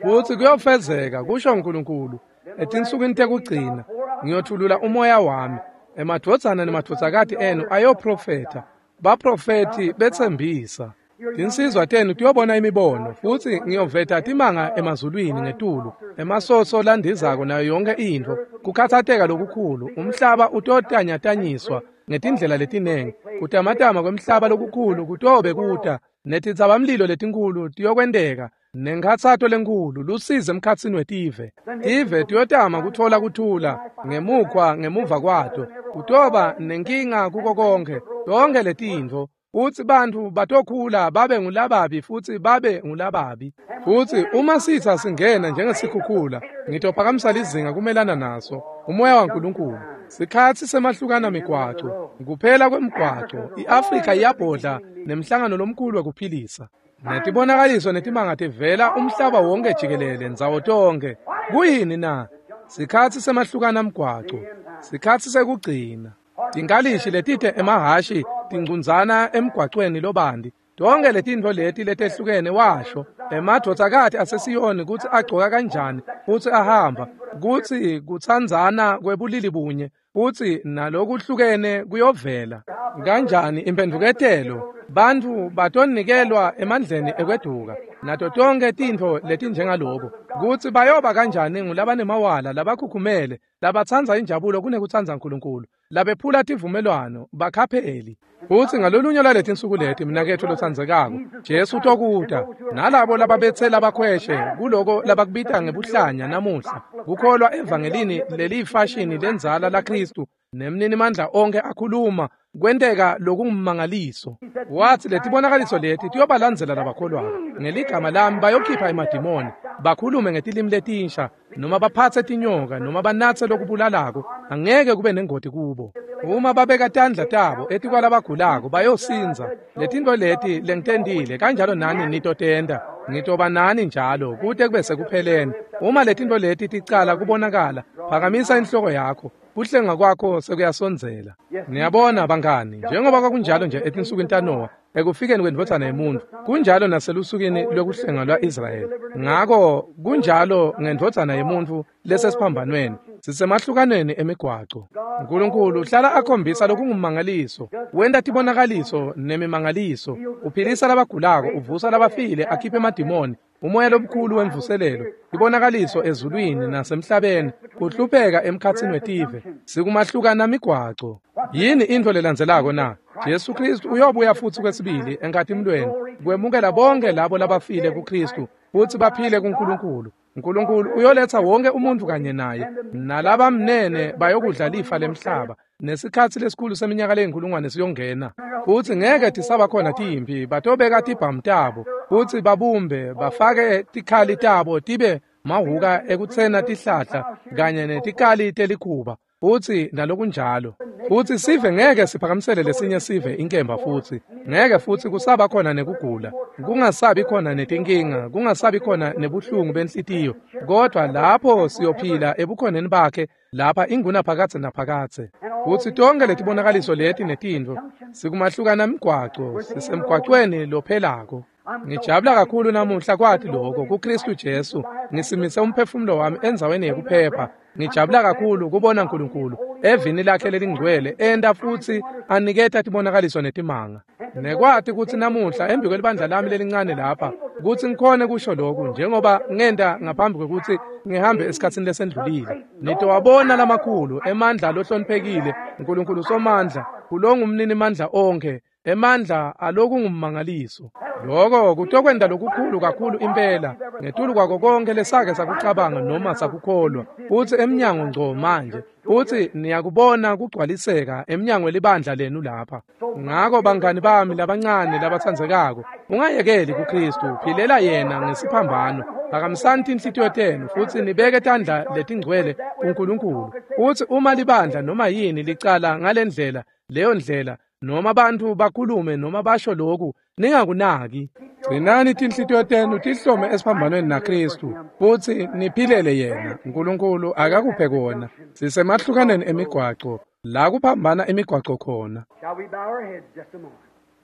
Futsi kuyofezeka, kusho uNkulunkulu, etinsukwini tekugcina ngiyothulula umoya wami. Emadvodzana nemadvodzakati enu ayoprofetha, baprofethi betsembisa. Tinsizwa tenu tiyobona imibono, futsi ngiyoveta timanga emazulwini ngetulu, emasoso landizako nayo yonke intfo. Kukhatsateka lokukhulu, umhlaba utotanyatanyiswa ngetindlela letinengi. Kutamatama kwemhlaba lokukhulu kutobe kuta, netintsabamlilo letinkhulu tiyokwenteka, nenkhatsato lenkhulu, lusizi emkhatsini wetive. Tive tiyotama kutfola kuthula ngemukhwa ngemuva kwato. Kutoba nenkinga kuko konke, tonkhe letintfo. Futsi bantfu batokhula babe ngulababi futsi babe ngulababi. Futsi uma sitsa singena njengesikhukhula, ngitophakamisa lizinga kumelana naso. Umoya waNkulunkulu. Sikhatsi semahlukana migwaco, kuphela kwemgwaco. I-Afrika iyabhodla nemhlangano lomkhulu wekuphilisa. Netibonakaliso netimanga tivela umhlaba wonke jikelele ndzawo tonke. Kuyini na? Sikhatsi semahlukana mgwaco, sikhatsi sekugcina. Tinkalishi letite emahashi tingcunzana emgwacweni lobandi. Tonke letintfo leti letehlukene washo. Emadvodzakati aseSiyoni kutsi agcoka kanjani futsi ahamba, kutsi kutsandzana kwebulili bunye futsi nalokuhlukene kuyovela. Kanjani imphendvuketelo? Bantfu batonikelwa emandleni ekweduka nato tonke tintfo letinjengaloko. Kutsi bayoba kanjani ngulabanemawala, labakhukhumele, labatsandza injabulo kunekutsandza Nkulunkulu, labephula tivumelwano, bakhapheli. Futsi ngalolunye lwaletinsuku leti, mnaketfu lotsandzekako, Jesu utokuta nalabo lababetsela bakhweshe kuloko labakubita ngebuhlanya namuhla, kukholwa evangelini leliyifashini lendzala laKhristu, nemninimandla onkhe akhuluma kwenteka lokungummangaliso. Watsi letibonakaliso leti tiyobalandzela labakholwako. Ngeligama lami bayokhipha emadimoni, bakhulume ngetilimi letinsha, noma baphatse tinyoka, noma banatse lokubulalako, angeke kube nengoti kubo. Uma babeka tandla tabo etikwalabagulako bayosindza. Letintfo leti lengitentile kanjalo nani nitotenta. Ngitoba nani njalo kute kube sekupheleni. Uma letintfo leti ticala kubonakala, phakamisa inhloko yakho. Kuhlenga kwakho sekuyasondzela. Niyabona bangani, njengoba kwakunjalo nje etinsukwini taNowa, Ekufikeni kwendvodzana yemuntfu, kunjalo naselusukwini lwekuhlenga lwa-Israyeli. Ngako kunjalo ngendvodzana yemuntfu lesesiphambanweni, sisemahlukanweni emigwaco. Nkulunkulu uhlala akhombisa lokungumangaliso, wenta tibonakaliso nemimangaliso, uphilisa labagulako, uvusa labafile, akhiphe emadimoni, umoya lomkhulu wemvuselelo, ibonakaliso ezulwini nasemhlabeni, kuhlupheka emkhatsini wetive, sikumahlukana migwaco. Yini intfo lelandzelako na? Jesu Kristu uyobuya futsi kwesibili enkatimulweni, kwemukela bonke labo labafile kuKristu futsi baphile kuNkulunkulu. Nkulunkulu uyoletsa wonke umuntfu kanye naye, nalabamnene bayokudla lifa lemhlaba, nesikhatsi lesikhulu seminyaka leyinkulungwane siyongena. Futsi ngeke tisaba khona timphi, batobeka tibhamu tabo futsi babumbe bafake tikhali tabo tibe mahhuka ekutsena tihlahla kanye netikali telikhuba futsi nalokunjalo. Futsi sive ngeke siphakamisele lesinye sive inkemba futsi, ngeke futsi kusaba khona nekugula, kungasabi khona netinkinga, kungasabi khona nebuhlungu benhlitiyo, kodwa lapho siyophila ebukhoneni bakhe lapha ingunaphakadze naphakadze. Futsi tonke letibonakaliso leti netintfo sikumahlukana migwaco, sisemgwacweni lophelako. Ngijabula kakhulu namuhla kwati lokho kuKristu Jesu ngisimise umphefumulo wami endzaweni yekuphepha. Ngijabula kakhulu kubona Nkulunkulu evini lakhe lelingcwele enta futsi aniketa tibonakaliso netimanga. Nekwati kutsi namuhla embi kwelibandla lami lelincane lapha kutsi ngikhone kusho lokhu njengoba ngenta ngaphambi kwekutsi ngihambe esikhatsini lesendlulile. Nitowabona lamakhulu emandla lohloniphekile Nkulunkulu somandla kulongumninimandla onkhe, emandla alokungummangaliso. Lokho kutokwenta lokukhulu kakhulu impela ngetulu kwako konke lesake sakucabanga noma sakukholwa. Futsi emnyango ngco manje, futsi niyakubona kugcwaliseka emnyango welibandla lenu lapha. Ngako bangani bami labancane labatsandzekako, ungayekeli kuKristu, philela yena ngesiphambano. Phakamisani tinhlitiyo tenu futsi nibeke tandla letingcwele kuNkulunkulu. Futsi uma libandla noma yini licala ngalendlela, leyo ndlela, noma bantfu bakhulume noma basho lokhu, ningakunaki. Gcinani tinhlitiyo tenu tihlome esiphambanweni naKristu futsi niphilele yena. Nkulunkulu akakuphe kona. Sisemahlukaneni emigwaco, la kuphambana imigwaco khona. Shall we bow our heads just a moment?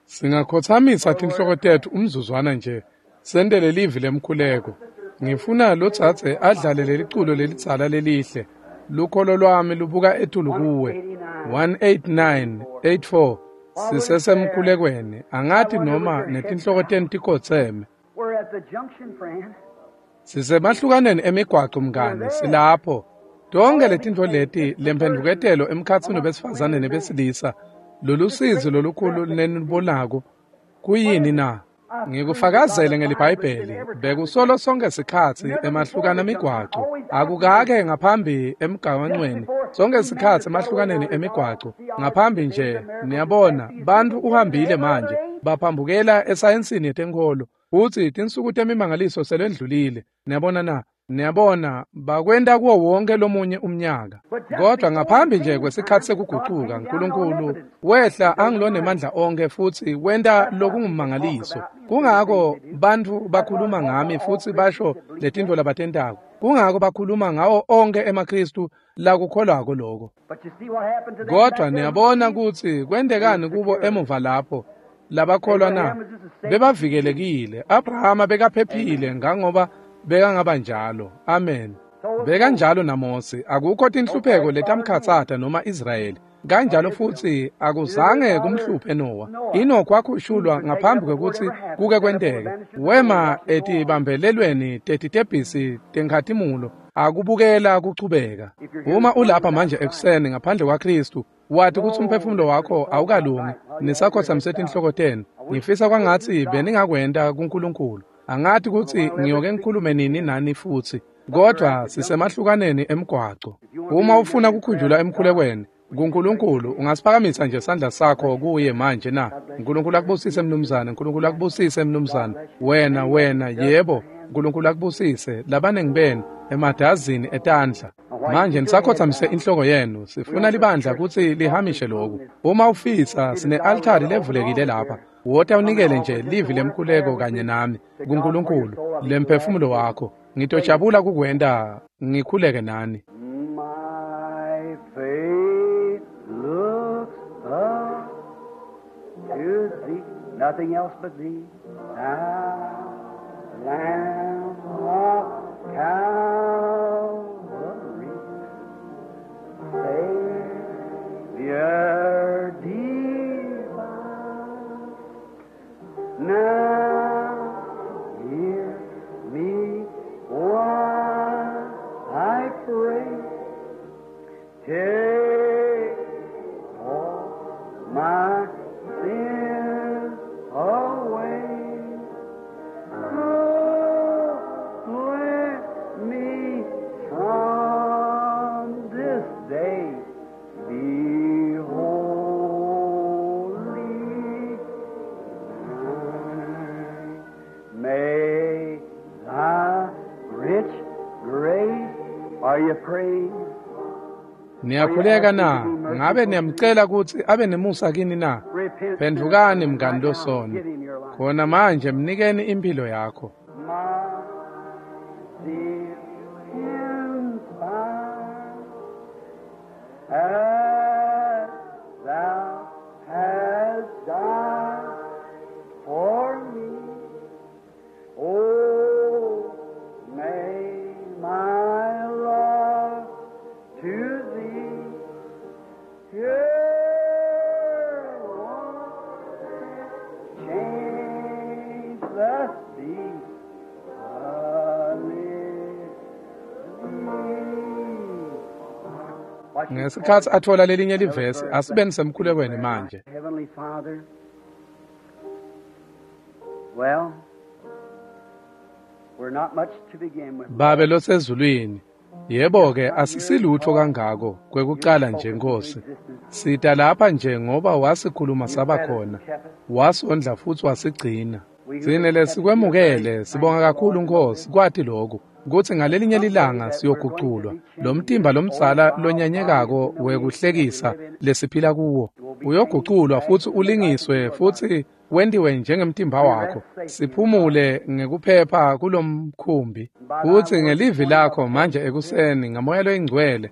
Singakhothamisa tinhloko tetfu umzuzwana nje, sentele livi lemkhuleko. Ngifuna lotsatse adlale leliculo lelidzala lelihle. Lukholo lwami lubuka etulu kuwe. one eight nine eight four. Sisesemkhulekweni, angati noma netinhloko tenu tikhotseme. We're at the junction, friend. Sisemahlukaneni emigwaco mngani, silapho. Tonke letintfo leti lemphendvuketelo emkhatsini webesifazane nebesilisa, lolusizi lolukhulu lenibonako, kuyini na? Ngikufakazele ngeliBhayibheli, bekusolo sonke sikhatsi emahlukana emigwaco, akukake ngaphambi emgawacweni, sonke sikhatsi emahlukaneni emigwaco, ngaphambi nje, niyabona, bantfu uhambile manje, baphambukela esayensini yetenkholo, futsi tinsuku temimangaliso selwendlulile. Niyabona na? Niyabona, bakwenta kuwo wonke lomunye umnyaka. Kodwa ngaphambi nje kwesikhatsi sekugucuka, Nkulunkulu wehla angulonemandla onke futsi wenta lokungummangaliso. Kungako bantfu bakhuluma ngami futsi basho letintfo labatentako. Kungako bakhuluma ngawo onke emaKristu lakukholwako lokho. But you see what happened to them Kodwa back there? niyabona kutsi kwentekani kubo emuva lapho labakholwa na? Bebavikelekile. Abrahama bekaphephile ngangoba bekangaba njalo. Amen. Bekanjalo naMose. Akukho tinhlupheko letamkhatsata noma Israyeli. Kanjalo futsi akuzange kumhluphe Noah. Enoch wakhushulwa ngaphambi kwekutsi kuke kwenteke. Wema etibambelelweni tetitebhisi tenkhatimulo akubukela kuchubeka. Uma ulapha manje ekuseni ngaphandle kwaKristu, wathi kutsi umphefumulo wakho awukalungi, nisakhotsamise tinhloko tenu. Ngifisa kwangatsi beningakwenta kuNkulunkulu. Angati kutsi ngiyoke ngikhulume nini nani futsi, kodwa sisemahlukaneni emgwaco. Uma ufuna kukhunjulwa emkhulekweni kuNkulunkulu, ungasiphakamisa nje sandla sakho kuye manje na? Nkulunkulu akubusise mnumzane, Nkulunkulu akubusise mnumzane. Wena wena yebo, Nkulunkulu akubusise labanengi benu emadazini etandla. Manje nisakhotsamise inhloko yenu, sifuna libandla kutsi lihamishe lokhu. Uma ufisa, sine-altari levulekile lapha. Wota unikele nje livi lemkhuleko kanye nami kuNkulunkulu lemphefumulo wakho. Ngitojabula kukwenta ngikhuleke nani. My faith looks up to thee. Nothing else but thee. Thou Lamb of Calvary, Savior divine. Now hear me while I pray. Take all my sins away. Oh, let me from this day be holy. May thy rich grace, are you praying? Niyakhuleka na? Ngabe niyamcela kutsi abe nemusa kini na? Repent. Phendvukani mngani Right now, losona. give him your life. Khona manje mnikeni impilo yakho. My zeal inspire, as thou hast died for me. Oh, may my love to thee changeless be. Ngesikhatsi atfola lelinye livesi, asibeni semkhulekweni manje. Heavenly Father, well, we're not much to begin with. Babe losezulwini, yebo-ke asisilutho kangako kwekucala nje Nkosi. Sita lapha nje ngoba wasikhuluma saba khona, wasondla futsi wasigcina. Tsine lesikwemukele sibonga kakhulu Nkosi kwati lokhu kutsi ngalelinye lilanga siyoguculwa lo mtimba lomdzala lonyanyekako wekuhlekisa lesiphila kuwo uyoguculwa futsi ulingiswe futsi wentiwe njengemtimba wakho siphumule ngekuphepha kulomkhumbi futsi ngelivi lakho manje ekuseni ngamoya loyingcwele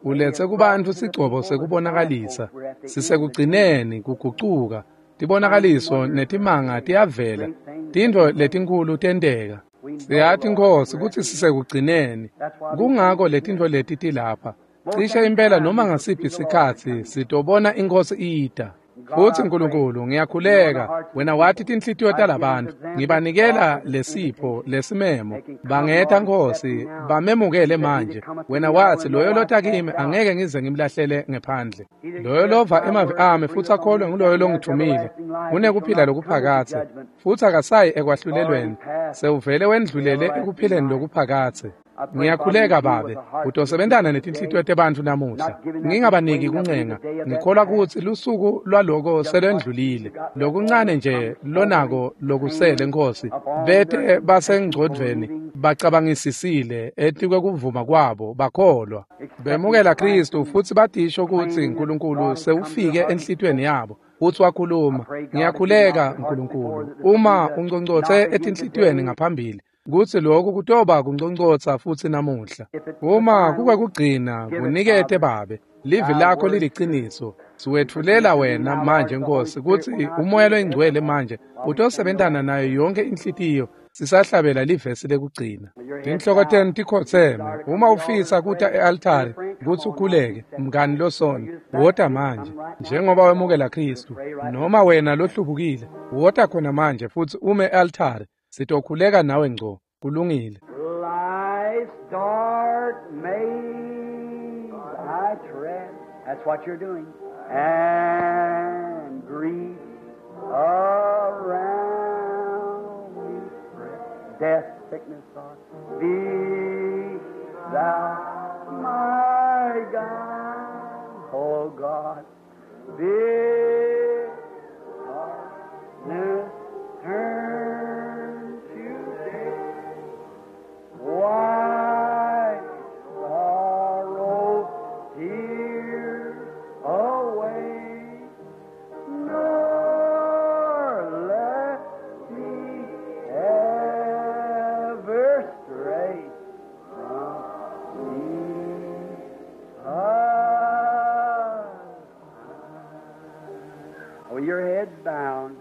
uletse kubantfu sigcobo sekubonakalisa sisekugcineni kugucuka tibonakaliso netimanga tiyavela tintfo letinkhulu tenteka siyati Nkosi kutsi sisekugcineni kungako letintfo leti tilapha cishe impela noma ngasiphi sikhatsi sitobona inkosi ita futsi Nkulunkulu ngiyakhuleka wena wathi tinhlitiyo talabantfu ngibanikela lesipho lesimemo bangeta Nkosi bamemukele manje wena wathi loyo lota kimi angeke ngize ngimlahlele ngephandle loyo lova emavi ami futsi akholwe nguloyo longithumile unekuphila lokuphakadze futsi akasayi ekwahlulelweni sewuvele wendlulele ekuphileni lokuphakadze ngiyakhuleka babe utosebentana netinhlitiyo tebantfu namuhla ngingabaniki kuncenga ngikholwa kutsi lusuku lwaloko selwendlulile lokuncane nje lonako lokusele Nkosi bete basengcondvweni bacabangisisile etikwekuvuma kwabo bakholwa bemukela Kristu futsi batisho kutsi Nkulunkulu sewufike enhlitiyweni yabo futsi wakhuluma ngiyakhuleka Nkulunkulu uma unconcotse etinhlitiyweni ngaphambili kutsi lokhu kutoba kunconcotsa futsi namuhla uma kukwekugcina kunikete babe livi lakho liliciniso siwetfulela wena manje Nkosi kutsi umoya loyingcwele manje utosebentana nayo yonke inhlitiyo sisahlabela livesi lekugcina tinhloko tenu tikhotseme uma ufisa kuta e-altari kutsi ukhuleke mngani losona wota manje njengoba wemukela Kristu noma wena lohlubukile wota khona manje futsi ume e-altari sitokhuleka nawe ngco kulungile Life's dark maze I tread. That's what you're doing. And grief around me spread. Death, sickness, sorrow. Be thou my God, oh God. Bid darkness turn to day. Why sorrow, tears away, nor let me ever stray from thee. Ah. With your heads bowed.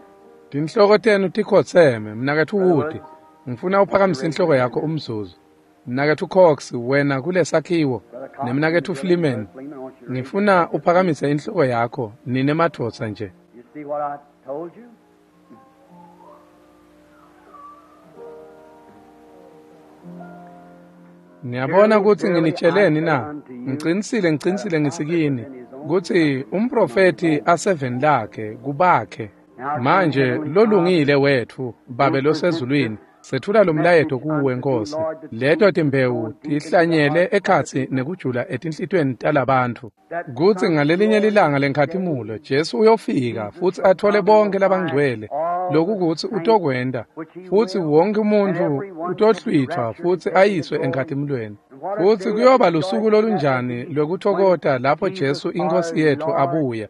Tinhloko tenu tikhotseme, mnaketfu Wood. Ngifuna uphakamise inhloko yakho umzuzu. Mnaketfu Cox, wena kulesakhiwo, nemnaketfu Fleeman. Ngifuna uphakamise inhloko yakho, nine madvodza nje. You see what I told you? Niyabona kutsi nginitsheleni na? Ngicinisile, ngicinisile ngisikini kutsi umprofethi aseveni lakhe kubakhe. Manje lolungile wetfu, Babe losezulwini, sethula lo mlayeto kuwe Nkosi. Leto timbewu tihlanyele ekhatsi nekujula etinhlitiyweni talabantfu. Kutsi ngalelinye lilanga lenkhatimulo Jesu uyofika futsi athole bonke labangcwele. Lokukutsi utokwenta futsi wonke umuntfu utohlwithwa futsi ayiswe enkhatimulweni. Futsi kuyoba lusuku lolunjani lwekutfokota lapho Jesu iNkosi yetfu abuya.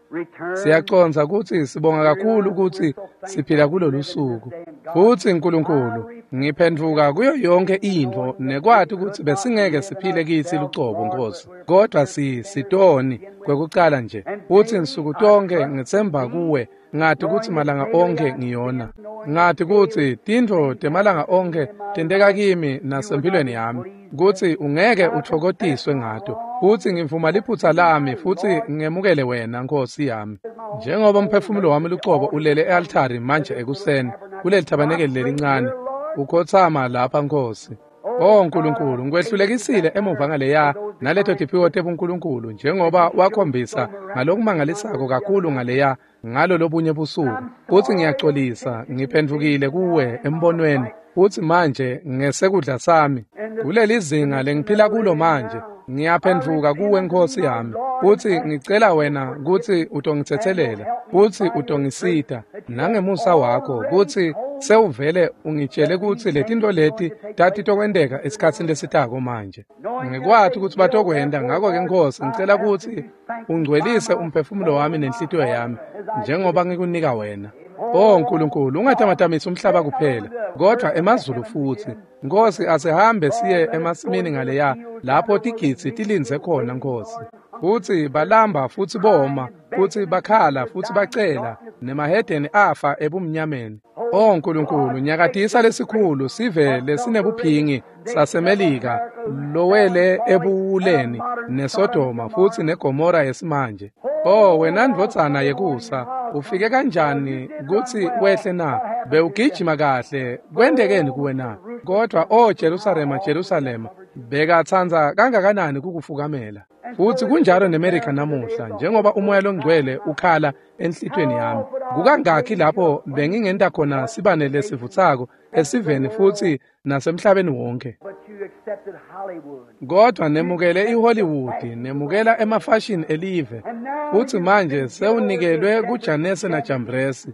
Siyacondza kutsi sibonga kakhulu kutsi siphila kulolu suku. Futsi Nkulunkulu, ngiphendvuka kuyo yonke intfo nekwati kutsi besingeke siphile kitsi lucobo Nkosi, kodwa si sitoni kwekucala nje. Futsi nsuku tonke ngitsemba kuwe, ngati kutsi malanga onkhe ngiyona. Ngati kutsi tintfo temalanga onkhe tenteka kimi nasempilweni yami, kutsi ungeke utfokotiswe ngato. Futsi ngivuma liphutsa lami futsi ngemukele wena Nkosi yami. Njengoba umphefumulo wami lucobo ulele e-altari manje ekuseni kuleli thabanekeli lelincane, ukhotsama lapha Nkosi. Oh Nkulunkulu, ngikwehlulekisile emuva ngaleya naleto tiphiwo tebuNkulunkulu njengoba wakhombisa ngalokumangalisako kakhulu ngaleya ngalo lobunye busuku. Futsi ngiyaxolisa, ngiphendvukile kuwe embonweni. Futsi manje ngesekudla sami kuleli zinga lengiphila kulo manje, ngiyaphendvuka kuwe Nkosi yami. Futsi ngicela wena kutsi utongitsetselela futsi utongisita nangemusa wakho kutsi sewuvele ungitshele kutsi letintfo leti tatitokwenteka esikhatsini lesitako manje. Ngikwati kutsi batokwenta, ngako-ke Nkosi ngicela kutsi ungcwelise umphefumulo wami nenhlitiyo yami njengoba ngikunika wena. Oh Nkulunkulu, ungatamatamisi umhlaba kuphela, kodvwa emazulu futsi. Nkosi, asihambe siye emasimini ngaleya lapho tigidzi tilindze khona Nkosi. Futsi balamba futsi boma, futsi bakhala futsi bacela, nemahedeni afa ebumnyameni. Oh Nkulunkulu, nyakatisa lesikhulu sive lesinebuphingi saseMelika lowele ebuwuleni neSodoma futsi neGomora yesimanje. Oh wena ndvodzana yekusa, ufike kanjani kutsi wehle na? Bewugijima kahle, kwentekeni kuwe na? Kodwa oh Jerusalema, Jerusalema, bekatsandza kangakanani kukufukamela. Futsi kunjalo neMerika namuhla, njengoba umoya longcwele ukhala enhlitiyweni yami. Kukangakhi lapho bengingenta khona sibane lesivutsako esiveni futsi nasemhlabeni wonke. But you accepted Hollywood. Kodwa nemukele iHollywood, nemukela emafashini elive. Futsi manje sewunikelwe kuJanesi naJambresi,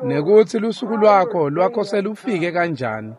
nekutsi lusuku lwakho lwakho selufike kanjani.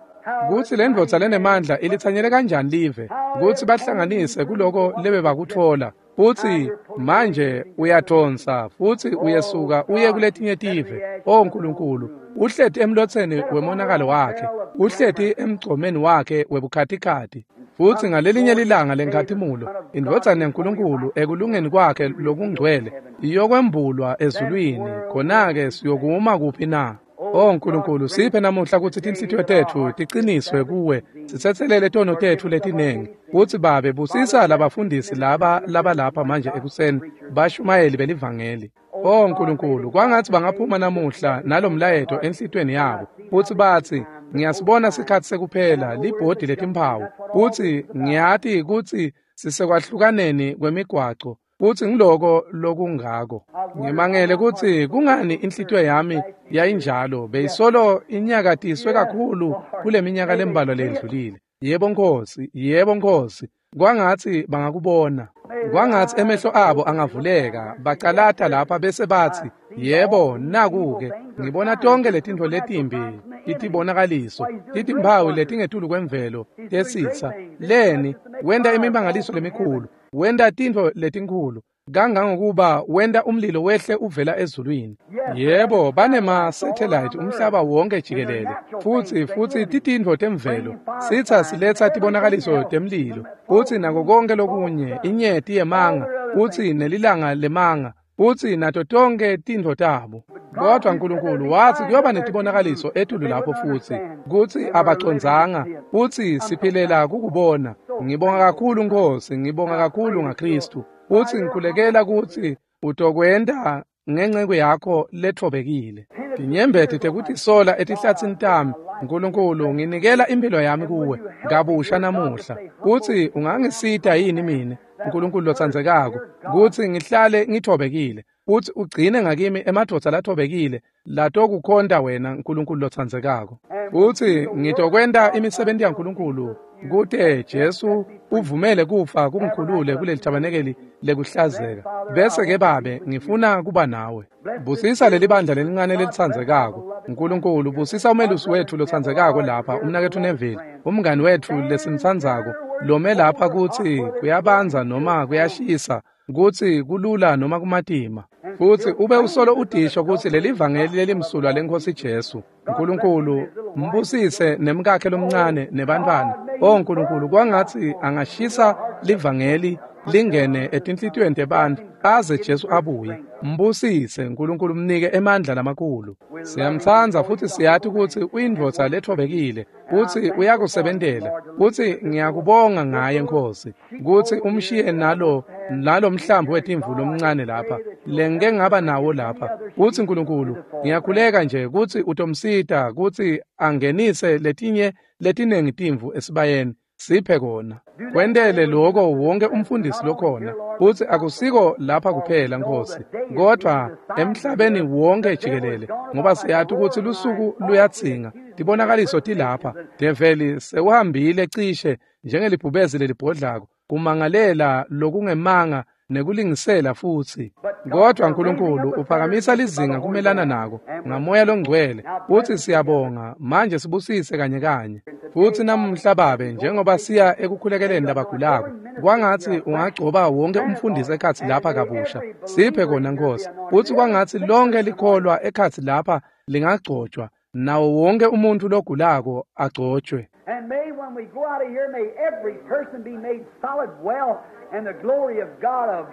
Kutsi le ndvodza lenemandla ilitsanyele kanjani live, kutsi bahlanganise kuloko lebebakutfola. Futsi manje uyadonsa futsi uyesuka uye kuletinye tive. Oh Nkulunkulu, uhleti emlotseni wemonakalo wakhe, uhleti emgcomeni wakhe webukhatikhathi. Futsi ngalelinye lilanga lenkhatimulo, indvodzana yaNkulunkulu ekulungeni kwakhe lokungcwele iyokwembulwa ezulwini. Khona-ke siyokuma kuphi na? Oh Nkulunkulu, siphe namuhla kutsi tinhlitiyo tetfu ticiniswe kuwe, sitsetselele tono tetfu letinengi. Futsi Babe, busisa labafundisi laba labalapha manje ekuseni, bashumayeli belivangeli. Oh Nkulunkulu, kwangatsi bangaphuma namuhla nalomlayeto enhlitiyweni yabo, futsi batsi, ngiyasibona sikhatsi sekuphela, libhodi letimphawu, futsi ngiyati kutsi sisekwahlukaneni kwemigwaco, futsi ngiloko lokungako. Ngimangele kutsi kungani inhlitiyo yami yayinjalo, beyisolo inyakatiswe kakhulu kule minyaka lembalwa lendlulile. Yebo Nkosi, yebo Nkosi, kwangatsi bangakubona. Kwangatsi emehlo abo angavuleka, bacalata lapha bese batsi, yebo, naku-ke, ngibona tonke letintfo letimbi, titibonakaliso, titimphawu letingetulu kwemvelo tesitsa. Leni, wenta imimangaliso lemikhulu, wenta tintfo letinkhulu, kangangokuba wenta umlilo wehle uvela ezulwini. Yebo, banema-satellite umhlaba wonke jikelele, futsi futsi titintfo temvelo. Sitsa siletsa tibonakaliso temlilo, futsi nako konke lokunye, inyeti yemanga, futsi nelilanga lemanga, futsi nato tonke tintfo tabo. Kodwa Nkulunkulu wathi kuyoba netibonakaliso etulu lapho futhi kutsi abacondzanga futsi siphilela kukubona. Ngibonga kakhulu Nkosi, ngibonga kakhulu ngaKristu. Futsi ngikhulekela kutsi utokwenta ngenceku yakho lethobekile. Tinyembeti tekutisola etihlatsini tami, Nkulunkulu, nginikela impilo yami kuwe kabusha namuhla. Kutsi ungangisita yini mine, Nkulunkulu lotsandzekako, kutsi ngihlale ngithobekile, futsi ugcine ngakimi emadvodza lathobekile latokukhonta wena, Nkulunkulu lotsandzekako. Futsi ngitokwenta imisebenti yaNkulunkulu kute Jesu uvumele kufa kungikhulule kuleli tabanekeli lekuhlazeka. Bese ke Babe, ngifuna kuba nawe. Busisa leli bandla lelincane lelitsandzekako. Nkulunkulu, busisa umelusi wetfu lotsandzekako lapha, umnaketfu Neville, umngani wetfu lesimtsandzako, lome lapha kutsi kuyabanza noma kuyashisa, kutsi kulula noma kumatima. Futsi ube usolo udisho kutsi leli vangeli lelimsulwa leNkhosi Jesu. Nkulunkulu, mbusise nemkakhe lomncane nebantfwana. Oh Nkulunkulu, kwangatsi angashisa livangeli lingene etinhlitiyweni tebantfu aze Jesu abuye. Mbusise Nkulunkulu, mnike emandla lamakhulu. Siyamtsandza futsi siyati kutsi uyindvodza lethobekile, futsi uyakusebentela. Futsi ngiyakubonga ngaye Nkosi, kutsi umshiye nalo nalo mhlambi wetimvu lomncane lapha lengike ngaba nawo lapha. Futsi Nkulunkulu, ngiyakhuleka nje kutsi utomsita kutsi angenise letinye letinengi timvu esibayeni. Siphe kona. Kwentele lokho wonke umfundisi lokhona, futsi akusiko lapha kuphela Nkosi, kodwa emhlabeni wonke jikelele, ngoba siyati kutsi lusuku luyatsinga. Tibonakaliso tilapha. Develi sewuhambile cishe njengelibhubezi lelibhodlako, kumangalela lokungemanga nekulingisela futsi. Kodwa Nkulunkulu uphakamisa lizinga kumelana nako ngamoya longcwele. Futsi siyabonga manje, sibusise kanye kanye. Futsi namuhla Babe, njengoba siya ekukhulekeleni labagulako, kwangatsi ungagcoba wonke umfundisi ekhatsi lapha kabusha. Siphe kona Nkosi. Futsi kwangatsi lonke likholwa ekhatsi lapha lingagcotshwa, nawo wonke umuntu logulako agcotshwe. And may, when we go out of here, may every person be made solid well, and the glory of God of,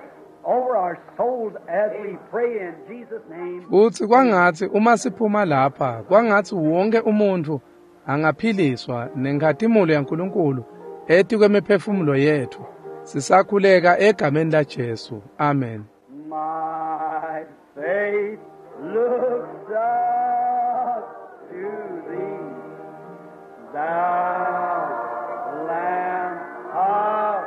over our souls as we pray in Jesus' name. Futsi kwangatsi uma siphuma lapha, kwangatsi wonke umuntu angaphiliswa nenkhatimulo yaNkulunkulu etikwemiphefumulo yethu. Sisakhuleka egameni la Jesu. Amen. My faith looks up to thee, thou Lamb of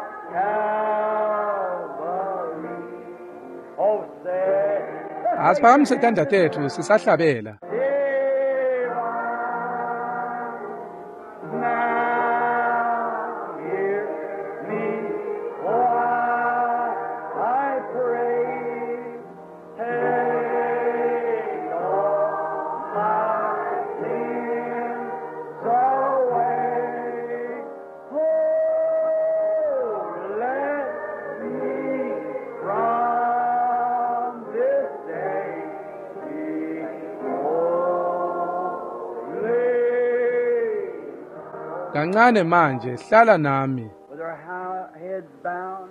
Calvary. Oh, say, Asiphakamise tandla tetfu sisahlabela. Now hear me while I pray. Take all my sins away. Oh, let me from this day be holy. Kancane manje hlala nami. With our heads bound,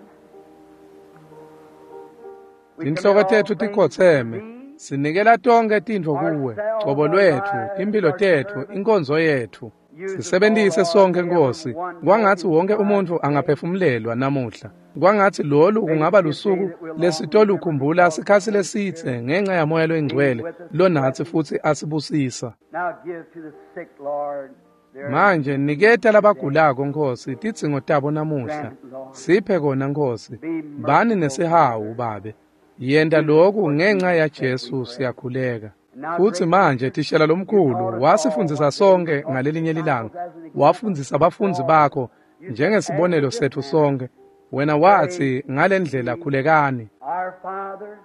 Tinhloko tetfu tikhotseme. Sinikela tonkhe tintfo kuwe, cobo lwetfu, timphilo tetfu, inkonzo yetfu. Sisebentise sonke Nkosi. Kwangatsi wonke umuntfu angaphefumulelwa namuhla. Kwangatsi lolu kungaba lusuku lesitolukhumbula sikhatsi lesitse ngenca yaMoya loyiNgcwele lonatsi futsi asibusisa. Now give to the sick, Lord. Their Manje niketa labagulako Nkosi tidzingo tabo namuhla. Siphe kona Nkosi. Bani nesihawu Babe. Yenta loku ngenca ya Jesu siyakhuleka. Futsi manje thishela lomkhulu wasifundzisa sonke ngalelinye lilanga. Wafundzisa abafundzi bakho njengesibonelo setfu sonke. Wena watsi ngalendlela khulekani. Our Father,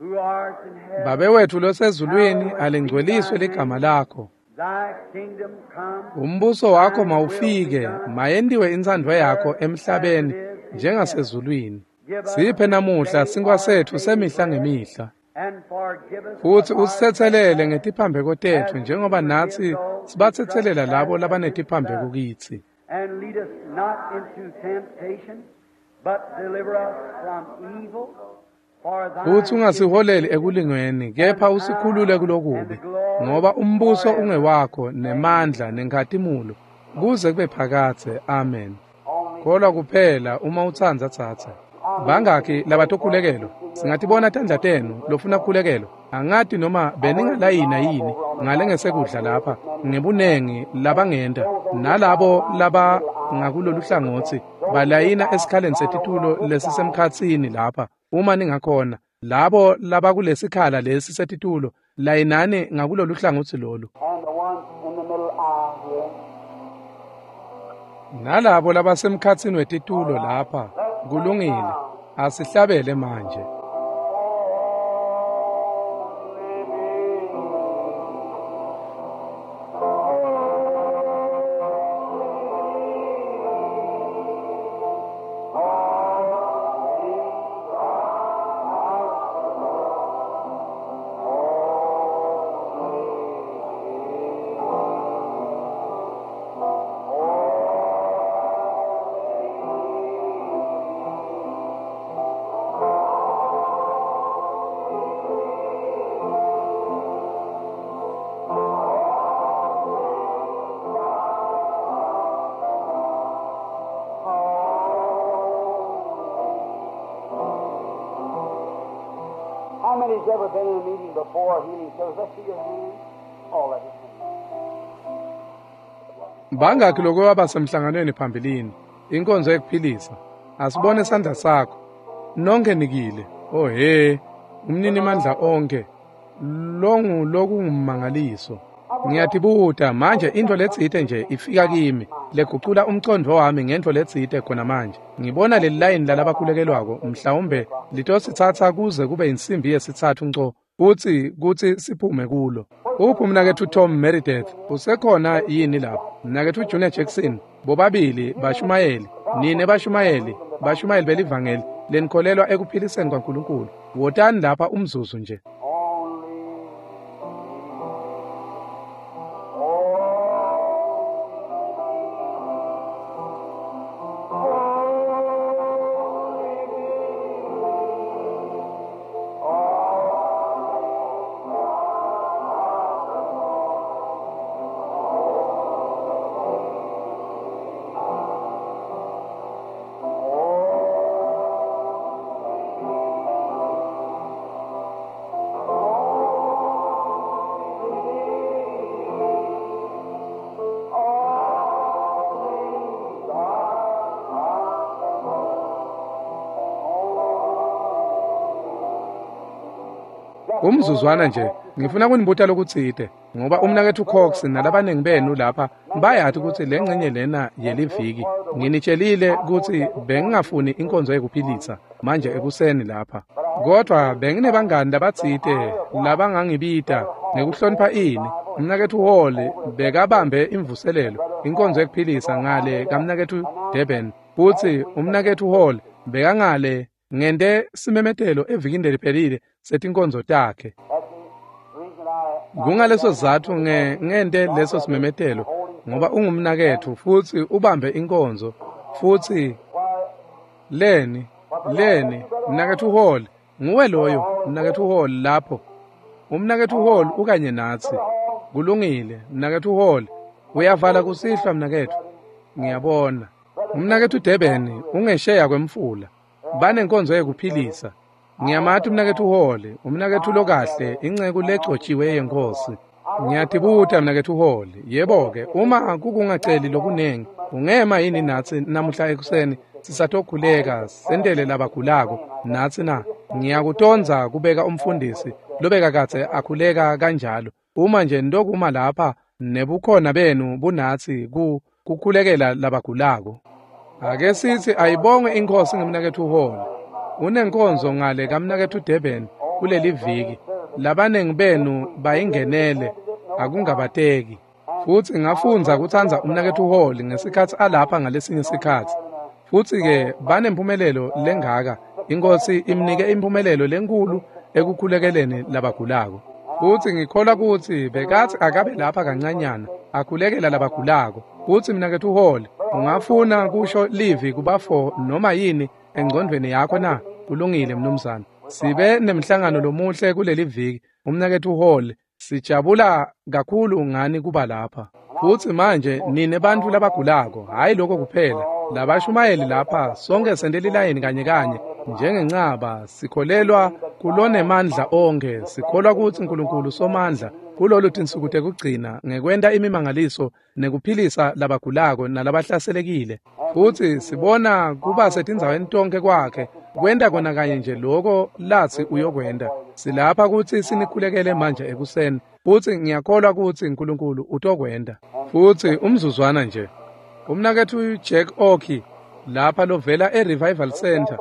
who art in heaven, Babe wetfu losezulwini, alingcweliswe ligama lakho. thy kingdom come, Umbuso wakho mawufike, mayentiwe intsandvo yakho emhlabeni njengasezulwini. Siphe namuhla sinkwa setfu semihla ngemihla. and forgive us Futsi of our usitsetselele ngetiphambeko tetfu njengoba natsi sibatsetselela labo labanetiphambeko kitsi. and lead us not into temptation, but deliver us from evil. Futsi ungasiholeli ekulingweni, kepha usikhulule kulokubi, ngoba umbuso ungewakho nemandla nenkhatimulo kuze kube phakadze. Amen. Kholwa kuphela uma utsandza tsatsa. Bangakhi labatokhulekelwa? Singatibona tandla tenu lofuna kukhulekelwa. Angati noma beningalayina yini ngale ngesekudla lapha ngebunengi labangenta nalabo laba ngakulolu hlangotsi balayina esikhaleni setitulo lesisemkhatsini lapha uma ningakhona. Labo labakulesikhala lesi setitulo layinani ngakulolu hlangotsi lolu. Nalabo labasemkhatsini wetitulo lapha kulungile, asihlabele manje. Bangakhi lokho wabasemhlanganweni phambilini inkonzo yekuphilisa? Asibone sandla sakho. Nonke nikile. Oh he, umnini mandla onke longu lokungumangaliso. Ngiyatibuta manje into letsite nje ifika kimi legucula umcondvo wami ngento letsite khona manje. Ngibona leli line lalabakhulekelwako mhlawumbe litositsatsa kuze kube insimbi yesitsatfu nco kutsi kutsi siphume kulo. Uphi mnaketfu Tom Meredith? Usekhona yini lapho? Mnaketfu Junior Jackson, bobabili bashumayeli, nine bashumayeli, bashumayeli belivangeli lenikholelwa ekuphiliseni kwaNkulunkulu. Wotani lapha umzuzu nje. Umzuzwana nje ngifuna kunibuta lokutsite ngoba umnaketfu Cox nalabanengi benu lapha bayathi kutsi lengcenye lena yeliviki nginitshelile kutsi bengingafuni inkonzo yekuphilisa manje ekuseni lapha, kodwa benginebangani labatsite labangangibita ngekuhlonipha ini. Umnaketfu Hall bekabambe imvuselelo inkonzo yekuphilisa ngale kamnaketfu Durban, futsi umnaketfu Hall bekangale ngente simemetelo evikini leliphelile setinkonzo takhe. Kungaleso sizatfu nge ngente leso simemetelo ngoba ungumnaketfu futsi ubambe inkonzo futsi leni leni mnaketfu Hall nguwe loyo mnaketfu Hall lapho. Umnaketfu Hall ukanye natsi. Kulungile mnaketfu Hall, uyavala kusihlwa mnaketfu. Ngiyabona umnaketfu Durban ungesheya kwemfula banenkonzo yekuphilisa. Ngiyamati umnaketfu Hall, umnaketfu lokahle, inceku legcotjiwe yenkosi. Ngiyatibuta mnaketfu Hall, yebo-ke uma kukungaceli lokunengi ungema yini natsi namuhla ekuseni sisatokhuleka sentele labagulako natsi na? Ngiyakutondza kubeka umfundisi lobeka kadze akhuleka kanjalo. Uma nje nitokuma lapha nebukhona benu bunatsi ku kukhulekela labagulako. Ake sithi ayibongwe inkosi ngemnaketfu Hall. Unenkonzo ngale kamnaketfu Durban kuleli viki. Labanengi benu bayingenele akungabateki. Futsi ngafundza kutsandza umnaketfu Hall ngesikhatsi alapha ngalesinye sikhatsi. Futsi-ke banempumelelo lengaka. Inkosi imnike impumelelo lenkulu ekukhulekeleni labagulako. Futsi ngikholwa kutsi bekatsi akabe lapha kancanyana akhulekela labagulako. Futsi mnaketfu Hall, ungafuna kusho livi kubafo noma yini engcondvweni yakho na? Kulungile mnumzane. Sibe nemhlangano lomuhle kuleli viki, umnaketfu Hall. Sijabula kakhulu ngani kuba lapha. Futsi manje nine bantfu labagulako, hhayi lokho kuphela, labashumayeli lapha sonke sente lilayini kanye kanye njengencaba, sikholelwa kulonemandla onkhe, sikholwa kutsi Nkulunkulu somandla kulolu tinsuku tekugcina ngekwenta imimangaliso nekuphilisa labagulako nalabahlaselekile. Futsi sibona kuba setindzaweni tonkhe kwakhe kwenta kona kanye nje loko latsi uyokwenta. Silapha kutsi sinikhulekele manje ekuseni, futsi ngiyakholwa kutsi Nkulunkulu utokwenta. Futsi umzuzwana nje, umnaketfu Jack Oki lapha lovela e-Revival Center.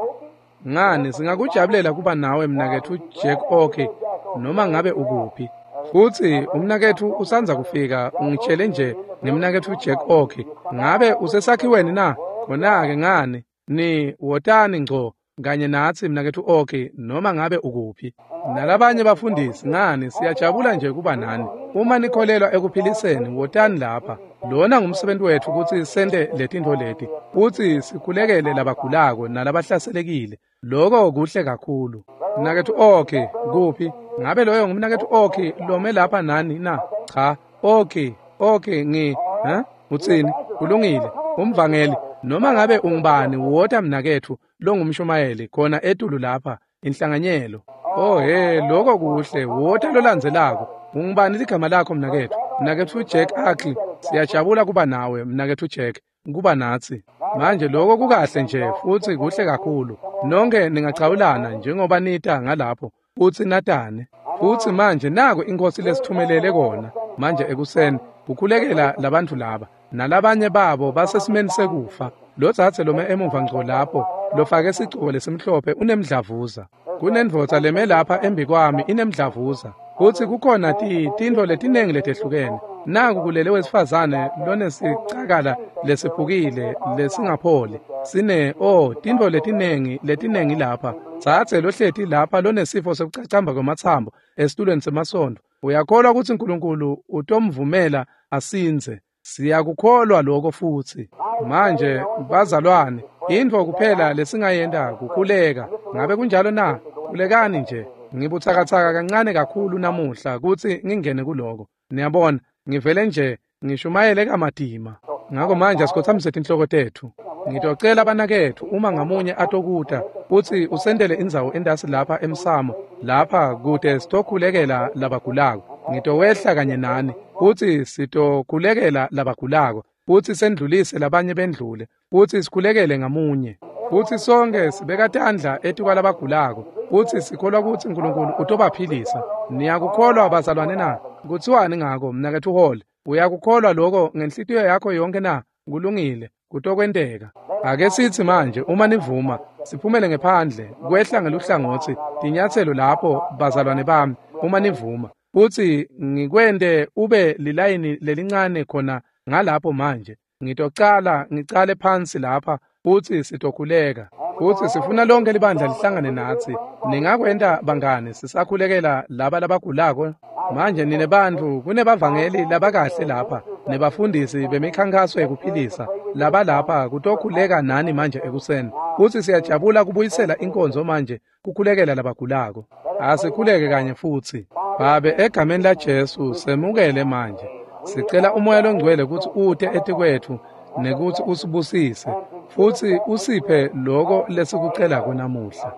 Ngani singakujabulela kuba nawe mnaketfu Jack Oki noma ngabe ukuphi. Futsi umnaketfu usandza kufika, ungitshele nje ngemnaketfu Jack Oki. Ngabe usesakhiweni na? Khona-ke ngani ni wotani ngco kanye natsi mnaketfu Oki noma ngabe ukuphi. Nalabanye bafundisi, ngani siyajabula nje kuba nani. Uma nikholelwa ekuphiliseni, wotani lapha. Lona ngumsebenzi wetfu kutsi sente letintfo leti, futsi sikhulekele labagulako nalabahlaselekile. Loko kuhle kakhulu. Mnaketfu Oki, kuphi? Ngabe loyo ngumnaketfu Oki lome lapha nani na? Cha, Oki, Oki ngi, ha? Utsini? Kulungile. Umvangeli, noma ngabe ungubani, wota mnaketfu longumshumayeli khona etulu lapha, inhlanganyelo. Oh he, lokho kuhle. Wota lolandzelako. Ungubani ligama lakho mnaketfu? Mnaketfu Jack Ackley. Siyajabula kuba nawe mnaketfu Jack, kuba natsi. Manje lokho kukahle nje futsi kuhle kakhulu. Nonke ningachawulana njengoba nita ngalapho futsi natane. Futsi manje nako iNkhosi lesithumelele kona manje ekuseni kukhulekela labantfu laba nalabanye babo basesimeni sekufa. Lotsatse lome emuva ngco lapho lofake sigcobo lesimhlophe unemdlavuza. Kunendvodza leme lapha embi kwami inemdlavuza. Futsi kukhona tintfo letinengi letehlukene. Naku kulele wesifazane lonesicakala lesiphukile lesingapholi. Sine oh tintfo letinengi letinengi lapha. Tsatse lohleti lapha lonesifo sekucacamba kwematsambo esitulweni semasondo. Uyakholwa kutsi Nkulunkulu utomvumela asindze? Siyakukholwa lokho futsi. Manje bazalwane, intfo kuphela lesingayenta kukhuleka. Ngabe kunjalo na? Khulekani nje. Ngibutsakatsaka kancane kakhulu namuhla kutsi ngingene kuloko. Niyabona, ngivele nje ngishumayele kamatima. Ngako manje asikhothamise tinhloko tetfu. Ngitocela banaketfu uma ngamunye atokuta kutsi usendele indzawo endasi lapha emsamo lapha kute sitokhulekela labagulako. Ngitowehla kanye nani kutsi sitokhulekela labagulako, kutsi sendlulise labanye bendlule, kutsi sikhulekele ngamunye. Futsi sonke sibeka tandla etikwalabagulako, kutsi sikholwa kutsi Nkulunkulu utobaphilisa. Niyakukholwa bazalwane na? Kutsiwani ngako mnaketfu Hall? Uyakukholwa lokho ngenhlitiyo yakho yonke na? Kulungile, kutokwenteka. Ake sitsi manje uma nivuma siphumele ngephandle kwehla ngeluhlangotsi tinyatselo lapho bazalwane bami, uma nivuma futsi ngikwente ube lilayini lelincane khona ngalapho manje. Ngitocala ngicale phansi lapha futsi sitokhuleka. Futsi sifuna lonke libandla lihlangane natsi. Ningakwenta bangani sisakhulekela laba labagulako? Manje nine bantfu kunebavangeli labakahle lapha nebafundisi bemikhankaso yekuphilisa laba lapha kutokhuleka nani manje ekuseni. Futsi siyajabula kubuyisela inkonzo manje kukhulekela labagulako. Asikhuleke kanye futsi. Babe, egameni la Jesu semukele manje. Sicela umoya longcwele kutsi ute etikwetfu nekutsi usibusise futsi usiphe loko lesikucelako namuhla.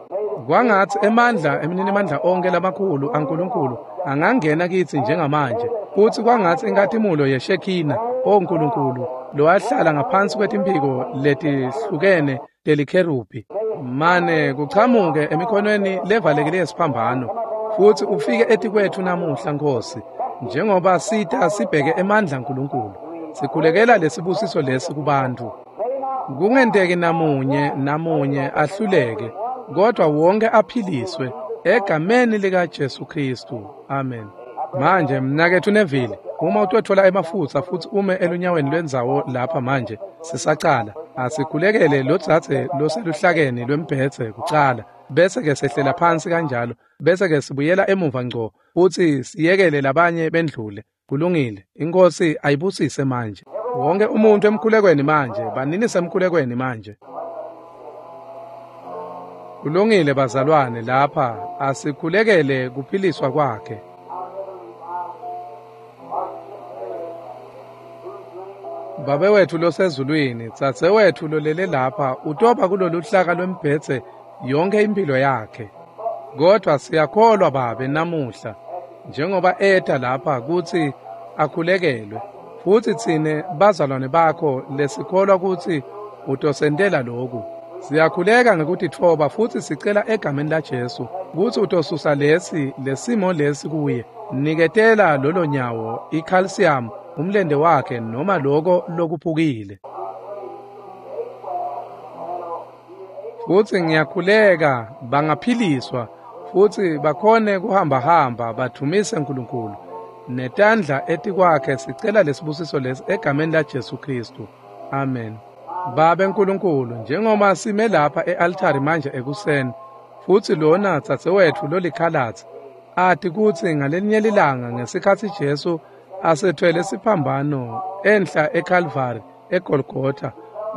Kwangatsi emandla emninimandla onke lamakhulu aNkulunkulu angangena kitsi njengamanje, futsi kwangatsi inkatimulo yeShekina, o Nkulunkulu, lowahlala ngaphansi kwetimphiko letihlukene telikherubhi, mane kuchamuke emikhonweni levalekile yesiphambano, futsi ufike etikwetfu namuhla Nkhosi, njengoba sita sibheke emandla aNkulunkulu. Sikhulekela lesibusiso lesi kubantfu. Kungenteki namunye namunye ahluleke, kodwa wonke aphiliswe egameni lika Jesu Kristu. Amen. Manje mnaketfu Neville, uma utothola emafutsa futsi ume elunyaweni lwendzawo lapha manje sisacala, asikhulekele lotsatse loseluhlakeni lwembhedze kucala, bese ke sehlela phansi kanjalo, bese ke sibuyela emuva ngco futsi siyekele labanye bendlule. Kulungile. Inkosi ayibusise manje. Wonke umuntu emkhulekweni manje, banini semkhulekweni manje. Kulungile bazalwane lapha asikhulekele kuphiliswa kwakhe. Babe wethu losezulwini, dzadzewethu lolele lapha utoba kulolu hlaka lwembhedze yonke impilo yakhe. Kodwa siyakholwa Babe namuhla njengoba eta lapha kutsi akhulekelwe, futsi tsine bazalwane bakho lesikholwa kutsi utosentela lokhu. Siyakhuleka ngekutitfoba futsi sicela egameni laJesu kutsi utosusa lesi lesimo lesi kuye. Niketela lolo nyawo i-calcium umlende wakhe noma loko lokuphukile. Futsi ngiyakhuleka bangaphiliswa futsi bakhone kuhambahamba badvumise uNkulunkulu. Netandla etikwakhe sicela lesibusiso lesi egameni laJesu Kristu. Amen. Babe uNkulunkulu, njengoba sime lapha e-altari manje ekuseni, futsi lona dzadzewetfu lolikhalatsi ati kutsi ngalelinye lilanga ngesikhatsi Jesu asethwele siphambano enhla eCalvary eGolgotha,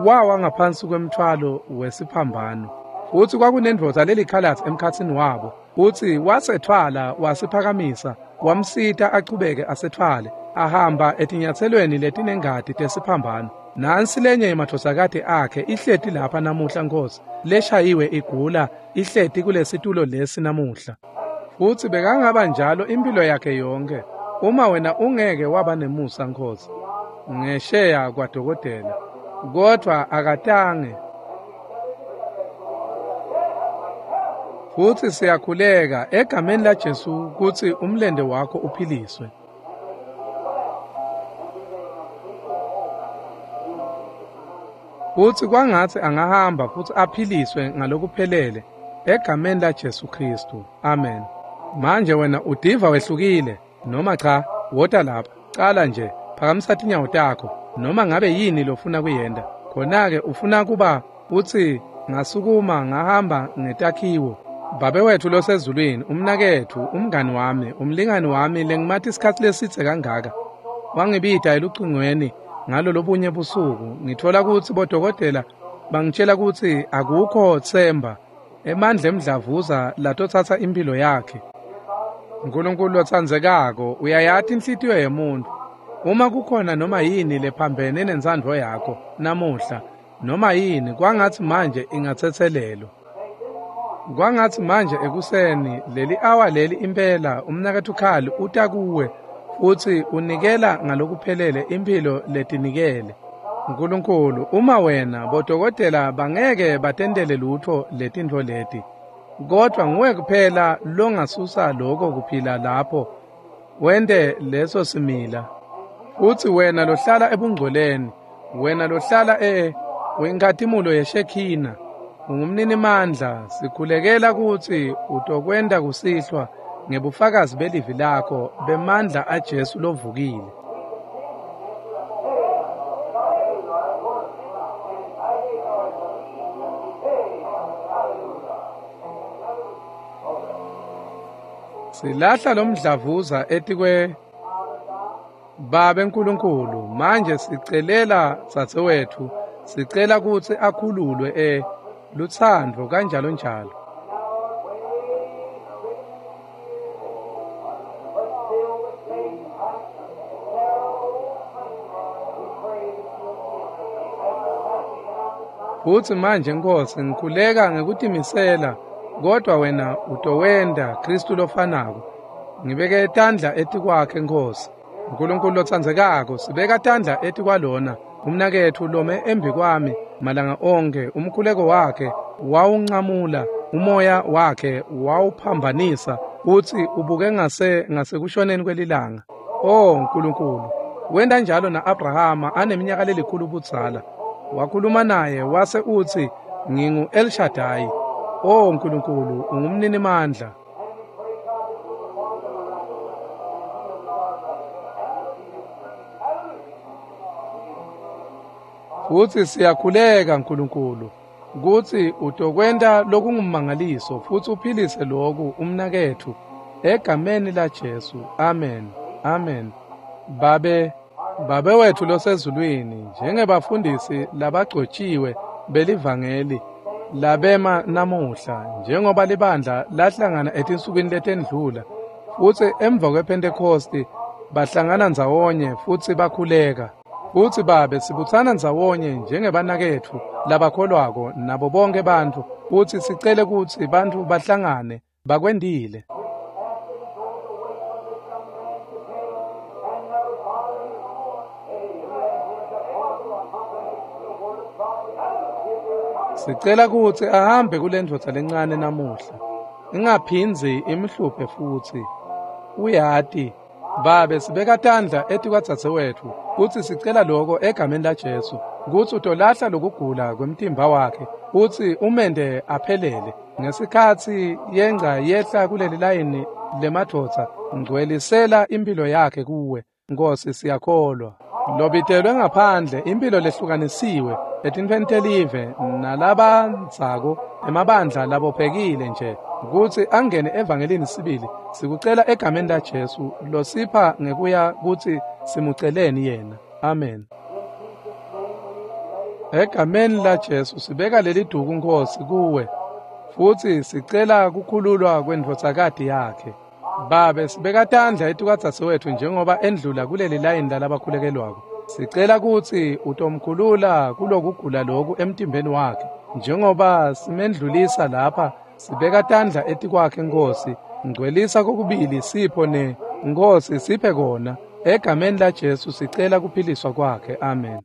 wawa ngaphansi kwemthwalo wesiphambano. Futsi kwakunendvodza lelikhalatsi emkhatsini wabo, futsi wasethwala wasiphakamisa, wamsita achubeke asethwale, ahamba etinyatselweni letinengati tesiphambano. Nansi lenye yemadvodzakati akhe ihleti lapha namuhla Nkosi, leshayiwe igula, ihleti kulesitulo lesi namuhla. Futsi bekangaba njalo impilo yakhe yonke, uma wena ungeke waba nemusa Nkosi, ngesheya kwadokotela, kodwa akatange. Futsi siyakhuleka egameni laJesu kutsi umlende wakho uphiliswe. Futsi kwangatsi angahamba futsi aphiliswe ngalokuphelele egameni laJesu Kristu. Amen. Manje wena udiva wehlukile noma cha, wota lapha. Cala nje, phakamisa tinyawo takho noma ngabe yini lofuna kuyenta. Khona-ke ufuna kuba utsi ngasukuma ngahamba ngetakhiwo. Babe wethu losezulwini, umnaketfu, umngani wami, umlingani wami lengimati isikhatsi lesitse kangaka, wangibita elucingweni ngalolobunye busuku, ngithola kutsi bodokotela bangitshela kutsi akukho tsemba emandla emdlavuza latotsatsa impilo yakhe. Nkulunkulu lotsandzekako, uyayati inhlitiyo yemuntu. Uma kukhona noma yini lephambene nentsandvo yakho namuhla, noma yini, kwangatsi manje ingatsetselelwa. Kwangatsi manje ekuseni leli awa leli impela umnaketfu Khali uta kuwe futsi unikela ngalokuphelele impilo letinikele. Nkulunkulu, uma wena bodokotela bangeke batentele lutho letintfo leti, kodwa nguwe kuphela longasusa lokho kuphila lapho wente leso simila. Futsi wena lohlala ebungcweleni, wena lohlala e wenkhatimulo yeShekhina, ungumninimandla, sikhulekela kutsi utokwenta kusihlwa ngebufakazi belivi lakho bemandla aJesu lovukile. Silahla lomdlavuza etikwe Babe Nkulunkulu, manje sicelela dzadzewetfu, sicela kutsi akhululwe e lutsandvo kanjalo njalo. Futsi manje Nkosi ngikhuleka ngekutimisela, kodwa wena utowenta Kristu lofanako. Ngibeke tandla etikwakhe Nkosi. Nkulunkulu lotsandzekako, sibeka tandla etikwalona umnaketfu lome embi kwami malanga onke. Umkhuleko wakhe wawuncamula, umoya wakhe wawuphambanisa, utsi ubuke ngase ngasekushoneni kwelilanga. Oh Nkulunkulu, wenta njalo na-Abrahama aneminyaka lelikhulu budzala. Wakhuluma naye wase utsi ngingu El Shaddai. Oh Nkulunkulu, ungumninimandla. Futsi siyakhuleka Nkulunkulu kutsi utokwenta lokungumangaliso futsi uphilise loku umnaketfu egameni laJesu. Amen. Amen. Babe Babe wetfu losezulwini, njengebafundisi labagcotshiwe belivangeli, labema namuhla njengoba libandla lahlangana etinsukwini letendlula futsi emva kwePhentekhosti bahlangana ndzawonye futsi bakhuleka. Futsi Babe sibutsana ndzawonye njengebanaketfu labakholwako nabo bonke bantfu futsi sicele kutsi bantfu bahlangane bakwendile. Sicela kutsi ahambe kulendvodza lencane namuhla, ingaphindzi imhluphe futsi. Uyati, Babe sibeka tandla etikwadzadzewetfu futsi sicela lokho egameni laJesu kutsi utolahla lokugula kwemtimba wakhe futsi umende aphelele. Ngesikhatsi yengca yehla kuleli layini lemadvodza, ngcwelisela impilo yakhe kuwe, Nkosi siyakholwa. Lobitelwe ngaphandle impilo lehlukanisiwe etintfweni telive nalabandzako emabandla labophekile nje kutsi angene evangelini sibili. Sikucela egameni laJesu losipha ngekuya kutsi simuceleni yena. Amen. Egameni laJesu sibeka leli duku Nkosi kuwe futsi sicela kukhululwa kwendvodzakati yakhe. Babe sibeka tandla etikadzadzewetfu njengoba endlula kuleli layini lalabakhulekelwako. Sicela kutsi utomkhulula kulokugula loku emtimbeni wakhe njengoba simendlulisa lapha. Sibeka tandla etikwakhe Nkosi, ngcwelisa kokubili sipho ne Nkosi siphe kona. Egameni laJesu sicela kuphiliswa kwakhe. Amen.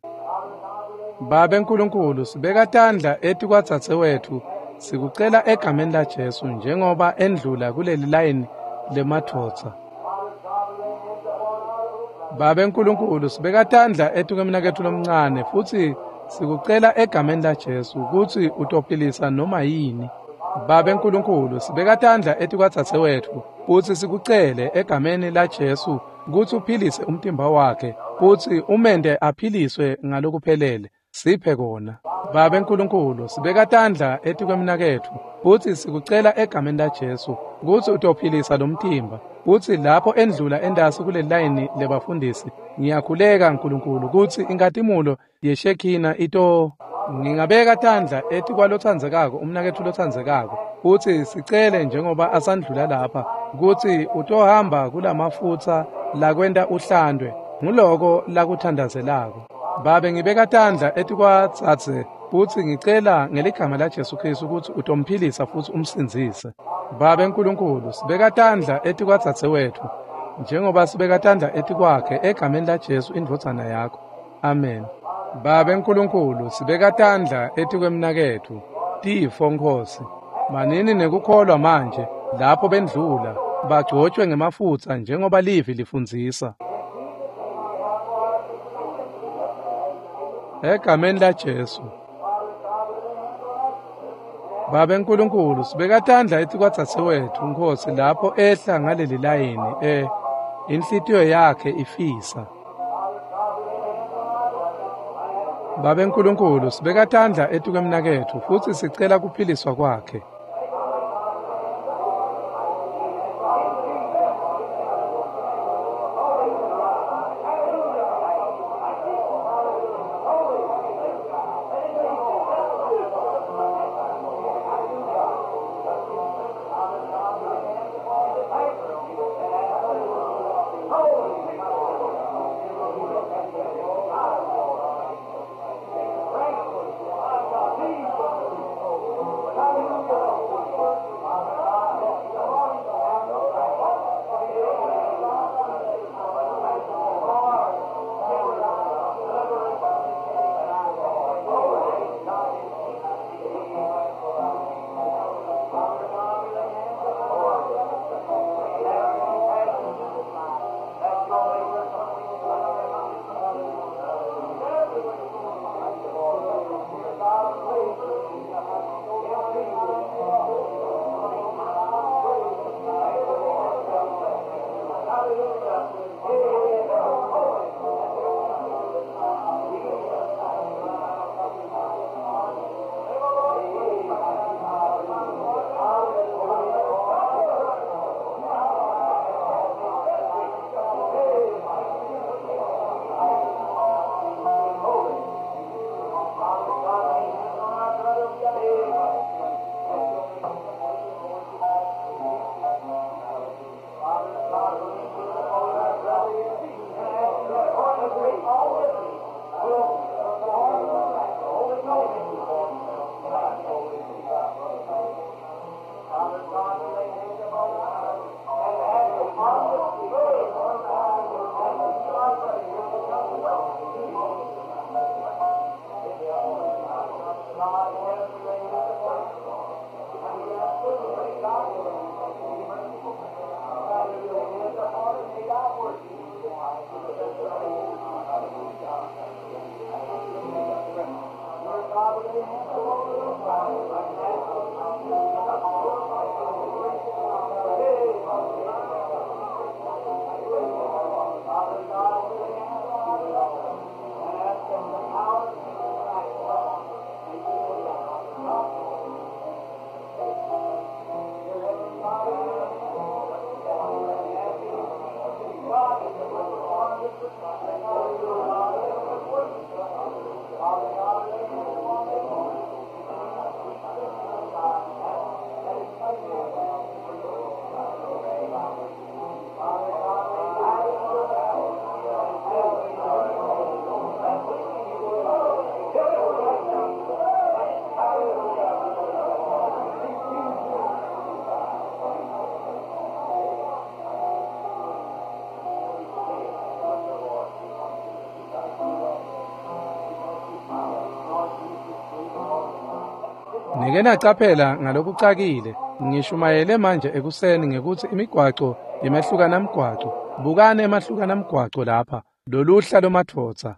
Babe Nkulunkulu sibeka tandla etikwadzadzewetfu sikucela egameni laJesu njengoba endlula kuleli layini lemadvodza. Babe Nkulunkulu sibeka tandla etikwemnaketfu lomncane futsi sikucela egameni laJesu kutsi utophilisa noma yini. Babe Nkulunkulu sibeka tandla etikwadzadzewetfu futsi sikucele egameni laJesu kutsi uphilise umtimba wakhe futsi umende aphiliswe ngalokuphelele. Siphe kona. Babe Nkulunkulu sibeka tandla etikwemnaketfu futsi sikucela egameni laJesu kutsi utophilisa lomtimba futsi lapho endlula endasi kuleli layini lebafundisi ngiyakhuleka Nkulunkulu kutsi inkatimulo yeshekhina ito. Ngingabeka tandla etikwalotsandzekako umnaketfu lotsandzekako futsi sicele njengoba asandlula lapha kutsi utohamba kulamafutsa lakwenta uhlandwe nguloko lakuthandazelako. Babe ngibeka tandla etikwadzadze futsi ngicela ngeligama laJesu Kristu kutsi utomphilisa futsi umsindzise. Babe Nkulunkulu sibeka tandla etikwadzadzewetfu njengoba sibeka tandla etikwakhe egameni laJesu indvodzana yakho. Amen. Babe Nkulunkulu sibeka tandla etikwemnaketfu tifo Nkosi. Manini nekukholwa manje lapho bendlula bagcotshwe ngemafutsa njengoba livi lifundzisa. Egameni laJesu. Babe Nkulunkulu sibeka tandla etikwadzadzewetfu Nkosi lapho ehla ngaleli layini e inhlitiyo yakhe ifisa. Babe Nkulunkulu sibeka tandla etikwemnaketfu futsi sicela kuphiliswa kwakhe. Nike nacaphela ngalokucakile ngishumayele manje ekuseni ngekutsi imigwaco imehlukanamgwaco. Bukani emahlukanamgwaco lapha loluhla lomadvodza.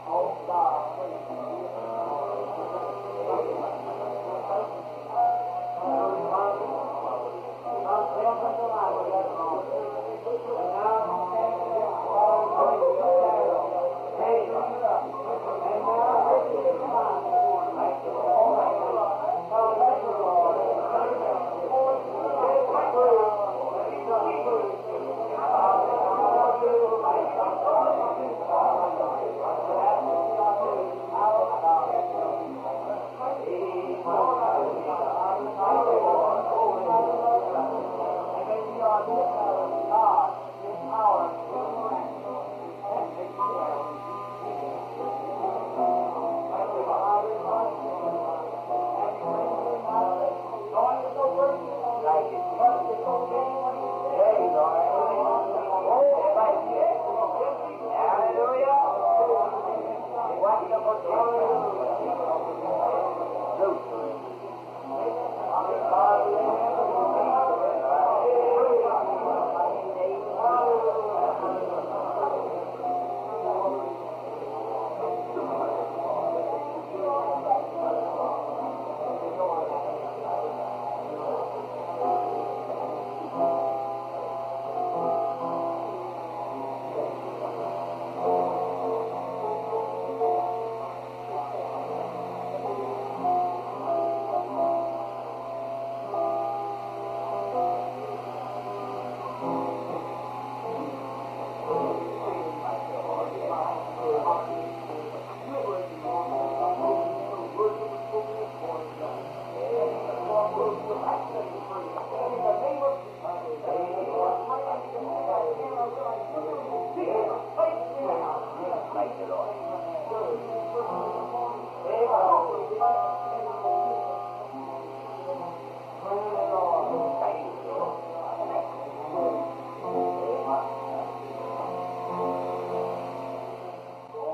Oh, God.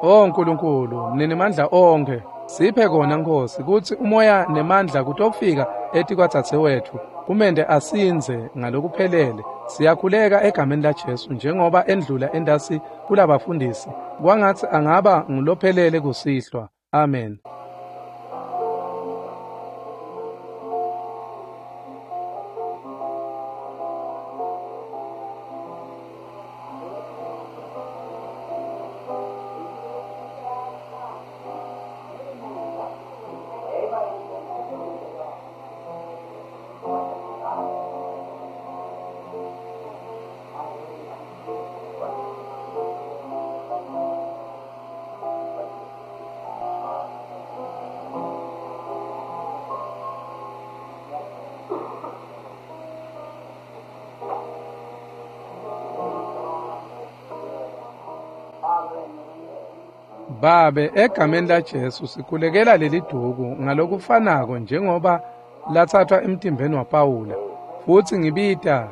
O Nkulunkulu, mninimandla onkhe, siphe kona Nkosi kutsi umoya nemandla kutofika etikwadzadzewetfu kumende asinze ngalokuphelele. Siyakhuleka egameni laJesu njengoba endlula endasi kulabafundisi, kwangatsi angaba ngulophelele kusihlwa. Amen. Babe, egameni laJesu sikhulekela leli duku ngalokufanako njengoba latsathwa emtimbeni waPawula. Futsi ngibita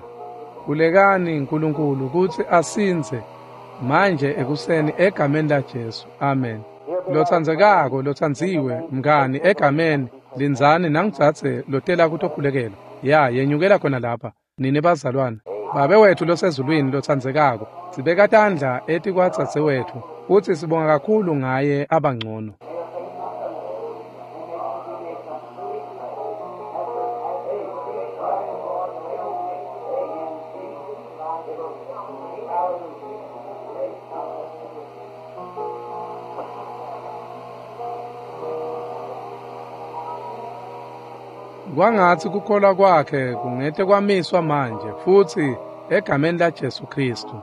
khulekani Nkulunkulu kutsi asindze manje ekuseni egameni laJesu. Amen. Lotsandzekako, lotsandziwe mngani, egameni lindzani nangudzadze lotela kutokhulekela. Ya, yenyukela khona lapha nine bazalwane. Babe wethu losezulwini lotsandzekako, sibeka tandla etikwadzadzewetfu futsi sibonga kakhulu ngaye abangcono. Kwangatsi kukholwa kwakhe kungete kwamiswa manje futsi egameni laJesu Kristu.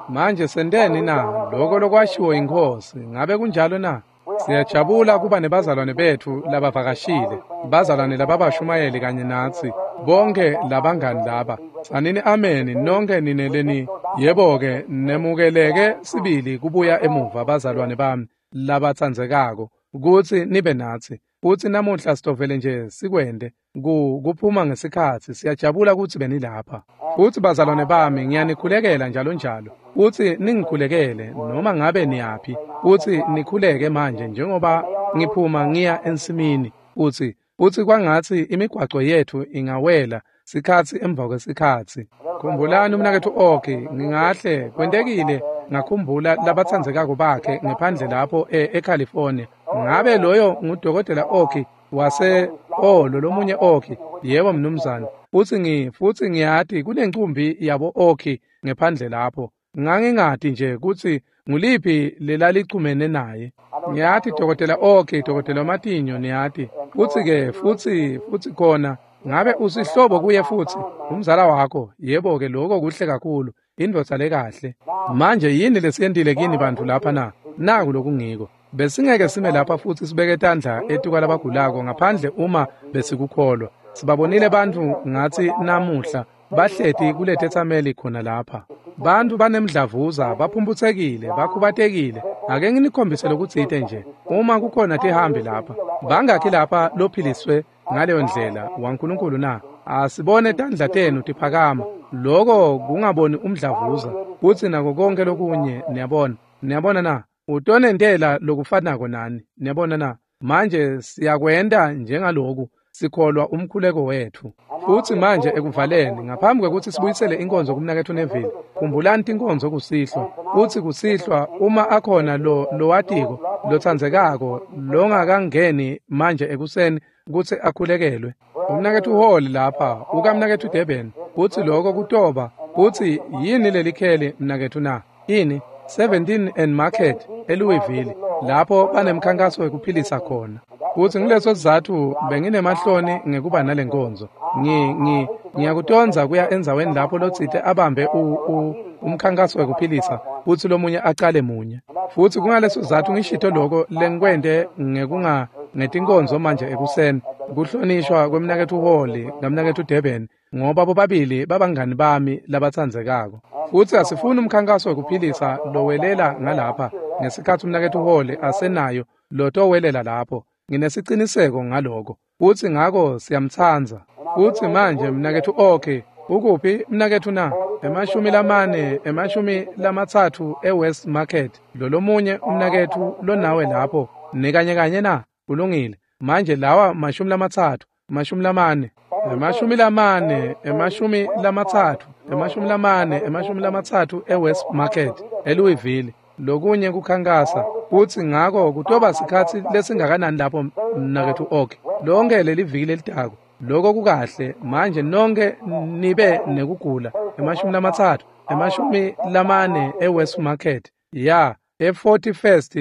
Manje senteni na lokho lokwashiwo iNkhosi? Ngabe kunjalo na? Siyajabula kuba nebazalwane betfu labavakashile, bazalwane lababashumayeli kanye natsi, bonke labangani laba. Sanini ameni nonke nineleni. Yebo-ke, nemukeleke sibili kubuya emuva bazalwane bami labatsandzekako kutsi nibe natsi. Futsi namuhla sitovele nje sikwente ku kuphuma ngesikhatsi. Siyajabula kutsi benilapha. Futsi bazalwane bami, ngiyanikhulekela njalo njalo. Futsi ningikhulekele noma ngabe niyaphi. Futsi nikhuleke manje njengoba ngiphuma ngiya ensimini. Futsi futsi kwangatsi imigwaco yetfu ingawela sikhatsi emva kwesikhatsi. Khumbulani umnaketfu Oki, ngingahle kwentekile ngakhumbula labatsandzekako bakhe ngephandle lapho eCalifornia. Ngabe loyo ngudokotela Oki wase oh lo lomunye Oki? Yebo mnumzane. Futsi ngi futsi ngiyati kunencumbi yabo Oki ngephandle lapho. Ngangingati nje kutsi nguliphi lelalichumene naye. Ngiyati dokotela Oki, dokotela Matinyo, niyati. Futsi ke futsi futsi khona ngabe usihlobo kuye futsi umzala wakho? Yebo ke, lokho kuhle kakhulu, indvodza lekahle. Manje yini lesiyentile kini bantu lapha na? Naku lokungiko. Besingeke sime lapha futsi sibeke tandla etikwalabagulako ngaphandle uma besikukholwa. Sibabonile bantfu ngatsi namuhla bahleti kuletetsameli khona lapha. Bantfu banemdlavuza, baphumphutsekile, bakhubatekile. Ake nginikhombise lokutsite nje. Uma kukhona tihambi lapha, bangakhi lapha lophiliswe ngaleyo ndlela waNkulunkulu na? Asibone tandla tenu tiphakama. Loko kungaboni umdlavuza futsi nako konke lokunye. Niyabona, niyabona na? Utonentela lokufanako nani. Niyabona na? Manje siyakwenta njengaloku sikholwa umkhuleko wetfu. Futsi manje ekuvaleni, ngaphambi kwekutsi sibuyisele inkonzo kumnaketfu Neville, khumbulani tinkonzo kusihlwa. Futsi kusihlwa uma akhona lo lowatiko lotsandzekako longakangeni manje ekuseni kutsi akhulekelwe. Umnaketfu Hall lapha, ukamnaketfu Durban. Futsi lokho kutoba kutsi yini lelikheli mnaketfu na? Ini seventeen and Market eLouisville, lapho banemkhankaso wekuphilisa khona. Futsi ngileso sizatfu benginemahloni ngekuba nalenkonzo. Ngi ngi ngiyakutondza kuya endzaweni lapho lotsite abambe u, u umkhankaso wekuphilisa futsi lomunye acale munye. Futsi kungaleso sizatfu ngishito lokho lengikwente ngekunga ngetinkonzo manje ekuseni, kuhlonishwa kwemnaketfu Hall namnaketfu Durban, ngoba bobabili babangani bami labatsandzekako. Futsi asifuni umkhankaso wekuphilisa lowelela ngalapha ngesikhatsi umnaketfu Hall asenayo lotowelela lapho. Nginesiciniseko ngaloko. Futsi ngako siyamtsandza. Futsi manje mnaketfu Oki, Ukuphi mnaketfu na? Emashumi lamane, emashumi lamatsatfu eWest Market. Lolomunye umnaketfu lonawe lapho nikanye kanye na? Kulungile. Manje lawa mashumi lamatsatfu, mashumi lamane, emashumi lamane, emashumi lamatsatfu, emashumi lamane, emashumi lamatsatfu eWest Market, eLouisville. Lokunye kukhankasa kutsi ngako kutoba sikhatsi lesingakanani lapho mnaketfu ok. Lonke leliviki lelitako. Lokho kukahle. Manje nonke nibe nekugula. Emashumi lamatsatfu, emashumi lamane eWest Market. Ya, e-forty-first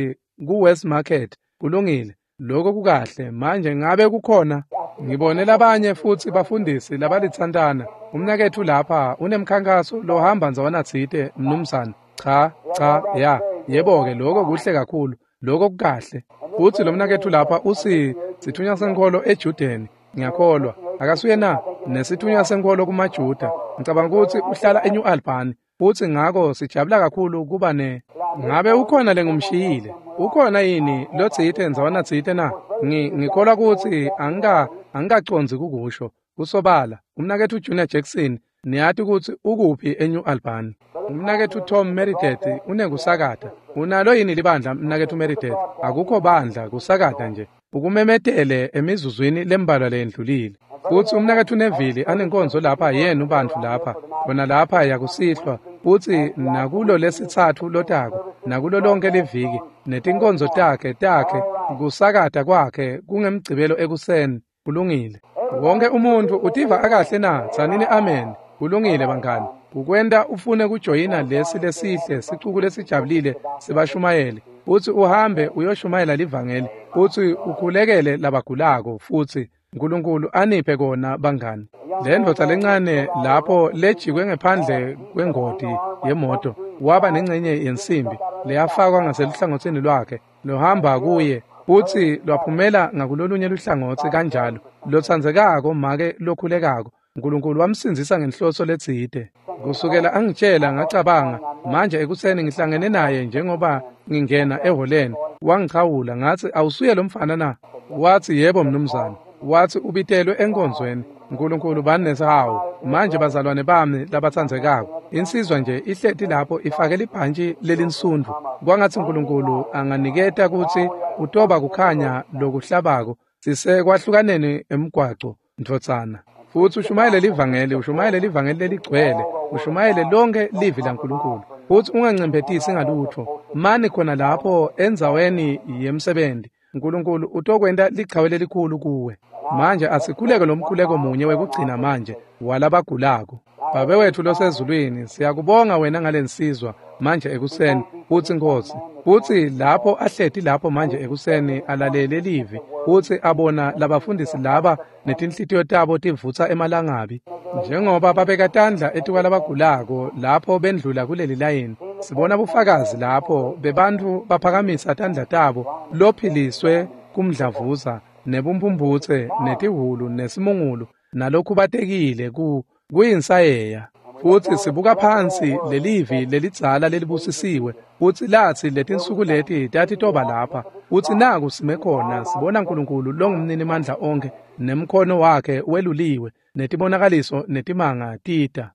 ku-West Market. Kulungile. Lokho kukahle. Manje ngabe kukhona? Ngibone labanye futsi bafundisi labalitsantana. Umnaketfu lapha unemkhankaso lohamba ndzawana tsite mnumzane. Cha, cha, ya. Yebo-ke lokho kuhle kakhulu. Lokho kukahle. Futsi lo mnaketfu lapha usi sithunywa senkholo eJudeni. Ngiyakholwa. Akasuye na? Nesithunywa senkholo kumaJuda. Ngicabanga ukuthi uhlala eNew Albany. Futsi ngako sijabula kakhulu kuba ne. Ngabe ukhona lengumshiyile? Ukhona yini lotsite ndzawana tsite na? Ngi ngikholwa ukuthi angika angikacondzi kukusho. Kusobala, umnaketfu Junior Jackson niyati ukuthi ukuphi eNew Albany. Umnaketfu Tom Meredith unekusakata. Unalo yini libandla mnaketfu Meredith? Akukho bandla, kusakata nje. Ukumemetele emizuzwini lembalwa leyendlulile. Futsi umnaketfu Neville anenkonzo lapha yenu bantfu lapha. Khona lapha yakusihlwa. Futsi nakulo lesitsatfu lotako, nakulo lonke liviki, netinkonzo takhe takhe, kusakata kwakhe kungemgcibelo ekuseni. Kulungile. Wonke umuntu utiva akahle na? Tsanini amen. Kulungile bangani. Kukwenta ufune kujoyina lesi lesihle sicuku lesijabulile sibashumayele. Futsi uhambe uyoshumayela livangeli. Futsi ukhulekele labagulako futsi uNkulunkulu aniphe kona bangani. Le ndvodza lencane lapho lejikwe ngephandle kwengoti yemoto waba nengcenye yensimbi leyafakwa ngaseluhlangotsini lwakhe lohamba kuye futsi lwaphumela ngakulolunye luhlangotsi kanjalo. Lotsandzekako make lokhulekako uNkulunkulu wamsindzisa ngenhloso letsite. Kusukela angitshela ngacabanga manje ekuseni ngihlangene naye njengoba ngingena eholeni. Wangichawula ngathi awusuye lo mfana na? Wathi yebo mnumzane. Wathi ubitelwe enkonzweni. uNkulunkulu banesihawu. Manje bazalwane bami labatsandzekako, insizwa nje ihleti lapho ifake libhantshi lelinsundu. Kwangathi uNkulunkulu anganiketa kutsi utoba kukhanya lokuhlabako sisekwahlukaneni emgwaco ndvodzana. Futsi ushumayele livangeli, ushumayele livangeli leligcwele, ushumayele lonke livi laNkulunkulu. Futsi ungancemphetisi ngalutfo. Mani khona lapho endzaweni yemsebenzi. uNkulunkulu utokwenta lichawe lelikhulu kuwe. Manje asikhuleke lomkhuleko munye wekugcina manje walabagulako. Babe wethu losezulwini, siyakubonga wena ngalensizwa manje ekuseni. Futsi Nkosi, futsi lapho ahleti lapho manje ekuseni alalele livi, futsi abona labafundisi laba netinhlitiyo tabo tivutsa emalangabi. Njengoba babeka tandla etikwalabagulako lapho bendlula kuleli layini, sibona bufakazi lapho bebantfu baphakamisa tandla tabo lophiliswe kumdlavuza nebumphumputse netihulu nesimungulu nalokhubatekile ku kuyinsayeya. Futsi sibuka phansi lelivi lelidzala lelibusisiwe, futsi latsi letinsuku leti tatitoba lapha. Futsi naku sime khona sibona uNkulunkulu longumninimandla onke nemkhono wakhe weluliwe netibonakaliso netimanga tita.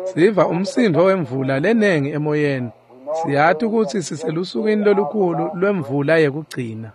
Siva umsindvo wemvula lenengi emoyeni. Siyati kutsi siselusukwini lolukhulu lwemvula yekugcina.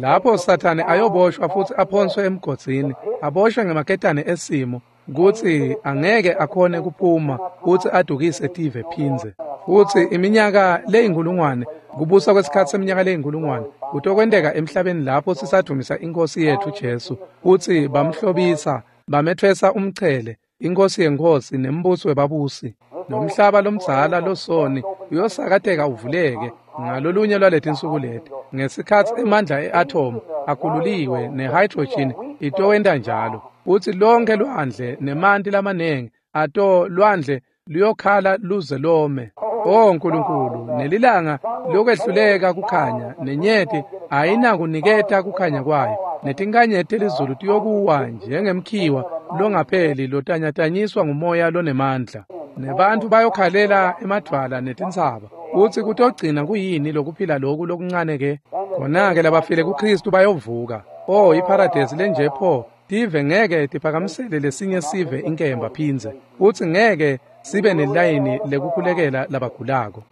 Lapho Sathane ayoboshwa futsi aphonswe emgodzini, aboshwe ngemaketane esimo kutsi angeke akhone kuphuma kutsi adukise tive phindze. Futsi iminyaka leyinkulungwane, kubusa kwesikhatsi seminyaka leyinkulungwane, kutokwenteka emhlabeni lapho sisadumisa iNkhosi yetfu Jesu, futsi bamhlobisa, bametfwesa umchele, iNkhosi yenkhosi nembusi webabusi. Nomhlaba lomdzala losoni uyosakateka uvuleke ngalolunye lwaletinsuku leti. Ngesikhatsi emandla e-atom akhululiwe ne-hydrogen itowenta njalo. Futsi lonke lwandle nemanti lamanengi ato lwandle luyokhala luze lome. O Nkulunkulu, nelilanga lokwehluleka kukhanya, nenyeti ayinakuniketa kukhanya kwayo, netinkanyeti telizulu tiyokuwa njengemkhiwa longapheli lotanyatanyiswa ngumoya lonemandla. Nebantfu bayokhalela emadvwala netintsaba. Futsi kutogcina kuyini lokuphila loku lokuncane ke? Khona-ke labafile kuKristu bayovuka. Oh, iparadesi lenje pho Tive ngeke tiphakamisele lesinye sive inkemba phindze, futsi ngeke sibe nelayini lekukhulekela labagulako.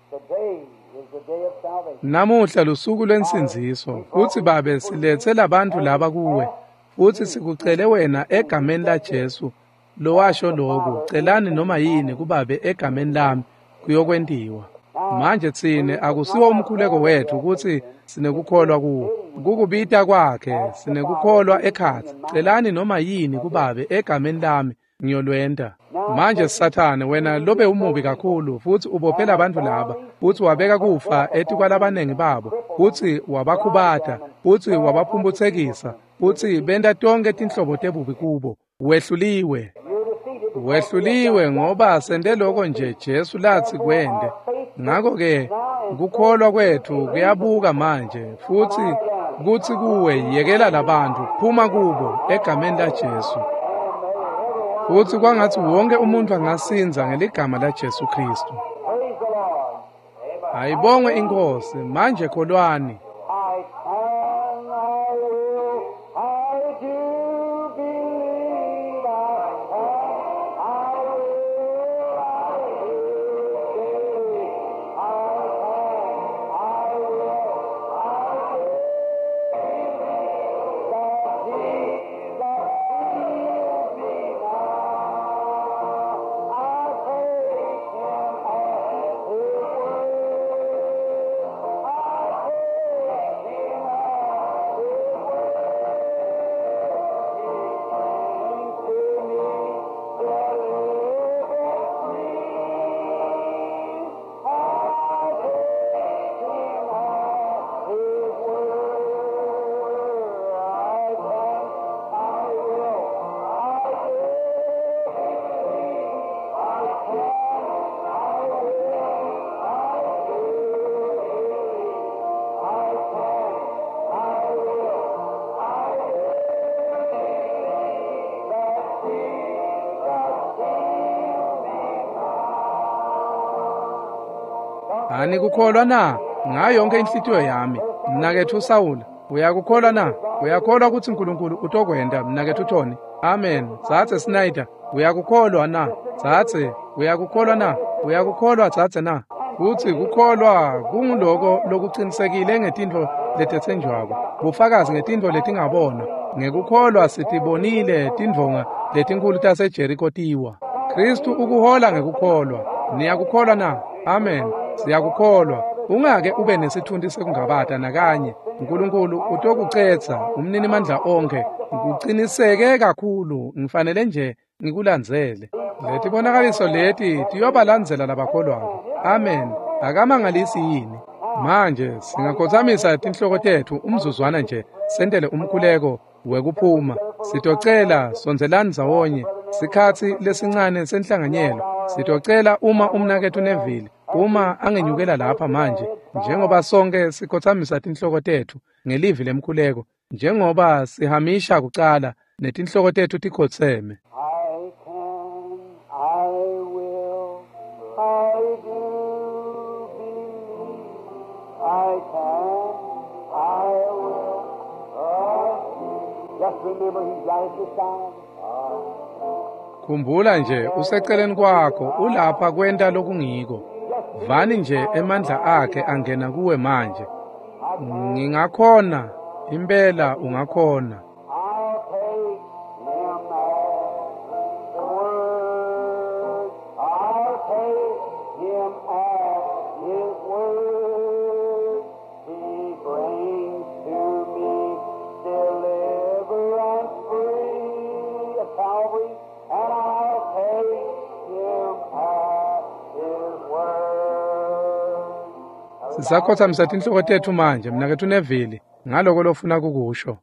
Namuhla lusuku lwensindziso, futsi Babe siletse labantfu laba kuwe, futsi sikucele wena egameni laJesu lowasho loku, celani noma yini kuBabe egameni lami, kuyokwentiwa. Manje tsine akusiwo umkhuleko wetfu kutsi sinekukholwa kuwo, kukubita kwakhe sinekukholwa ekhatsi. Celani noma yini kuBabe egameni lami, ngiyolwenta. Manje Sathane, wena lobe umubi kakhulu, futsi ubophe labantfu laba, futsi wabeka kufa etikwalabanengi babo, futsi wabakhubata, futsi wabaphumphutsekisa, futsi benta tonkhe tinhlobo tebubi kubo. Wehluliwe. Wehluliwe ngoba sente loko nje Jesu latsi kwente. Ngako-ke kukholwa kwetfu kuyabuka manje, futsi kutsi kuwe, yekela labantfu, phuma kubo egameni laJesu. Futsi kwangatsi wonke umuntfu angasindza ngeligama laJesu Khristu. Ayibongwe iNkhosi. Manje kholwani. I can, I will, I do believe. I can, I will, I do believe. I can, I will, I do believe that Jesus heals me now. I take Him at His word. I take Him at His word. He brings to me deliverance free. I take Him at His word. I can, I will, I do believe. I can, I will, I do believe. I can, I will, I do believe that Jesus heals me now. Anikukholwa na ngayo yonke inhlitiyo yami? Mnaketfu Sawula, uyakukholwa na? Uyakholwa kutsi Nkulunkulu utokwenta, mnaketfu Tony? Amen. Dzadze Snyder, uyakukholwa na? Dzadze, uyakukholwa na? Uyakukholwa dzadze na? Futsi kukholwa kunguloko lokucinisekile ngetintfo letetsenjwako, bufakazi ngetintfo letingabonwa. Ngekukholwa sitibonile tindvonga letinkhulu taseJeriko tiwa. Khristu ukuhola ngekukholwa. Niyakukholwa na? Amen. Siyakukholwa. Ungake ube nesitfunti sekungabata nakanye. Nkulunkulu utokucetsa, umninimandla onkhe. Kuciniseke kakhulu, ngifanele nje ngikulandzele. Letibonakaliso leti tiyobalandzela labakholwako. Amen. Akamangalisi yini? Manje singakhotsamisa tinhloko tetfu umzuzwana nje, sentele umkhuleko wekuphuma. Sitocela sondzelani ndzawonye sikhatsi lesincane senhlanganyelo. Sitocela uma umnaketfu Neville uma angenyukela lapha manje, njengoba sonke sikhotsamisa tinhloko tetfu ngelivi lemkhuleko, njengoba sihamisha kucala netinhloko tetfu tikhotseme. I can, I will, I do believe. I can, I will, I do. Just remember He's right at your side. Khumbula nje useceleni kwakho, ulapha kwenta lokungiko. Vani nje emandla akhe angena kuwe manje. Ngingakhona, impela ungakhona. I'll take Him at the word. I'll take Him at His word. He brings to me deliverance free of Calvary, and I'll take Him at His word. Sisakhothamisa tinhloko tetfu manje, mnaketfu Neville, ngaloko lofuna kukusho.